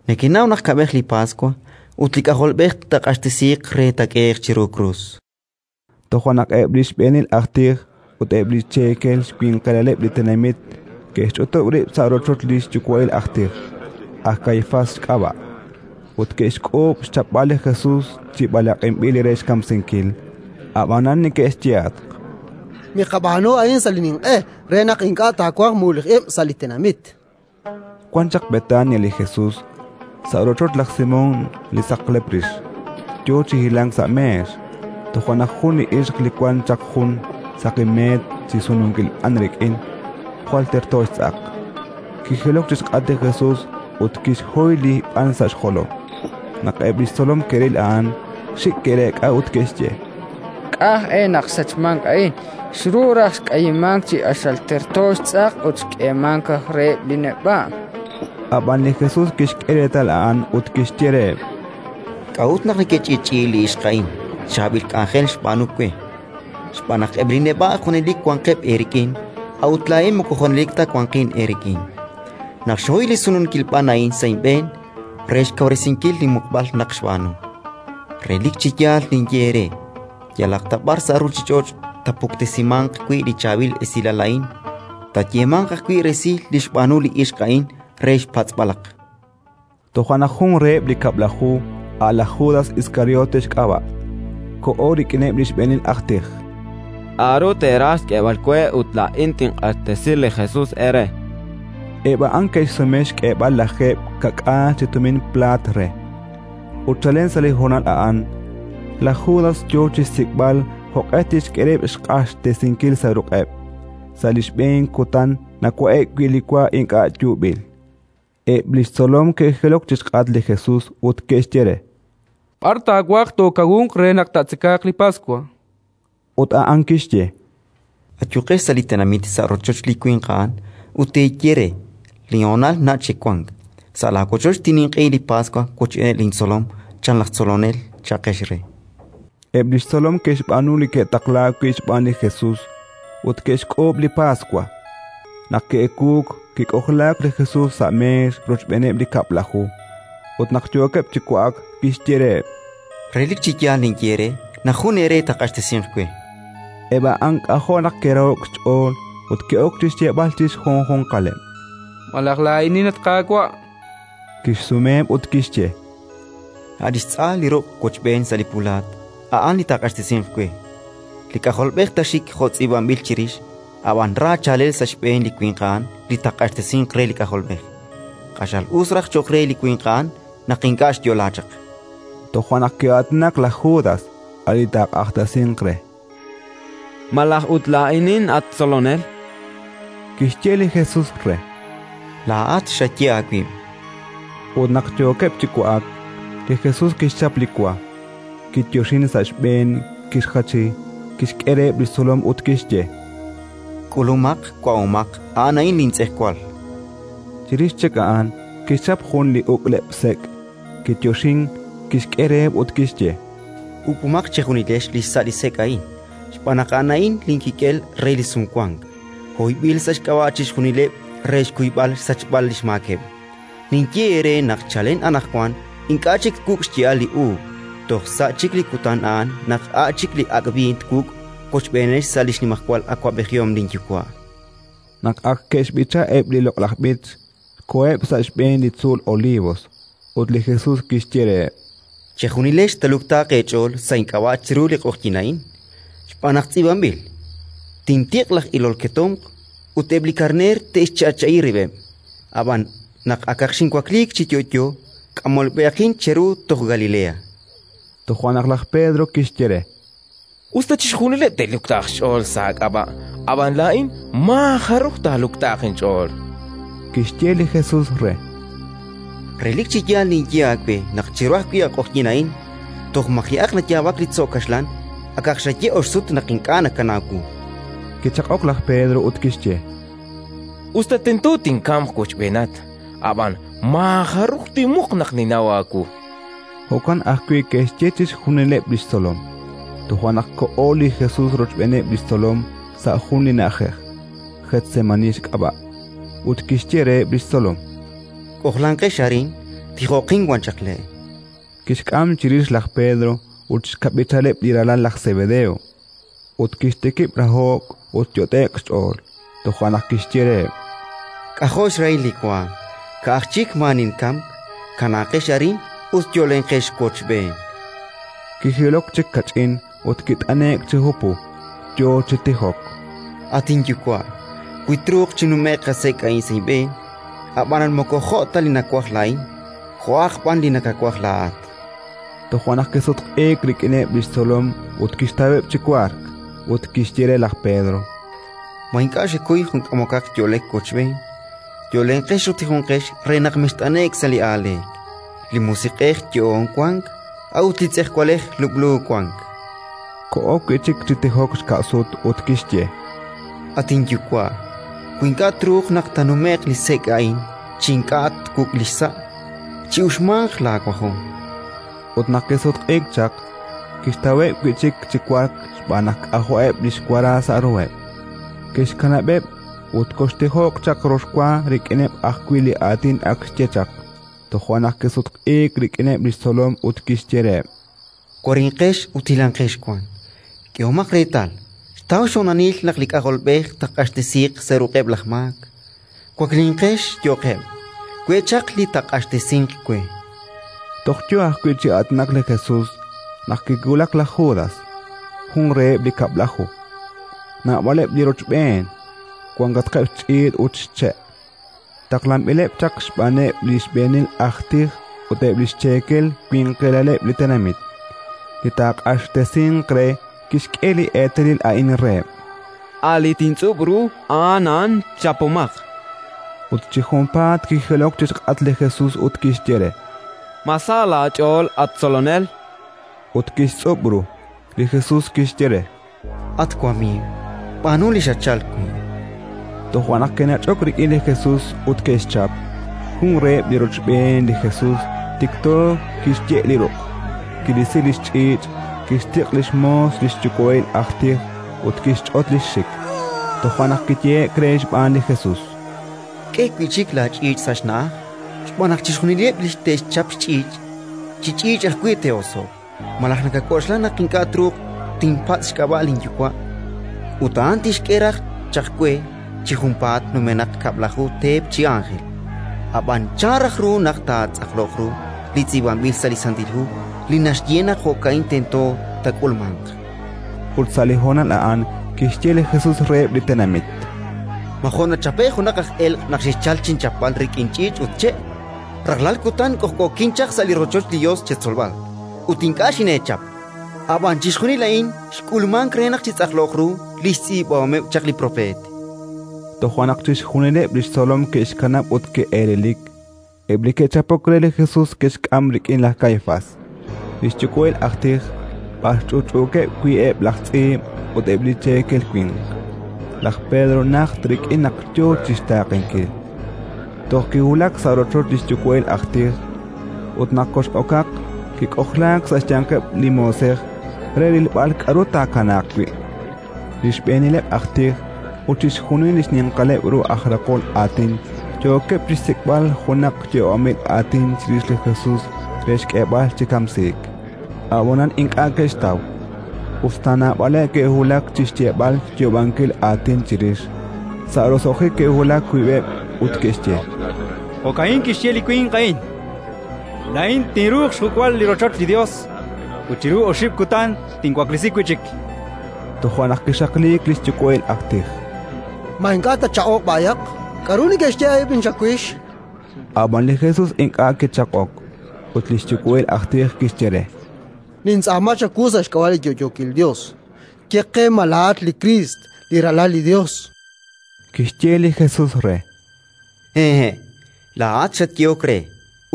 Speaker 10: Nekenaw naq kab'ej li Paswa ut li K'ajolb'ej taaq'axtesiiq re taak'ehe'q chiru krus.
Speaker 2: Toja' naq eb' li xb'eenil aj tij ut eb' li cheekel xwinqilaleb' li tenamit ke'xch'utub' rib' sa' rochoch li xyuwa'il aj tij, aj Kaifás xk'ab'a', ut ke'xk'uub' xchapb'al li Jesus chi b'alaq'inb'il re xkamsinkil. Ab'anan neke'xyehatq:
Speaker 20: Miqab'aanu a'in sa' li ninq'e re naq ink'a' taawanq mulej ib' sa' li tenamit.
Speaker 2: Wan chaq Betania li Jesus, sa' rochoch laj Simón li saqlep rix, yo chi hilank sa' meex. Toja' naq jun li ixq li wan chaq jun saqi meet chi sununkil b'an rik'in, jwal terto xtz'aq, kijilok chi xk'atq li Jesus ut kixhoy li b'an sa' xjolom. Naq eb' li xtzolom ke'ril a'an, xik' ke'reek'a ut ke'xye:
Speaker 15: K'aj e naq xsachmank a'in, xru raj xk'ayimank chi q'axal terto xtz'aq ut xk'eemank reheb' li neb'a'.
Speaker 2: Ab'an li Jesus kixk'e reetal a'an ut kixye reheb':
Speaker 10: K'a'ut naq nekech'i'ch'i'i li ixq a'in? Chaab'il k'anjel xb'aanu we. Xb'aan naq eb' li neb'a' junelik wanqeb' eerik'in, a'ut laa'in moko junelik ta wanqin eerik'in. Naq xhoy li sununkil b'an a'in sa' inb'een re xkawresinkil linmuqb'al naq xb'aanu. Relik chi yaal ninye eere: yalaq ta b'ar sa' ruuchich'och' taapuktesimanq wi' li chaab'il esilal a'in, taayeemanq ajwi' resil li xb'aanu li ixq a'in re xpatz'b'alaq.
Speaker 2: Toja' naq jun reheb' li kab'laju, a' laj Judas Iskariote xk'ab'a', koho rik'ineb' li xb'eenil aj tij.
Speaker 11: K'aru teeraj xk'eeb'al we ut laa'in tinq'axtesi li Jesus eere?
Speaker 2: Eb' a'an ke'xsume xk'eeb'al lajeeb' ka'k'aal chi tumin plaat re. Ut chalen sa' li honal a'an, laj Judas yo chi xsik'b'al jo'q'e tixk'e rib' xq'axtesinkil sa' ruq'eb', sa' li xb'een kutan nawa'e'k wi' li wa ink'a' yuub'il. Eb' li xtzolom ke'jilok chi xk'atq li Jesus ut ke'xye re:
Speaker 21: B'ar taawaj tookawunq re naq taatzekaaq li Paswa?
Speaker 2: Ut a'an kixye:
Speaker 10: Ayuqex sa' li tenamit sa' rochoch li winq a'an ut teeye re: «Linhonal nach' chik wank. Sa' laawochoch tinninq'ehi li Paswa wochb'eeneb' lintzolom», chan laj Tzolonel, cha'qex re.
Speaker 2: Eb' li xtzolom ke'xb'aanu li ke'taqlaak wi' xb'aan li Jesus ut ke'xk'uub' li Paswa. Naq ke'ewuuk, kik'ojlaak li Jesus sa' meex rochb'eeneb' li Kab'laju. Ut naq yookeb' chi wa'ak, kixye reheb':
Speaker 10: Relik chi yaal ninye eere naq jun eere taaq'axtesinq we.
Speaker 2: Eb' a'an k'ajo' naq ke'raho'k xch'ool ut ke'ok chi xyeeb'al chi xjunjunqaleb':
Speaker 21: Malaj laa'inin, at Qaawa'?
Speaker 2: Kixsumeheb' ut kixye:
Speaker 10: A' li xtz'a li ruq' wochb'een sa' li pulaat, a'an li taaq'axtesinq we. Li K'ajolb'ej taaxik jo' tz'iib'anb'il chirix, ab'an ra chaalel sa' xb'een li winq a'an li taaq'axtesinq re li K'ajolb'ej. Q'axal us raj cho'q re li winq a'an naq ink'a' xyo'laak chaq.
Speaker 2: Toja' naq ki'aatinak laj Judas, a' li taaq'axtesinq re.
Speaker 11: Malaj ut laa'inin, at Tzolonel?
Speaker 2: Kixye li Jesus re:
Speaker 10: Laa'at xaye aawib'.
Speaker 2: Ut naq yookeb' chi wa'ak, li Jesus kixchap li wa, kiyoxin sa' xb'een, kixjachi, kixk'e reheb' li xtzolom ut kixye:
Speaker 10: K'ulumaq, wa'omaq, a'an a'in lintz'ejwal.
Speaker 2: Chirix chik a'an kixchap jun li uk'leb' sek', kiyoxin, kixk'e reheb' ut kixye:
Speaker 10: Uk'umaq chejunilex li xsa' li sek' a'in, xb'aan naq a'an a'in linkik'el re li sumwank, hoyb'il sa' xk'ab'a' chixjunileb' re xkuyb'al xsachb'al li xmaakeb'. Ninye eere naq chalen anaqwan ink'a' chik twuk' xya'al li uub', Toj sa' chik li kutan a'an naq a' chik li ak' b'iin twuk' wochb'eenex sa' li xnimajwal awab'ejihom linYuwa'.
Speaker 2: Naq ak ke'xb'icha eb' li loq'laj b'ich, koheb' sa' xb'een li tzuul Olivos, ut li Jesus kixye reheb':
Speaker 10: Chejunilex taaluktaaq eech'ool sa' ink'ab'a' chiru li q'oqyink a'in, xb'aan naq tz'iib'anb'il: Tintiq' laj ilol ketomq, ut eb' li karneer te'xcha'cha'i rib'eb'. Ab'an naq akaq xinwakliik chi yo'yo, k'amolb'ehaqin cheru toj Galilea.
Speaker 2: Toja' naq laj Pedro kixye re:
Speaker 16: Us ta chixjunileb' te'luktaaq xch'ool sa' aak'ab'a', ab'an laa'in maajaruj taaluktaaq inch'ool.
Speaker 2: Kixye li Jesus re:
Speaker 10: Relik chi yaal ninye aawe naq chiru ajwi' a q'oqyink a'in, toj maji'aq nayaab'ak li tzo' kaxlan, akaq xaye ox sut naq ink'a' nakanaw wu.
Speaker 2: Kichaq'ok laj Pedro ut kixye:
Speaker 16: Us ta tento tinkamq wochb'eenat, ab'an maajaruj tinmuq naq ninnaw aawu.
Speaker 2: Jo'kan ajwi' ke'xye chixjunileb' li xtzolom. Toja' naq koho li Jesus rochb'eeneb' li xtzolom sa' jun li na'ajej, Getsemani xk'ab'a', ut kixye reheb' li xtzolom:
Speaker 10: K'ojlanqex arin, tijoqin wan chaq le'.
Speaker 2: Kixk'am chirix laj Pedro ut xkab'ichaleb' li ralal laj Sebedeo, ut kixtikib' raho'k ut yot'e'k xch'ool. Toja' naq kixye reheb':
Speaker 10: K'ajo' xrahil li waanm, ka'aj chik maa ninkamk. Kanaaqex arin ut yo'lenqex wochb'een.
Speaker 2: Kijilok chik kach'in ut kit'ane'k chi hupu, yo chi tijok:
Speaker 10: At inYuwa', wi truuq chinume'q a sek' a'in sa' inb'een, ab'anan moko jo' ta li nawaj laa'in, jo'aq b'an li nakawaj laa'at.
Speaker 2: Toja' naq kisutq'iik rik'ineb' li xtzolom ut kixtaweb' chi wark, ut kixye re laj Pedro:
Speaker 10: Ma ink'a' xekuy jun k'amokaq yo'lek wochb'een? Yo'lenqex ut tijonqex re naq mext'ane'k sa' li aaleek. Li musiq'ej yo'oon wank, a'ut li tz'ejwalej lub'lu wank.
Speaker 2: Koho wi' chik chi tijok xka' sut ut kixye:
Speaker 10: At inYuwa', wi ink'a' truuq naq taanume'q li sek' a'in chi ink'a' twuk' li xsa', chi'uxmanq laawajom.
Speaker 2: Ut naq kisutq'iik chaq, kixtaweb' wi' chik chi wark xb'aan naq k'ajo'eb' li xwara sa' ruheb'. Kixkanab'eb' ut koxtijoq chaq rox wa rik'ineb' ajwi' li aatin ak xye chaq. Toja' naq kisutq'iik rik'ineb' li xtzolom ut kixye reheb':
Speaker 10: Warinqex ut hilanqex wan. K'ehomaq reetal, xtaw xhonalil naq li K'ajolb'ej taaq'axtesiiq sa' ruq'eb' laj maak. Waklinqex, yo'qeb'. We' chaq li taaq'axtesinq we.
Speaker 2: Toj yo ajwi' chi aatinak li Jesus naq kiwulak laj Judas, jun reheb' li Kab'laju. Naab'aleb' li rochb'een, wankatqeb' xch'iich' ut xche'. Taqlanb'ileb' chaq xb'aaneb' li xb'eenil aj tij ut eb' li xcheekel winqilaleb' li tenamit. Li taaq'axtesinq re kixk'e li eetalil a'in reheb':
Speaker 11: A' li tintz'ub' ru, a'an a'an, chapomaq.
Speaker 2: Ut chi junpaat kijilok chi xk'atq li Jesus ut kixye re:
Speaker 11: Ma sa laach'ool, at Tzolonel?
Speaker 2: Ut kixtz'ub' ru. Li Jesus kixye re:
Speaker 10: At wamiiw, b'aanu li xatchalk wi'.
Speaker 2: Toja' naq ke'nach'ok rik'in li Jesus ut ke'xchap. Jun reheb' li rochb'een li Jesus tikto kixye' li ruq', kirisi li xch'iich', kixtiq' li xmoos li xyuwa'il aj tij ut kixch'ot li xxik. Toja' naq kiyehe'k re xb'aan li Jesus:
Speaker 10: K'e wi' chik laach'iich' sa' xna'aj, xb'aan naq chixjunileb' li te'xchap xch'iich', chi ch'iich' ajwi' te'oso'q. Malaj nakak'oxla naq ink'a' truuq tinpatz' xk'ab'a' linYuwa', ut a'an tixk'e raj chaq we chi junpaat numenaq kab'laju teep chi ánjel? Ab'an chan raj ru naq taatz'aqloq ru li tz'iib'anb'il sa' li Santil Hu li naxye naq jo'ka'in tento taak'ulmanq?
Speaker 2: Ut sa' li honal a'an kixye li Jesus reheb' li tenamit:
Speaker 10: Ma jo' nachape'k junaq aj elq' naq xexchalk chinchapb'al rik'in ch'iich' ut che'? Rajlal kutan k'ojk'ookin chaq sa' li rochoch li Yos chetzolb'al, ut ink'a' xineechap. Ab'an chixjunil a'in xk'ulmank re naq chitz'aqloq ru li xtz'iib'ahomeb' chaq li propeet.
Speaker 2: Toja' naq chixjunileb' li xtzolom ke'xkanab' ut ke'elelik. Eb' li ke'chapok re li Jesus ke'xk'am rik'in laj Kaifás, li xyuwa'il aj tij, b'ar ch'utch'uukeb' wi' eb' laj tz'iib' ut eb' li cheekel winq. Laj Pedro najt rik'in naq yo chi xtaaqenkil. Toj kiwulak sa' rochoch li xyuwa'il aj tij, ut naq kox'okaq, kik'ojlaak sa' xyanqeb' li moosej re rilb'al k'aru taakanaaq wi'. Li xb'eenileb' aj tij ut chixjunil li xninqaleb' ru aj raqol aatin yookeb' chi xsik'b'al junaq yo'omil aatin chirix li Jesus re xk'eeb'al chi kamsiik. Ab'anan ink'a' ke'xtaw, us ta naab'aleb' ke'wulak chi xyeeb'al xyoob'ankil aatin chirix. Sa' roso'jik ke'wulak wiib'eb' ut ke'xye:
Speaker 14: Jo'ka'in kixye li winq a'in: «Laa'in tinruuq xjuk'b'al li rochoch li Yos, ut chiru oxib' kutan tinwaklesi wi' chik».
Speaker 2: Toja' naq kixaqliik li xyuwa'il aj tij.
Speaker 20: Ma ink'a' tatchaq'oq b'ayaq? K'aru neke'xye eb' chawix?
Speaker 2: Ab'an li Jesus ink'a' kichaq'ok, ut li xyuwa'il aj tij kixye re:
Speaker 20: Nintz'aama chawu sa' xk'ab'a' li yo'yookil Yos, ye qe ma laa'at li Kriist, li Ralal li Yos.
Speaker 2: Kixye li Jesus re:
Speaker 10: Hehe', laa'at xatyehok re.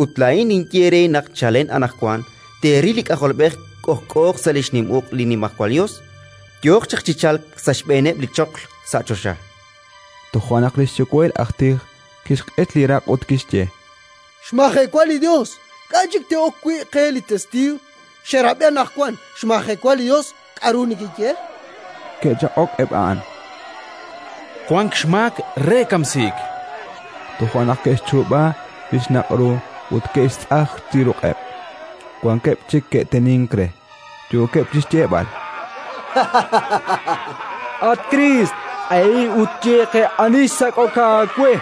Speaker 10: Ut laa'in ninye eere naq chalen anaqwan teeril li K'ajolb'ej k'ojk'ooq sa' li xnim uq' li Nimajwal Yos, yooq chaq chi chalk sa' xb'eeneb' li choql sa' choxa.
Speaker 2: Toja' naq li xyuwa'il aj tij kixq'et li raq' ut kixye:
Speaker 20: Xmajewa li Yos! K'a' chik te'ok wi' qe li testiiw? Xerab'i anaqwan, xmajewa li Yos, k'aru nekeye?
Speaker 2: Ke'chaq'ok eb' a'an:
Speaker 7: Wank xmaak re kamsiik.
Speaker 2: Toja' naq ke'xchuub'a li xnaq' ru ut ke'xtz'aj chi ruq'eb'. Wankeb' chik ke'tenink re, yookeb' chi xyeeb'al:
Speaker 9: At Kriist, q'ehi ut ye qe ani xsak'ok aawe.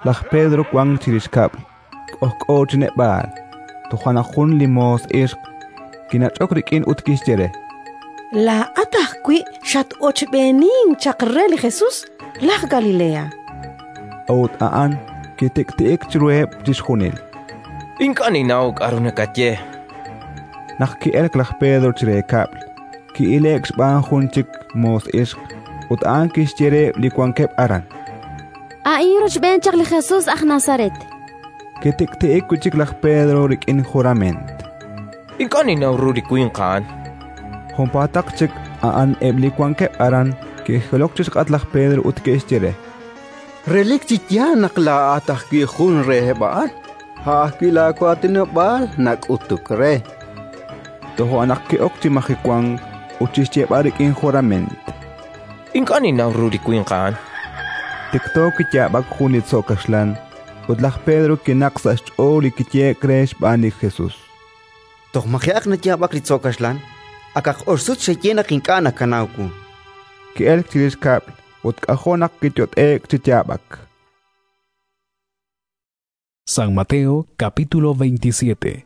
Speaker 2: Laj Pedro wank chirix kab'l, k'ojk'o chi neb'aal. Toja' naq jun li moos ixq kinach'ok rik'in ut kixye re:
Speaker 22: Laa'at ajwi' xat-ochb'eenink chaq re li Jesus laj Galilea.
Speaker 2: A'ut a'an kitik'ti'ik chiruheb' chixjunil:
Speaker 16: Ink'a' ninnaw k'aru nakaye.
Speaker 2: Naq ki'elk laj Pedro chire kab'l, ki'ile'k xb'aan jun chik moos ixq, ut a'an kixye reheb' li wankeb' aran:
Speaker 19: A'in rochb'een chaq li Jesus aj Nazaret.
Speaker 2: Kitik'ti'ik wi' chik laj Pedro rik'in jurament:
Speaker 16: Ink'a' ninnaw ru li winq a'an.
Speaker 2: Junpaataq chik a'an eb' li wankeb' aran ke'jilok chi xk'atq laj Pedro ut ke'xye re:
Speaker 1: Relik chi yaal naq laa'at ajwi' jun reheb' a'an, a' ajwi' laawaatinob'aal nak'utuk re.
Speaker 2: Toja' naq ki'ok chi majewank ut chi xyeeb'al rik'in jurament:
Speaker 16: Ink'a' ninnaw ru li winq a'an.
Speaker 2: Tikto kiyaab'ak jun li tzo' kaxlan, ut laj Pedro kinaq sa' xch'ool li kiyehe'k re xb'aan li Jesus:
Speaker 10: Toj maji'aq nayaab'ak li tzo' kaxlan, akaq ox sut xaye naq ink'a' nakanaw wu.
Speaker 2: Ki'elk chirix kab'l ut k'ajo' naq kiyot'e'k chi yaab'ak.
Speaker 8: San Mateo capítulo veintisiete.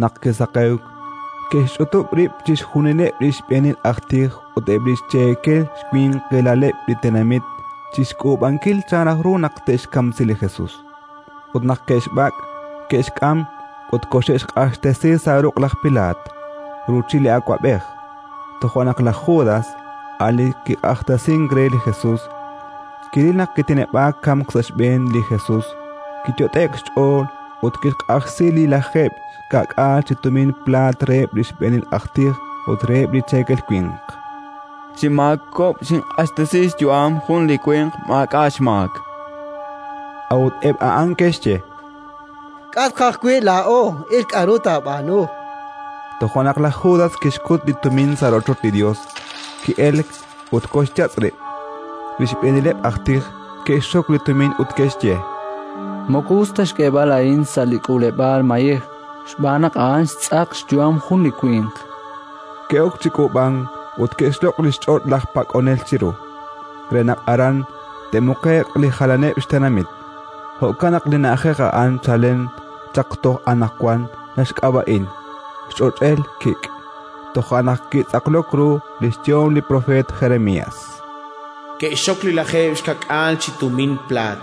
Speaker 2: Naq kisaqewk, ke'xch'utub' rib' chixjunileb' li xb'eenil aj tij ut eb' li xcheekel xwinqilaleb' li tenamit chi xk'uub'ankil chan raj ru naq te'xkamsi li Jesus. Ut naq ke'xb'ak', ke'xk'am ut koxe'xq'axtesi sa' ruq' laj Pilaat, ruuchil li awab'ej. Toja' naq laj Judas, a' li kiq'axtesink re li Jesus, kiril naq kiteneb'aak kamk sa' xb'een li Jesus, kiyot'e'k xch'ool ut kixq'ajsi li lajeeb' ka'k'aal chi tumin plaat reheb' li xb'eenil aj tij ut reheb' li cheekel winq.
Speaker 11: Chi maakob' xinq'axtesi xyu'am jun li winq maak'a' xmaak.
Speaker 2: A'ut eb' a'an ke'xye:
Speaker 20: K'atq ajwi' laa'o, il k'aru taab'aanu.
Speaker 2: Toja' naq laj Judas kixkut li tumin sa' rochoch li Yos, ki'elk ut koxyatz' rib'. Li xb'eenileb' aj tij ke'xxok li tumin ut ke'xye:
Speaker 4: Moko us ta xk'eeb'al a'in sa' li k'uuleb'aal mayej, xb'aan naq a'an xtz'aq xyu'am jun li winq.
Speaker 2: Ke'ok chi k'uub'ank ut ke'xloq' li xch'och' laj pak'onel chiru, re naq aran te'muqe'q li jalaneb' xtenamit. Jo'kan naq li na'ajej a'an chalen chaq toj anaqwan naxk'ab'a'in xch'och'el kik'. Toja' naq kitz'aqlok ru li xyehom li propeet Jeremías:
Speaker 3: Ke'xxok li lajeeb' xka'k'aal chi tumin plaat,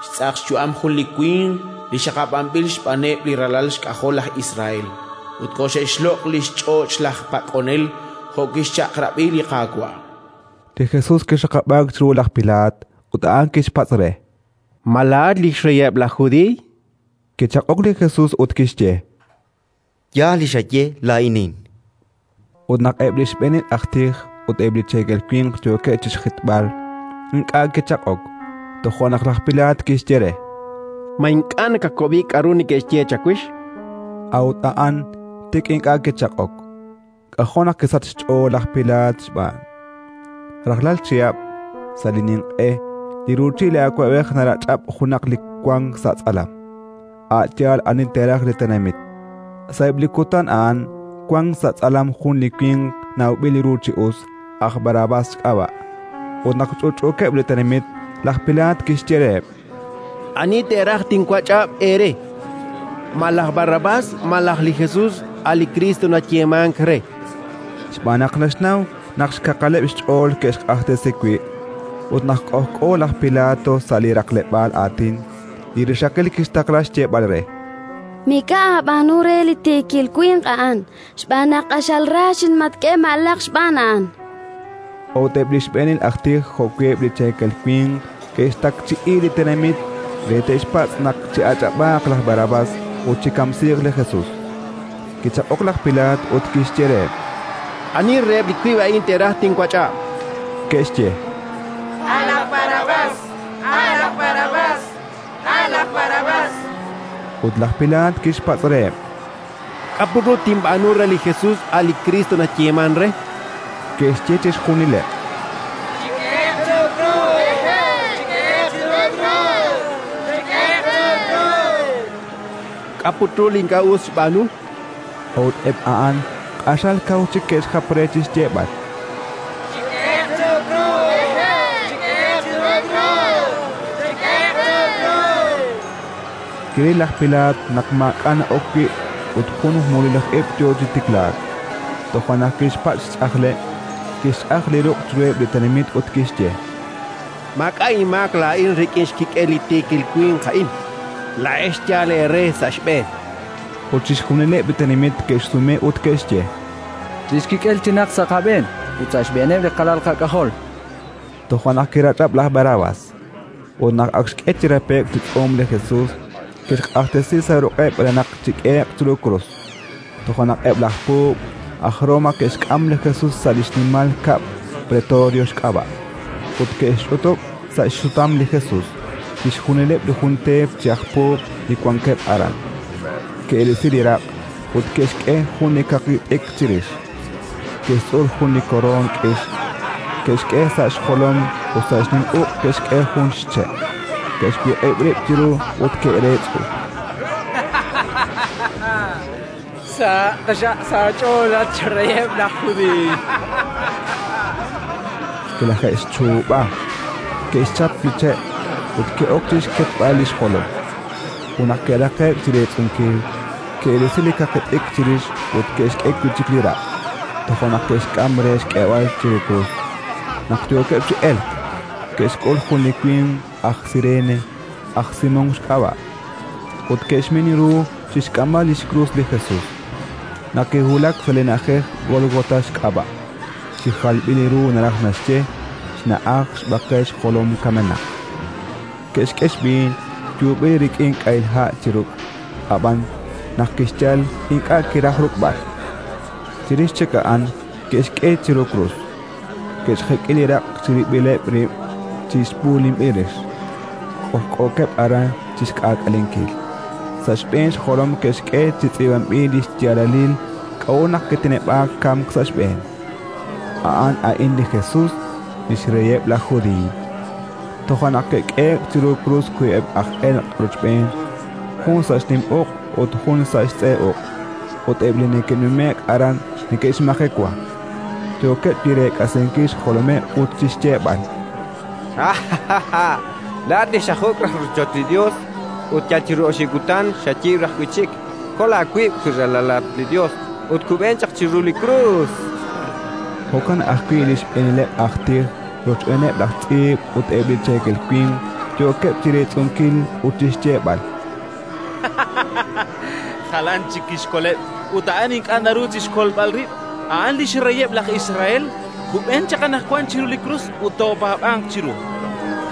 Speaker 3: xtz'aq xyu'am jun li winq li xaqab'anb'il xb'aaneb' li ralal xk'ajol laj Israel, ut koxe'xloq' li xch'och' laj pak'onel jo' kixchaq'rab'i li Qaawa'.
Speaker 2: Li Jesus kixaqab'aak chiru laj Pilaat ut a'an kixpatz' re:
Speaker 12: Ma laa'at li xreyeb' laj Judiiy?
Speaker 2: Kichaq'ok li Jesus ut kixye:
Speaker 10: Yaal li xaye, laa'inin.
Speaker 2: Ut naq eb' li xb'eenil aj tij ut eb' li cheekel winq yookeb' chi xjitb'al, ink'a' kichaq'ok. Toja' naq laj Pilaat kixye re:
Speaker 12: Ma ink'a' nakakob'i k'aru neke'xye chawix?
Speaker 2: A'ut a'an tik ink'a' kichaq'ok. K'ajo' naq kisach xch'ool laj Pilaat xb'aan. Rajlal chihab', sa' li ninq'e, li ruuchil li awab'ej narach'ab' junaq li wank sa' tz'alam, a' yaal ani teeraj li tenamit. Sa'eb' li kutan a'an wank sa' tz'alam jun li winq nawb'il ru chi us, aj Barrabás xk'ab'a'. Ut naq ch'utch'uukeb' li tenamit, laj Pilaat kixye reheb':
Speaker 12: Ani teeraj tinwach'ab' eere? Ma laj Barrabás malaj li Jesus, a' li Kristo nayeemank re?
Speaker 2: Xb'aan naq naxnaw naq xkaqaleb' xch'ool ke'xq'axtesi wi'. Ut naq k'ojk'o laj Pilato sa' li raqleb'aal aatin, li rixaqil kixtaqla xyeeb'al re:
Speaker 19: Mik'a' aab'aanu re li tiikil winq a'an, xb'aan naq q'axal ra xinmatk'e malaq xb'aan a'an.
Speaker 2: Ut eb' li xb'eenil aj tij jo'wi' eb' li cheekel winq ke'xtakchi'i li tenamit re te'xpatz' naq chi'ach'ab'aaq laj Barrabás ut chikamsiiq li Jesus. Kichaq'ok laj Pilaat ut kixye reheb':
Speaker 12: Ani reheb' li wiib' a'in teeraj tinwach'ab'?
Speaker 2: Ke'xye:
Speaker 5: A' laj Barrabás, a' laj Barrabás, a' laj Barrabás.
Speaker 2: Ut laj Pilaat kixpatz' reheb':
Speaker 12: K'a' put ru tinb'aanu re li Jesus, a' li Kristo nayeemank re?
Speaker 2: Ke'xye chixjunileb':
Speaker 5: Chik'ehe'q chiru krus! Chik'ehe'q chiru krus! Chik'ehe'q chiru krus!
Speaker 12: K'a' put ru li ink'a' us xb'aanu?
Speaker 2: Ut eb' a'an q'axal kaw chik ke'xjap re chi xyeeb'al:
Speaker 5: Chik'ehe'q chiru krus! Chik'ehe'q chiru krus! Chik'ehe'q chiru krus!
Speaker 2: Kiril laj Pilaat naq maak'a' na'ok wi' ut jun mululij ib' yo chi tiklaak. Toja' naq kixpatz' xch'ajleb', kixch'aj li ruq' chiruheb' li tenamit ut kixye:
Speaker 12: Maak'a' inmaak laa'in rik'in xkik'el li tiikil winq a'in. Laa'ex yaal eere sa' xb'een.
Speaker 2: Ut chixjunileb' li tenamit ke'xsume ut ke'xye:
Speaker 4: Li xkik'el chinaq sa' qab'een ut sa' xb'eeneb' li qalal qak'ajol.
Speaker 2: Toja' naq kirach'ab' laj Barrabás. Ut naq ak xk'e chi rape'k chi tz'uum li Jesus, kixq'axtesi sa' ruq'eb' re naq chik'ehe'q chiru krus. Toja' naq eb' laj puub' aj Roma ke'xk'am li Jesus sa' li xnimal kab'l Pretorio xk'ab'a', ut ke'xch'utub' sa' xsutam li Jesus chixjunileb' li jun teep chi aj puub' li wankeb' aran. Ke'risi li raq' ut ke'xk'e jun li kaqi t'ikr chirix, ke'xtz'ur jun li koroon k'ix, ke'xk'e sa' xjolom ut sa' xnim uq' ke'xk'e jun xche'. Ke'xwiq'ib' rib' chiru ut ke'reetz'u.
Speaker 21: Sa' taxaq sa' aach'ool at xreyeb' laj Judiiy.
Speaker 2: Kilaje'xchuub'a, ke'xchap li che' ut ke'ok chi xketb'al li xjolom. Ut naq ke'raqe'k chi reetz'unkil, ke'risi li kaqi t'ikr chirix ut ke'xk'e wi' chik li raq'. Toja' naq ke'xk'am re xk'eeb'al chiru krus. Naq yookeb' chi elk, ke'xk'ul jun li winq aj Sirene, aj Simón xk'ab'a', ut ke'xmin ru chi xk'amb'al li xkrus li Jesus. Naq kiwulak sa' li na'ajej Gólgota xk'ab'a', chi jalb'il ru naraj naxye xna'aj xb'aqel xjolom kamenaq. Ke'xk'e xb'iin yuub'il rik'in k'ahil ha' chi ruk', ab'an naq kixyal ink'a' kiraj ruk'b'al. Chirix chik a'an ke'xk'e chiru krus, ke'xjek'i li raq' chirib'ileb' rib' chi xb'uulinb'il rix, k'ojk'ookeb' aran chi xk'aak'alenkil. Sa' xb'een xjolom ke'xk'e chi tz'iib'anb'il li xyaalalil k'a'ut naq kiteneb'aak kamk sa' xb'een: A'an a'in li Jesus, li xreyeb' laj Judiiy. Toja' naq ke'k'ehe'k chiru krus wiib'eb' aj elq' rochb'een, jun sa' xnim uq' ut jun sa' xtz'e uq'. Ut eb' li neke'nume'k aran neke'xmajewa, yookeb' chi reek'asinkil xjolomeb' ut chi xyeeb'al:
Speaker 11: Laa'at li xajuk' raj rochoch li Yos ut yal chiru oxib' kutan xayiib' raj wi' chik. Kol aawib' wi ralalat li Yos ut kub'en chaq chiru li krus.
Speaker 2: Jo'kan ajwi' li xb'eenileb' aj tij rochb'eeneb' laj tz'iib' ut eb' li cheekel winq yookeb' chi reetz'unkil ut chi xyeeb'al:
Speaker 18: Jalan chik kixkoleb' ut a'an ink'a' naru chi xkolb'al rib'. A'an li xreyeb' laj Israel. Kub'en chaq anaqwan chiru li krus ut toopaab'anq chiru.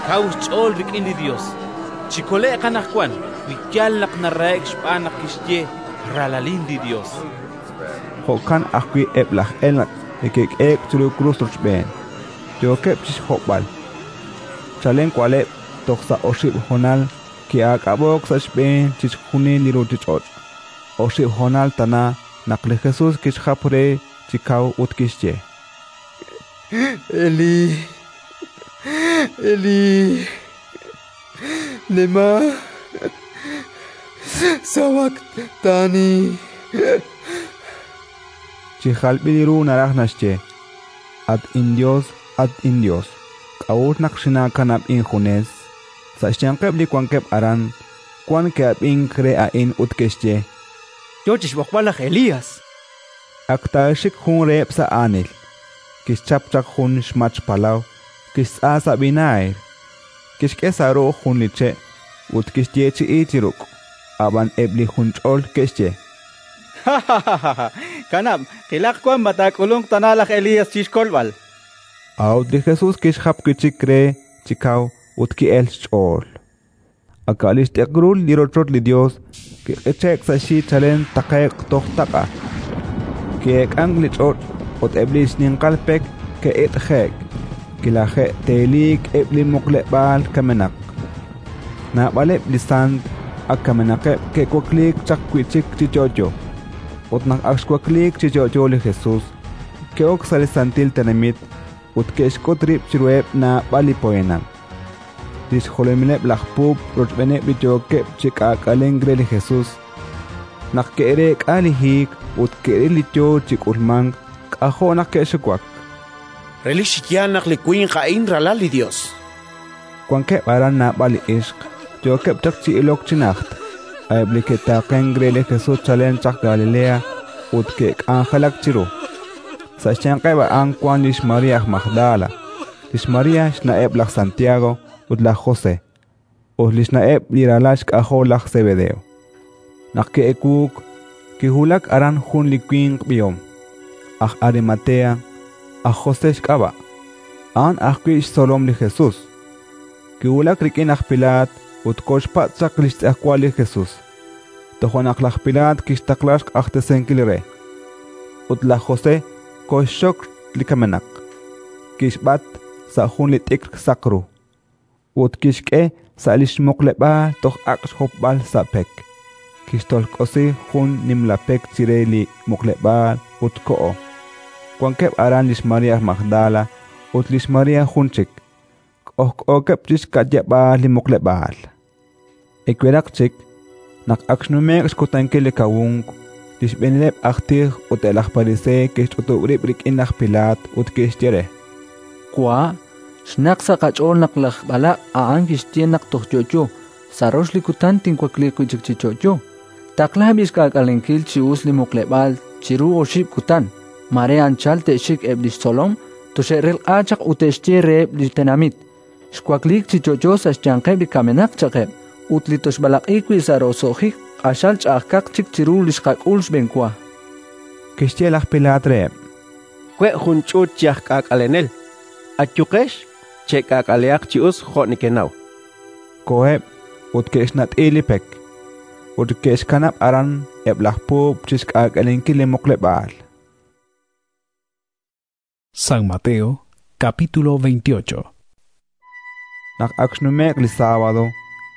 Speaker 18: Kaw xch'ool rik'in li Yos. Chikole'q anaqwan wi yaal naq narahe'k xb'aan naq kixye: Ralalin li Yos.
Speaker 2: Jo'kan ajwi' eb' laj elq' li ke'k'ehe'k chiru krus rochb'een, yookeb' chi xhob'al. Chalen wa'leb' toj sa' oxib' honal ki'aak'ab'o'k sa' xb'een chixjunil li ruuchich'och'. Oxib' honal tana naq li Jesus kixjap re chi kaw ut kixye:
Speaker 13: Elí, Elí, lema sabactani.
Speaker 2: Chi jalb'il ru naraj naxye: At inYos, at inYos, k'a'ut naq xinaakanab' injunes? Sa' xyanqeb' li wankeb' aran, wan ke'ab'ink re a'in ut ke'xye:
Speaker 14: Yo chi xb'oqb'al laj Elías.
Speaker 2: Ak taaxik jun reheb' sa' aanil, kixchap chaq jun xmach palaw, kixtz'a sa' vinaagre, kixk'e sa' ru'uj jun li che' ut kixyeechi'i chi ruk'. Ab'an eb' li junch'ol ke'xye:
Speaker 14: Kanab', qilaq wan ma taak'ulunq tana laj Elías chi xkolb'al.
Speaker 2: A'ut li Jesús kixjap wi' chik re chi kaw ut ki'elk xch'ool. Ak a' li xt'ikrul li rochoch li Yos kiq'iche'k sa' xyi chalen taqe'q toj taq'a. Ki'eek'ank li ch'och' ut eb' li xninqal pek ke'it'je'k, kilaje'teeliik eb' li muqleb'aal kamenaq. Naab'aleb' li sant ak kamenaqeb' ke'wakliik chaq wi' chik chi yo'yo. Ut naq ak xwakliik chi yo'yo li Jesús, ke'ok sa' li santil tenamit ut ke'xk'ut rib' chiruheb' naab'al li poyanam. Li xjolomileb' laj puub' rochb'eeneb' li yookeb' chi k'aak'alenk re li Jesús, naq ke'reek'a li hiik ut ke'ril li yo chi k'ulmank, k'ajo' naq ke'xuwak.
Speaker 3: Relik chi yaal naq li winq a'in ralal li Yos.
Speaker 2: Wankeb' aran naab'al li ixq yookeb' chaq chi ilok chi najt, a'eb' li ke'taaqenk re li Jesús chalen chaq Galilea ut ke'k'anjelak chiru. Sa' xyanqeb' a'an wank lix María aj Magdala, lix María xna'eb' laj Santiago ut laj José, ut li xna'eb' li ralal xk'ajol laj Zebedeo. Naq ke'ewuuk, kiwulak aran jun li winq b'ihom, aj Arimatea, aj José xk'ab'a', a'an ajwi' xtzolom li Jesús. Kiwulak rik'in aj Pilaat ut koxpatz' chaq li xtz'ejwal li Jesús. Tojo' naq laj Pilaat kixtaqla xq'axtesinkil re. Ut laj José koxxok li kamenaq, kixb'at sa' jun li t'ikr saq ru, ut kixk'e sa' li xmuqleb'aal toj ak' xhopb'al sa' pek. Kixtolk'osi jun nimla pek chire li muqleb'aal ut ko'o. Wankeb' aran lix María aj Magdala ut lix María jun chik, k'ojk'ookeb' chi xka'yab'aal li muqleb'aal. Eweraq chik, naq ak xnume'k xkutankil li kawunk, li xb'eenileb' aj tij ut eb' laj pariseey ke'xch'utub' rib' rik'in laj Pilaat ut ke'xye re:
Speaker 4: Wa', xnaq sa' qach'ool naq laj b'alaq' a'an kixye naq toj yo'yo, sa' rox li kutan tinwakliiq wi' chik chi yo'yo. Taqla b'i xk'aak'alenkil chi us li muqleb'aal chiru oxib' kutan, mare anchal te'xik eb' li xtzolom, toxe'relq'a chaq ut te'xye reheb' li tenamit: xwakliik chi yo'yo sa' xyanqeb' li kamenaq chaqeb', ut li toxb'alaq'i wi' sa' roso'jik q'axal ch'a'ajkaq chik chiru li xqak'ul xb'enwa.
Speaker 2: Kixye laj Pilaat reheb':
Speaker 12: We' jun ch'uut chi aj k'aak'alenel. Ayuqex, che'k'aak'alehaq chi us jo' nekenaw.
Speaker 2: Koheb' ut ke'xnat'i li pek, ut ke'xkanab' aran eb' laj puub' chi xk'aak'alenkil li muqleb'aal.
Speaker 8: San Mateo, capítulo veintiocho.
Speaker 2: Naq ak xnume'k li sábado,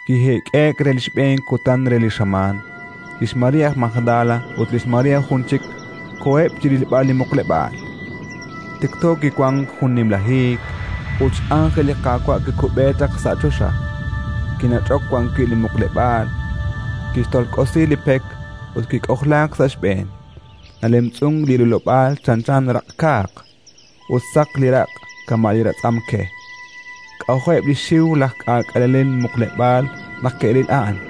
Speaker 2: kijeek'eek re li xb'een kutan re li xamaan, lix María aj Magdala ut lix María jun chik koheb' chi rilb'al li muqleb'aal. Tikto kiwank jun nimla hiik ut x'ánjel li Qaawa' kikub'e chaq sa' choxa, kinach'ok wan wi' li muqleb'aal, kixtolk'osi li pek ut kik'ojlaak sa' xb'een. Nalemtz'unk li rilob'aal chanchan raq'kaaq ut saq li raq' kama' li ratz'am ke. K'ajo'eb' li xiw laj k'aak'alenel muqleb'aal naq ke'ril a'an.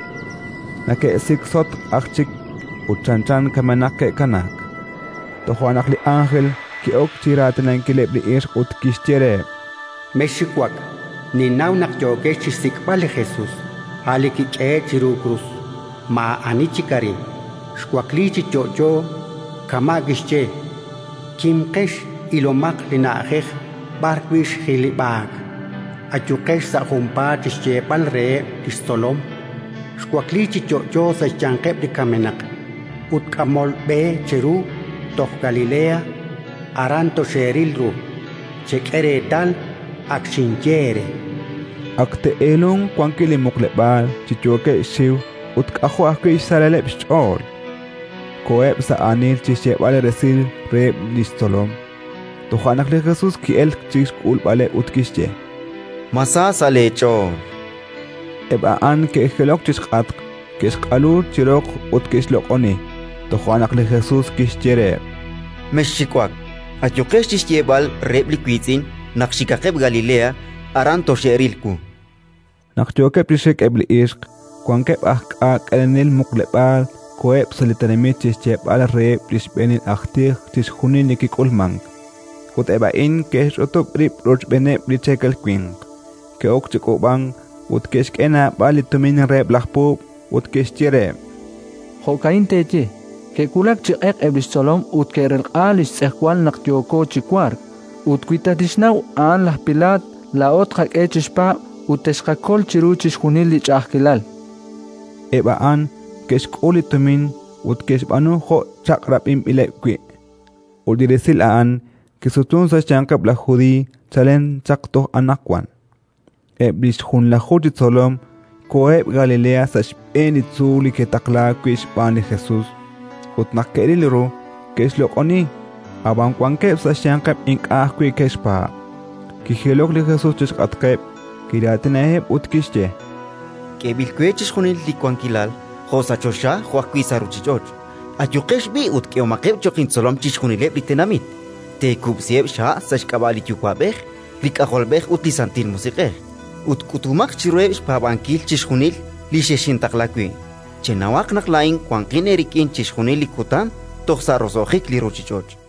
Speaker 2: Nake'siksotk aj chik ut chanchan kamenaq ke'kanaak. Tojo' naq li ánjel ki'ok chi raatinankileb' li ixq ut kixye reheb':
Speaker 1: Mexxiwak, ninnaw naq yookex chi xsik'b'al li Jesús, a' li kik'ehe'k chiru krus. Maa'ani chik arin, xwakliik chi yo'yo kama' kixye. Kimqex, ilomaq li na'ajej b'arwi' xjilib'aak. Ayuqex sa' junpaat chi xyeeb'al reheb' li xtzolom: xwakliik chi yo'yo sa' xyanqeb' li kamenaq, ut k'amol b'e cheru toj Galilea, aran toxeeril ru. Chek'e reetal, ak xinye eere.
Speaker 2: Ak te'eelunk wankil li muqleb'aal chi yookeb' xxiw ut k'ajo' ajwi' xsalaleb' xch'ool. Koheb' sa' aanil chi xyeeb'al resil reheb' li xtzolom. Toja' naq li Jesús ki'elk chi xk'ulb'aleb' ut kixye:
Speaker 10: Ma sa sa' leech'ool.
Speaker 2: Eb' a'an ke'jilok chi xk'atq, ke'xq'alu chi roq ut ke'xloq'oni. Toja' naq li Jesus kixye reheb':
Speaker 10: Mexxiwak. Ayuqex chi xyeeb'al reheb' li wiitz'in naq xikaqeb' Galilea, aran toxe'ril wu.
Speaker 2: Naq yookeb' chi xik eb' li ixq, wankeb' aj k'aak'alenel muqleb'aal koheb' sa' li tenamit chi xyeeb'al reheb' li xb'eenil aj tij chixjunil li kik'ulmank. Ut eb' a'in ke'xch'utub' rib' rochb'eeneb' li cheekel winq, ke'ok chi k'uub'ank ut ke'xk'e naab'al li tumin reheb' laj puub' ut ke'xye reheb':
Speaker 4: Jo'ka'in teeye: «Ke'wulak chi q'eq eb' li xtzolom ut ke'relq'a li xtz'ejwal naq yooko chi wark». Ut wi tatixnaw a'an laj Pilaat, laa'o tqak'e chixpaab' ut texqakol chiru chixjunil li ch'a'ajkilal.
Speaker 2: Eb' a'an ke'xk'ul li tumin ut ke'xb'aanu jo' chaq'rab'inb'ileb' wi'. Ut li resil a'an kisutunk sa' xyanqeb' laj Judiiy chalen chaq toj anaqwan. Eb' li xjunlaju chi tzolom koheb' Galilea sa' xb'een li tzuul li ke'taqlaak wi' xb'aan li Jesus. Ut naq ke'ril ru, ke'xloq'oni, ab'an wankeb' sa' xyanqeb' ink'a' ajwi' ke'xpaab'. Kijilok li Jesus chi xk'atqeb', kiraatinaheb' ut kixye:
Speaker 10: K'eeb'il we chixjunil li wankilal, jo' sa' choxa jo' ajwi' sa' ruuchich'och'. Ayuqex b'i' ut k'ehomaqeb' cho'q intzolom chixjunileb' li tenamit. Teekub'siheb' xha' sa' xk'ab'a' li Yuwa'b'ej, li K'ajolb'ej ut li Santil Musiq'ej, ut k'utumaq chiruheb' xpaab'ankil chixjunil li xexintaqla wi'. Chenawaq naq laa'in wanqin eerik'in chixjunil li kutan toj sa' roso'jik li ruuchich'och'.